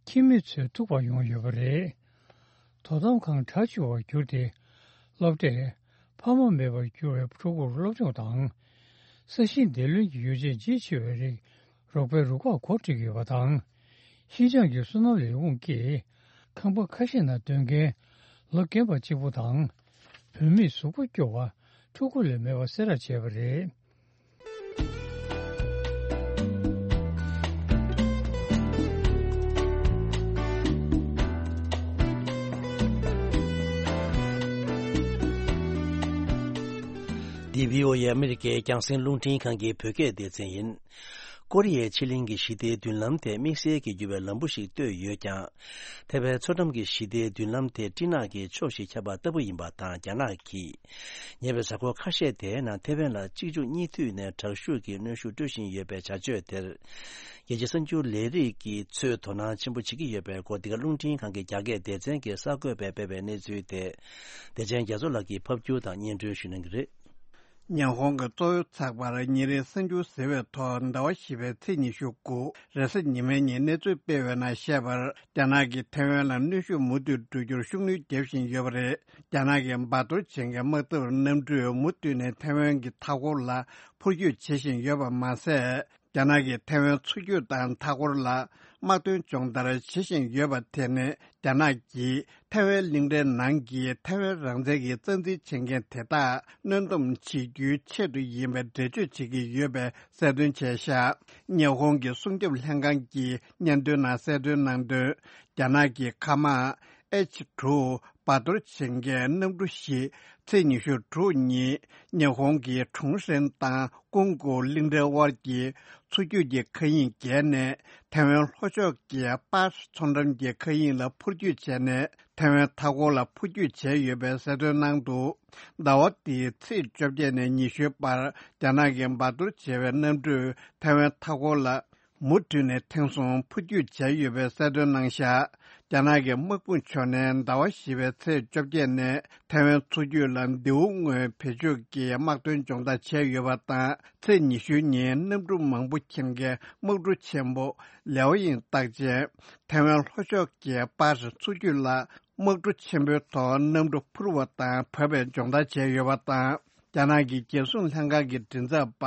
ཁྱིམ་མི་ཚོའི་ཐུག་པར་ཡོང་ཡོད་པ་རེད། དོ་དམ་ཁང་གྲ་ཆུ་བར་གྱུར་ཏེ། སློབ་གྲྭས་ཕ་མ་མེད་པར་གྱུར་བའི་ཕྲུ་གུར་སློབ་སྦྱོང་དང་། ས་ཞིང་འདེབས་ལེན་གྱི་ཡོ་བྱད་ལྗིད་ཆེ་བའི་རིགས་རོགས་པའི་རུ་ཁག་གོ་སྒྲིག་ཡོད་པ་དང་། ཤིན་ཅང་གི་སོ་ནམ་ལས་ཁུངས་ཀྱིས་ཁང་པ་ཁ་ཤས་ནང་སྡོད་མཁན་ལོ་རྒན་པ་གཅིག་པུ་དང་། བུད་མེད་གཟུགས་པོ་སྐྱོ་བ་ཕྲུ་གུ་ལས་མེད་པ་གསལ་བསྒྲགས་བྱས་པ་རེད། འདི་བྷི་ཨོ་ཨེ་ཨ་མི་རི་ཀའི་རྒྱང་སྲིང་རླུང་འཕྲིན་ཁང་གི་བོད་སྐད་སྡེ་ཚན་ཡིན། ཀོ་རི་ཡའི་ཕྱེད་གླིང་གི་ཞི་བདེའི་མདུན་ལམ་དེ་དམིགས་བསལ་གྱི་འགྱུར་བའི་ལམ་བུ་ཞིག་བཏོད་ཡོད་ཀྱང་། ཐེ་ཝན་མཚོ་འགྲམ་གྱི་ཞི་བདེའི་མདུན་ལམ་དེ་སྤྲིན་ནག་གི་ཕྱོགས་ཤིག་ཁྱབ་པ་ལྟ་བུ་ཡིན་པ་དང་། རྒྱ་ནག་གིས་ཉེ་བའི་གཟའ་འཁོར་ཁ་ཤས་དེའི་ནང་ཐེ་ཝན་ལ་གཅིག་མཇུག་གཉིས་མཐུད་ནས་དྲག་ཤུགས་ཀྱིས་གནོན་ཤུགས་སྤྲོད་བཞིན་ཡོད་པའི་བྱ་སྤྱོད་དེར། རྒྱལ་སྤྱིའི་གསར་འགྱུར་ལས་རིགས་ཀྱིས་ཚོས་དོ་སྣང་ཆེན་པོ་བྱེད་ཀྱི་ཡོད་པའི་སྐོར། འདི་ག་རླུང་འཕྲིན་ཁང་གི་རྒྱ་སྐད་སྡེ་ཚན་གྱིས་གསར་འགོད་པས་སྤེལ་བའི་གནས་ཚུལ་དེ། བདེ་ཆེན་རྒྱ་མཚོ་ལགས་ཀྱིས་ཕབ་སྒྱུར་དང་སྙན་སྒྲོན་ཞུ་གནང་གི་རེད། ཉི་ཧོང་གི་གཙོ་བོའི་ཚགས་པར་ཉིན་རེའི་གསར་འགྱུར་ཟེར་བའི་ཐོག་ཟླ་བ་བཞི་པའི་ཚེས་ཉི་ཤུ་དགུ་རེས་གཟའ་ཉི་མའི་ཉིན་གནས་ཚུལ་སྤེལ་བའི་ནང་བཤད་པར། རྒྱ་ནག་གིས་ཐེ་ཝན་ལ་གནོན་ཤུགས་མུ་མཐུད་སྤྲོད་རྒྱུར་ཤུགས་སྣོན་རྒྱག་བཞིན་ཡོད་པ་རེད། རྒྱ་ནག་གི་འབར་གཏོར་བྱེད་མཁན་དམག་འཐབ་གནམ་གྲུས་མུ་མཐུད་ནས་ཐེ་ཝན་གྱི་མཐའ་འཁོར་ལ་འཕུར་སྐྱོད་བྱེད་བཞིན་ཡོད་པ་མ་ཟད། རྒྱ་ནག་གིས་ཐེ་ཝན་མཚོ་རྒྱུད་དང་མཐའ་འཁོར་ལ་དམག་དོན་སྦྱོང་བརྡར་བྱེད་བཞིན་ཡོད་པ་དེ་ནི། རྒྱ་ནག་གིས་ཐེ་ཝན་གླིང་ཕྲན་ནང་གི་ཐེ་ཝན་རང་བཙན་གྱི་རྩ་འཛིན་བྱེད་མཁན་དེ་དག་གནོན་སྡོམ་བྱེད་རྒྱུའི་ཆེད་དུ་ཡིན་པའི་འགྲེལ་བརྗོད་བྱེད་ཀྱི་ཡོད་པའི་གསལ་སྟོན་བྱས་བཞག་ཉི་ཧོང་གི་སྲུང་སྐྱོབ་ལྷན་ཁང་གིས་སྙན་ཐོའི་ནང་གསལ་སྟོན་གནང་དོན། རྒྱ་ནག་གི་མཁའ་དམག་ཨེཆ་དྲུག་འབར་གཏོར་བྱེད་མཁན་གནམ་གྲུ་བཞི་ཚེས་ཉི་ཤུ་དྲུག་ཉིན་ཉི་ཧོང་གི་ཁྲུང་ཧྲན་དང་ཀུང་ཀུའུ་གླིང་ཕྲན་དབར་གྱི་མཚོ་རྒྱུད་ཀྱི་མཁའ་དབྱིངས་བརྒལ་ནས། ཐེ་ཝན་ལྷོ་ཕྱོགས་ཀྱི་པར་མཚོ་འགྲམ་གྱི་མཁའ་དབྱིངས་ལ་འཕུར་སྐྱོད་བྱས་ནས། ཐེ་ཝན་མཐའ་འཁོར་ལ་འཕུར་སྐྱོད་བྱས་ཡོད་པའི་གསལ་སྟོན་གནང་འདུག་ཟླ་བ་འདིའི་ཚེས་བཅོ་བརྒྱད་ནས་ཉི་ཤུའི་བར། རྒྱ་ནག་གི་འབར་གཏོར་བྱས་པའི་གནམ་གྲུས་ཐེ་ཝན་མཐའ་འཁོར་ལ་མུ་མཐུད་ནས་ཐེངས་གསུམ་འཕུར་སྐྱོད་བྱས་ཡོད་པའི་གསལ་སྟོན་གནང་བཞག་རྒྱ་ནག་གི་དམག་དཔུང་ཕྱོགས་ནས་ཟླ་བ་བཞི་པའི་ཚེས་བཅོ་བརྒྱད་ནས་ཐེ་ཝན་མཚོ་རྒྱུད་ལ་མདེའུ་སྔོན་བེད་སྤྱོད་ཀྱིས་དམག་དོན་སྦྱོང་བརྡར་བྱས་ཡོད་པ་དང་། ཚེས་ཉི་ཤུ་ཉིན་གནམ་གྲུ་མང་པོ་འཁྱེར་མཁན་དམག་གྲུ་ཆེན་པོ་ལེའོ་ཡིང་རྟགས་ཅན་ཐེ་ཝན་ལྷོ་ཕྱོགས་ཀྱི་པར་མཚོ་རྒྱུད་ལ་དམག་གྲུ་ཆེན་པོའི་ཐོག་གནམ་གྲུ་འཕུར་བ་དང་བབས་པའི་སྦྱོང་བརྡར་བྱས་ཡོད་པ་དང་། རྒྱ་ནག་གི་རྒྱལ་སྲུང་ལྷན་ཁང་གི་མགྲིན་ཚབ་པ་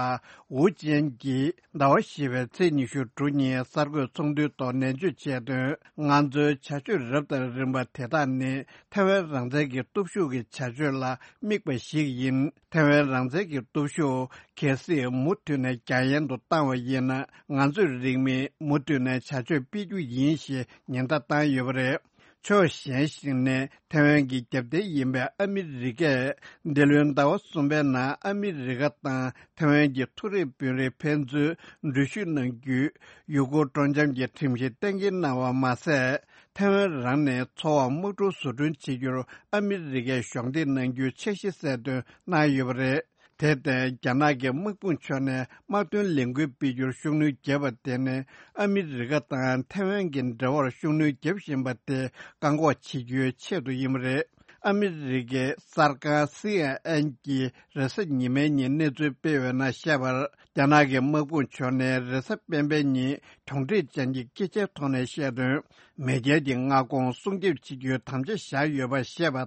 ཝུ་ཅན་གྱིས་ཟླ་བ་བཞི་པའི་ཚེས་ཉི་ཤུ་དྲུག་ཉིན་གསར་འགོད་ཚོགས་འདུའི་ཐོག་ནན་བརྗོད་བྱས་དོན། ང་ཚོའི་བྱ་སྤྱོད་རབ་དང་རིམ་པ་དེ་དག་ནི་ཐེ་ཝན་རང་བཙན་གྱི་སྟོབས་ཤུགས་ཀྱི་བྱ་སྤྱོད་ལ་དམིགས་པ་ཞིག་ཡིན། ཐེ་ཝན་རང་བཙན་གྱི་སྟོབས་ཤུགས་གལ་སྲིད་མུ་མཐུད་ནས་རྒྱ་ཡན་དུ་བཏང་བ་ཡིན་ན། ང་ཚོས་རིང་མིན་མུ་མཐུད་ནས་བྱ་སྤྱོད་སྤེལ་རྒྱུ་ཡིན་ཞེས་ཉེན་བརྡ་བཏང་ཡོད་པ་རེད། ཕྱོགས་གཞན་ཞིག་ནས་ཐེ་ཝན་གྱི་རྒྱབ་རྟེན་ཡིན་པའི་ཨ་མི་རི་ཀས་འདི་ལོའི་ཟླ་བ་གསུམ་པའི་ནང་ཨ་མི་རི་ཀ་དང་ཐེ་ཝན་གྱི་མཐོ་རིམ་དཔོན་རིགས་ཕན་ཚུན་འགྲུལ་བཞུད་གནང་རྒྱུའི་ཡུ་གུར་སྤྲོ་འཆམ་གྱི་ཁྲིམས་གཞི་གཏན་འཁེལ་གནང་བ་མ་ཟད། ཐེ་ཝན་རང་ནས་འཚོ་བར་དམག་གྲུ་བཟོ་སྐྲུན་བྱེད་རྒྱུར་ཨ་མི་རི་ཀས་གཞོགས་འདེགས་གནང་རྒྱུའི་འཆར་གཞི་གསལ་སྟོན་གནང་ཡོད་པ་རེད། དེར་བརྟེན། རྒྱ་ནག་གི་དམག་དཔུང་ཕྱོགས་ནས་དམག་དོན་ལས་འགུལ་སྤེལ་རྒྱུར་ཤུགས་སྣོན་བརྒྱབ་པ་དེ་ནི་ཨ་མི་རི་ཀ་དང་ཐེ་ཝན་གྱི་འབྲེལ་བར་ཤུགས་སྣོན་བརྒྱབ་བཞིན་པ་དེ་བཀག་འགོག་བྱེད་རྒྱུའི་ཆེད་དུ་ཡིན་པ་རེད། ཨ་མི་རི་ཀའི་གསར་ཁང་སི་ཨེན་ཨེན་གྱིས་རེས་གཟའ་ཉི་མའི་ཉིན་གནས་ཚུལ་སྤེལ་བའི་ནང་བཤད་པར། རྒྱ་ནག་གི་དམག་དཔུང་ཕྱོགས་ནས་རེས་གཟའ་སྤེན་པའི་ཉིན་གྱོང་ཁྲིད་ཅན་གྱི་སྐད་ཆའི་ཐོག་ནས་བཤད་དོན། མེས་རྒྱལ་གྱི་མངའ་ཁོངས་སྲུང་སྐྱོབ་བྱེད་རྒྱུའི་དམ་བཅའ་བཞག་ཡོད་པ་བཤད་པ་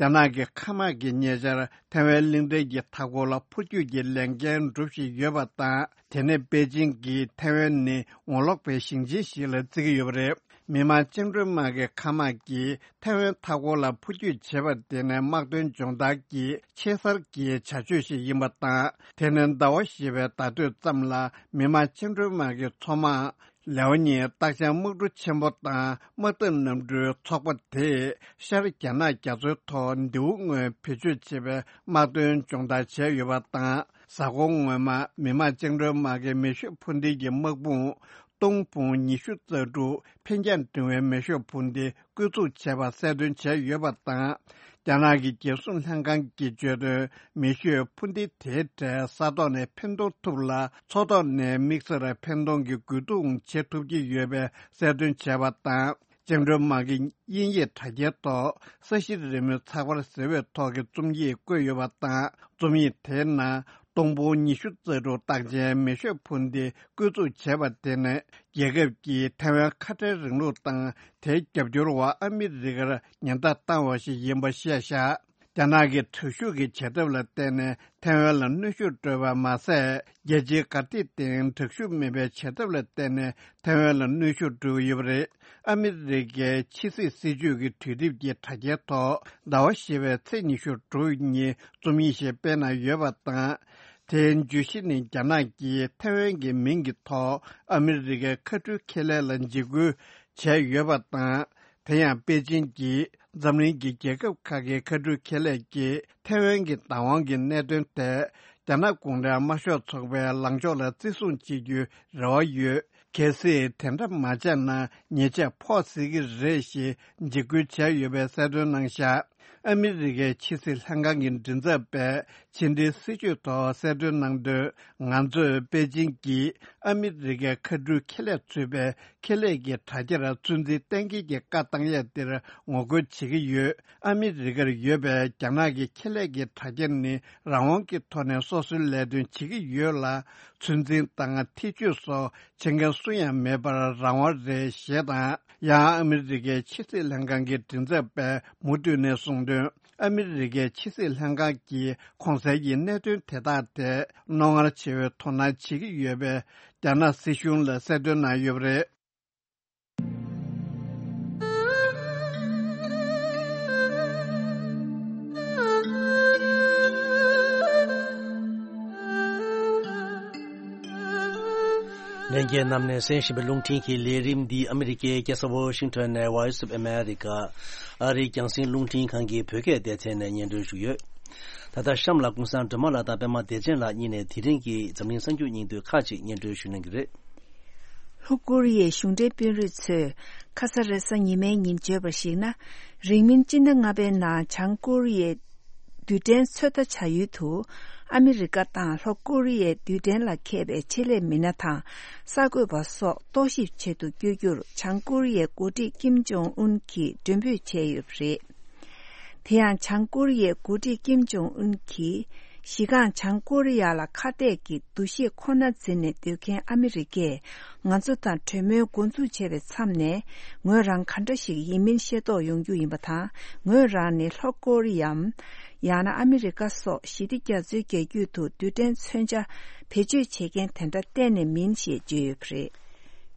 དང་། རྒྱ་ནག་གི་མཁའ་དམག་གིས་ཉེ་ཆར་ཐེ་ཝན་གླིང་ཕྲན་གྱི་མཐའ་འཁོར་ལ་འཕུར་སྐྱོད་ཀྱི་ལས་འགན་སྒྲུབ་བཞིན་ཡོད་པ་དང་། དེ་ནི་པེ་ཅིང་གིས་ཐེ་ཝན་ནི་ངོ་ལོག་པའི་ཞིང་ཆེན་ཞིག་ལ་བརྩི་གི་ཡོད་པ་རེད། མི་དམངས་བཅིངས་འགྲོལ་དམག་གི་མཁའ་དམག་གིས་ཐེ་ཝན་མཐའ་འཁོར་ལ་འཕུར་སྐྱོད་བྱས་པ་དེ་ནི་དམག་དོན་སྦྱོང་བརྡར་གྱི་ཆེས་གསར་གྱི་བྱ་སྤྱོད་ཞིག་ཡིན་པ་དང་། དེ་ནི་ཟླ་བ་བཞི་པའི་ཟླ་སྟོད་ཙམ་ལ་མི་དམངས་བཅིངས་འགྲོལ་དམག་གི་མཚོ་དམག་ལེའོ་ཉིང་རྟགས་ཅན་དམག་གྲུ་ཆེན་པོ་དང་དམག་འཐབ་གནམ་གྲུའི་ཚོགས་པ་དེས་ཤར་རྒྱ་ནག་རྒྱ་མཚོའི་ཐོག་མདེའུ་སྔོན་བེད་སྤྱོད་བྱེད་པའི་དམག་དོན་སྦྱོང་བརྡར་བྱས་ཡོད་པ་དང་། གཟའ་འཁོར་སྔོན་མ་མི་དམངས་བཅིངས་འགྲོལ་དམག་གི་མེ་ཤུགས་འཕུར་མདེལ་གྱི་དམག་དཔུང་སྟོང་དཔུང་ཉི་ཤུ་རྩ་དྲུག་འཕེན་རྒྱང་འབྲིང་བའི་མེ་ཤུགས་འཕུར་མདེལ་བཀོལ་སྤྱོད་བྱས་པ་གསལ་སྟོན་བྱས་ཡོད་པ་དང་། རྒྱ་ནག་གི་རྒྱལ་སྲུང་ལྷན་ཁང་གིས་བརྗོད་དོན། མེ་ཤུགས་འཕུར་མདེལ་དེའི་གྲས་ས་ཐོག་ནས་འཕེན་གཏོང་ཐུབ་ལ། མཚོ་ཐོག་ནས་དམིགས་བསལ་འཕེན་གཏོང་གི་རྒོལ་རྡུང་བྱེད་ཐུབ་ཀྱི་ཡོད་པའི་གསལ་སྟོན་བྱས་པ་དང་། བཅིངས་འགྲོལ་དམག་གི་དབྱིན་ཡིག་དྲ་རྒྱའི་ཐོག་ས་གཞི་རི་མོའི་ཚགས་པར་ཟེར་བའི་ཐོག་གི་རྩོམ་ཡིག་བཀོད་ཡོད་པ་དང་། རྩོམ་ཡིག་དེའི་ནང་སྟོང་ཕུང་ཉི་ཤུ་རྩ་དྲུག་རྟགས་ཅན་མེ་ཤུགས་འཕུར་མདེལ་བཀོལ་སྤྱོད་བྱས་པ་དེ་ནི། རྒྱལ་ཁབ་ཀྱིས་ཐེ་ཝན་ཁ་བྲལ་རིང་ལུགས་དང་དེའི་རྒྱབ་སྐྱོར་བ་ཨ་མི་རི་ཀར་ཉེན་བརྡ་བཏང་བ་ཞིག་ཡིན་པ་བཤད་བཞག་རྒྱ་ནག་གི་དྲག་ཤུགས་ཀྱི་བྱེད་ཐབས་ལ་བརྟེན་ནས་ཐའེ་ཝན་ལ་གནོན་ཤུགས་སྤྲོད་པ་མ་ཟད། རྒྱལ་སྤྱིའི་དགའ་སྡིག་སྟེང་དྲག་ཤུགས་མེད་པའི་བྱེད་ཐབས་ལ་བརྟེན་ནས་ཐའེ་ཝན་ལ་གནོན་ཤུགས་སྤྲོད་ཀྱི་ཡོད་པ་རེད། ཨ་མི་རི་ཀའི་ཕྱི་སྲིད་སྲིད་ཇུས་ཀྱི་དུས་དེབ་ཀྱི་དྲ་རྒྱའི་ཐོག་ཟླ་བ་བཞི་པའི་ཚེས་ཉི་ཤུ་དྲུག་ཉིན་རྩོམ་ཡིག་ཞིག་སྤེལ་གནང་ཡོད་པ་དང་། དེའི་བརྗོད་གཞི་ནི་རྒྱ་ནག་གིས་ཐའེ་ཝན་གྱི་མིང་གི་ཐོག་ཨ་མི་རི་ཀའི་མཁའ་འགྲུལ་ཁེ་ལས་ལ་འཇིགས་སྐུལ་བྱས་ཡོད་པ་དང་། དེ་ཡང་པེ་ཅིན་གྱིས་འཛམ་གླིང་གི་རྒྱལ་ཁབ་ཁག་གི་མཁའ་འགྲུལ་ཁེ་ལས་ཀྱིས་ཐའེ་ཝན་གྱི་བདག་དབང་གི་གནད་དོན་ཐད་རྒྱ་ནག་གུང་ཁྲན་དམར་ཤོག་ཚོགས་པའི་ལངས་ཕྱོགས་ལ་བརྩི་སྲུང་བྱེད་རྒྱུའི་རེ་བ་ཡོད། གལ་སྲིད་དེ་འདྲ་མ་བྱས་ན་ཉེས་ཆད་ཕོག་སྲིད་ཀྱི་རེད་ཞེས་འཇིགས་སྐུལ་བྱས་ཡོད་པའི་གསལ་སྟོན་གནང་བཞག་ཨ་མི་རི་ཀའི་ཕྱི་སྲིད་ལྷན་ཁང་གི་མགྲིན་ཚབ་པས་ཕྱི་འབྲེལ་སྲིད་བྱུས་ཐོག་གསལ་སྟོན་གནང་དོན། ང་ཚོས་པེ་ཅིན་གྱིས་ཨ་མི་རི་ཀའི་མཁའ་འགྲུལ་ཁེ་ལས་ཚུད་པའི་ཁེ་ལས་ཀྱི་དྲ་རྒྱར་ཚོད་འཛིན་གཏན་འཁེལ་གྱི་བཀའ་བཏང་ཡས་དེར་ངོ་རྒོལ་བྱེད་ཀྱི་ཡོད། ཨ་མི་རི་ཀར་ཡོད་པའི་རྒྱ་ནག་གི་ཁེ་ལས་ཀྱི་དྲ་རྒྱ་ནི་རང་དབང་གི་ཐོག་ནས་སོ་སོའི་ལས་དོན་བྱེད་ཀྱི་ཡོད་ལ། ཚོད་འཛིན་དང་ཐེ་བྱུས་སོགས་བྱེད་མཁན་སུ་ཡང་མེད་པར་རང་དབང་རེད་ཞེས་དང་། ཡང་ཨ་མི་རི་ཀའི་ཕྱི་སྲིད་ལྷན་ཁང་གི་མགྲིན་ཚབ་པས་མུ་མཐུད་ནས་གསུངས་དོན། ཨ་མི་རི་ཀའི་ཕྱི་སྲིད་ལྷན་ཁང་གིས་གོང་གསལ་གྱི་གནད་དོན་དེ་དག་ཐད་རྣོ་ངར་ཆེ་བའི་དོ་སྣང་བྱེད་ཀྱི་ཡོད་པའི་རྒྱ་ནག་སྲིད་གཞུང་ལ་གསལ་སྟོན་གནང་ཡོད་པ་རེད། ལྷན་རྒྱས་རྣམས་ནས་གསན་བཞིན་པའི་རླུང་འཕྲིན་གྱི་ལས་རིམ་འདི་ཨ་མི་རི་ཀའི་རྒྱལ་ས་ཝོ་ཤིང་ཊོན་ནས་Voice of America ཨ་རིའི་རྒྱང་སྲིང་རླུང་འཕྲིན་ཁང་གི་བོད་སྐད་སྡེ་ཚན་ནས་སྙན་སྒྲོན་ཞུས་ཡོད། ད་ལྟ་གཤམ་ལ་ཀུན་བཟང་སྒྲོལ་མ་ལགས་དང་པད་མ་བདེ་ཆེན་ལགས་གཉིས་ནས་དེ་རིང་གི་འཛམ་གླིང་གསར་འགྱུར་སྙིང་བསྡུས་ཁག་ཅིག་སྙན་སྒྲོན་ཞུ་གནང་གི་རེད། ལྷོ་ཀོ་རི་ཡའི་གཞུང་འབྲེལ་དཔོན་རིགས་ཚོས་ཁ་ས་རེས་གཟའ་ཉི་མའི་ཉིན་བརྗོད་པར་གཞིགས་ན། རིང་མིན་སྤྱི་ཟླ་ལྔ་པའི་ནང་བྱང་ཀོ་རི་ཡའི་རྡུལ་ཕྲན་ཚོད་ལྟ་བྱ་ཡུལ་དུ་ཨ་མི་རི་ཀ་དང་ལྷོ་ཀོ་རི་ཡའི་རྡུལ་ཕྲན་ལ་མཁས་པའི་ཆེད་ལས་མི་སྣ་དང་གསར་འགོད་པ་སོགས་རྟོག་ཞིབ་ཆེད་དུ་བསྐྱོད་རྒྱུར་བྱང་ཀོ་རི་ཡའི་འགོ་ཁྲིད་ཀིམ་ཇོང་ཨུན་གྱིས་མགྲོན་འབོད་བྱས་ཡོད་པ་རེད། དེ་ཡང་བྱང་ཀོ་རི་ཡའི་འགོ་ཁྲིད་ཀིམ་ཇོང་ཨུན་གྱིས་གཞི་རྐང་བྱང་ཀོ་རི་ཡ་ལ་ཁ་གཏད་ཀྱི་འདུ་ཤེས་ཁོ་ན་འཛིན་ནས་སྡོད་མཁན་ཨ་མི་རི་ཀས་ང་ཚོ་དང་གྲོས་མོལ་འགོ་འཛུགས་བྱས་པའི་མཚམས་ནས་ངོས་རང་ག་འདྲ་ཞིག་ཡིན་མིན་ཤེས་རྟོགས་ཡོང་རྒྱུ་ཡིན་པ་དང་། ངོས་རང་ནི་ལྷོ་ཀོ་རི་ཡའམ་ཡང་ན་ཨ་མི་རི་ཀ་སོགས་ཞི་བདེ་རྒྱ་མཚོའི་རྒྱ་རྒྱུད་དུ་རྡུལ་ཕྲན་མཚོན་ཆ་བེད་སྤྱོད་བྱེད་མཁན་དེ་འདྲ་གཏན་ནས་མིན་ཞེས་བརྗོད་ཡོད་པ་རེད།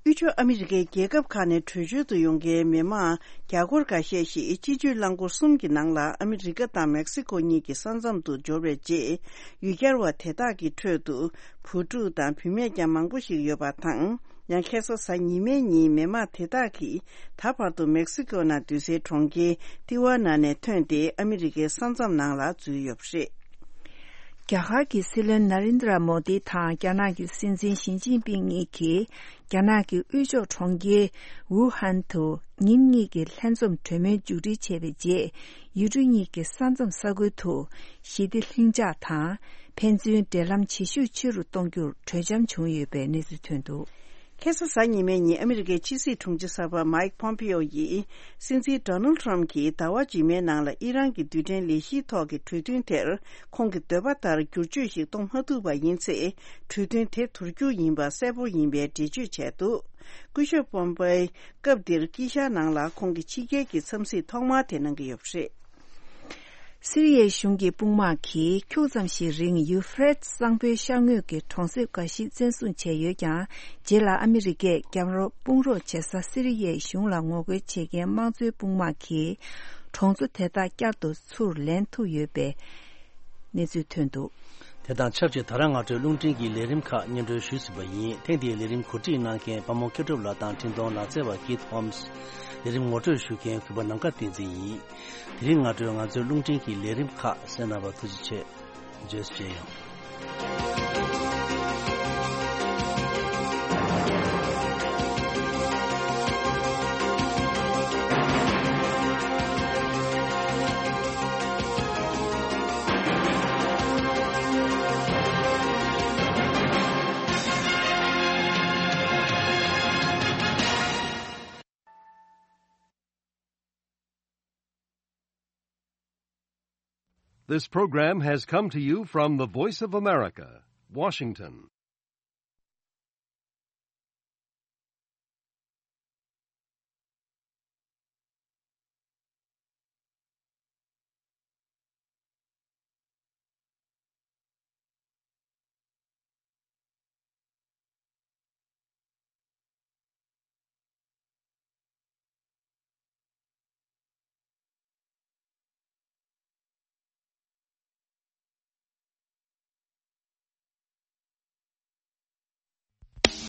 དབུས་ཕྱོགས་ཨ་མི་རི་ཀའི་རྒྱལ་ཁབ་ཁག་ནས་བྲོས་བྱོལ་དུ་ཡོང་མཁན་མི་མང་རྒྱ་སྒོར་འགའ་ཤས་ཤིག་སྤྱི་སྤྱོད་རླངས་འཁོར་གསུམ་གྱི་ནང་ལ་ཨ་མི་རི་ཀ་དང་མེག་སི་ཀོ་གཉིས་ཀྱི་ས་མཚམས་དུ་འབྱོར་བའི་རྗེས། ཡུལ་གྱར་བ་དེ་དག་གི་ཁྲོད་དུ་བུ་ཕྲུག་དང་བུད་མེད་ཀྱང་མང་པོ་ཞིག་ཡོད་པ་དང་། ཡང་ཁ་སང་གཟའ་ཉི་མའི་ཉིན་མི་མང་དེ་དག་གིས་ད་བར་དུ་མེག་སི་ཀོ་ནང་སྡོད་སའི་གྲོང་ཁྱེར་ཏི་ཝ་ན་ནས་ཐོན་ཏེ་ཨ་མི་རི་ཀའི་ས་མཚམས་ནང་ལ་འཛུལ་ཡོད་པ་རེད། རྒྱ་གར་གྱི་སྲིད་བློན་ན་རིན་དྲ་མོ་དི་དང་རྒྱ་ནག་གི་སྲིད་འཛིན་ཞི་ཅིན་ཕིང་གཉིས་ཀྱིས་རྒྱ་ནག་གི་དབུས་ཕྱོགས་གྲོང་ཁྱེར་ཝུ་ཧན་དུ་ཉིན་གཉིས་ཀྱི་ལྷན་འཛོམས་གྲོས་མོལ་མཇུག་སྒྲིལ་བྱས་པའི་རྗེས། ཡུལ་གྲུ་གཉིས་ཀྱི་ས་མཚམས་ས་ཁུལ་དུ་ཞི་བདེ་ལྷིང་འཇགས་དང་ཕན་ཚུན་འབྲེལ་ལམ་བྱེད་ཤུགས་ཆེ་རུ་གཏོང་རྒྱུར་གྲོས་འཆམ་བྱུང་ཡོད་པའི་གནས་ཚུལ་ཐོན་འདུག་ཁ་སང་གཟའ་ཉི་མའི་ཉིན་ཨ་མི་རི་ཀའི་ཕྱི་སྲིད་དྲུང་ཆེ་གསར་པ་མའིག་ཕོམ་པེ་ཨོ་ཡིས་སྲིད་འཛིན་ཌོ་ནལ་ཊམ་གྱིས་ཟླ་བ་རྗེས་མའི་ནང་ལ་ཨི་རན་གྱི་རྡུལ་ཕྲན་ལས་གཞིའི་ཐོག་གི་གྲོས་མཐུན་དེར་ཁོང་གི་འདོད་པ་ལྟར་བསྒྱུར་བཅོས་ཤིག་གཏོང་མ་ཐུབ་པ་ཡིན་ཚེ། གྲོས་མཐུན་དེ་དུར་རྒྱུ་ཡིན་པ་གསལ་པོ་ཡིན་པའི་འགྲེལ་བརྗོད་བྱས་འདུག་སྐུ་ཞབས་པོམ་པེ་སྐབས་འདིར་དཀྱིལ་ཤར་ནང་ལ་ཁོང་གི་ཕྱི་རྒྱལ་གྱི་འཚམས་གཟིགས་ཐོག་མ་དེ་གནང་གི་ཡོད་པ་རེད། སི་རི་ཡའི་གཞུང་གི་དཔུང་དམག་གིས་ཁྱུག་ཙམ་ཞིག་རིང་ཡུ་ཧྥེ་རེ་ཏི་གཙང་པོའི་ཤར་ངོས་ཀྱི་གྲོང་གསེབ་འགའ་ཞིག་བཙན་བཟུང་བྱས་ཡོད་ཀྱང་། རྗེས་ལ་ཨ་མི་རི་ཀས་རྒྱབ་རོགས་དཔུང་རོགས་བྱེད་ས་སི་རི་ཡའི་གཞུང་ལ་ངོ་རྒོལ་བྱེད་མཁན་དམངས་གཙོའི་དཔུང་དམག་གིས་གྲོང་ཚོ་དེ་དག་བསྐྱར་དུ་ཚུར་ལེན་ཐུབ་ཡོད་པའི་གནས་ཚུལ་ཐོན་འདུག་དེ་དང་ཆབས་ཅིག་ད་རང་སྔ་དྲོའི་རླུང་འཕྲིན་གྱི་ལས་རིམ་ཁག་སྙན་སྒྲོན་ཞུས་ཟིན་པ་ཡིན། ཐེངས་འདིའི་ལས་རིམ་གོ་སྒྲིག་གནང་མཁན་དཔའ་མོ་མཁས་གྲུབ་ལགས་དང་འཕྲིན་གཏོང་ལག་རྩལ་བ་ཀིད་ཧོམ་སི། ལས་རིམ་ངོ་སྤྲོད་ཞུ་མཁན་གུས་པ་ནམ་མཁའ་བསྟན་འཛིན་ཡིན། དེ་རིང་སྔ་དྲོའི་ང་ཚོའི་རླུང་འཕྲིན་གྱི་ལས་རིམ་ཁག་གསན་གནང་བར་ཐུགས་རྗེ་ཆེ། བརྗོད་གཅིག་ཡང་། This program has come to you from the Voice of America, Washington.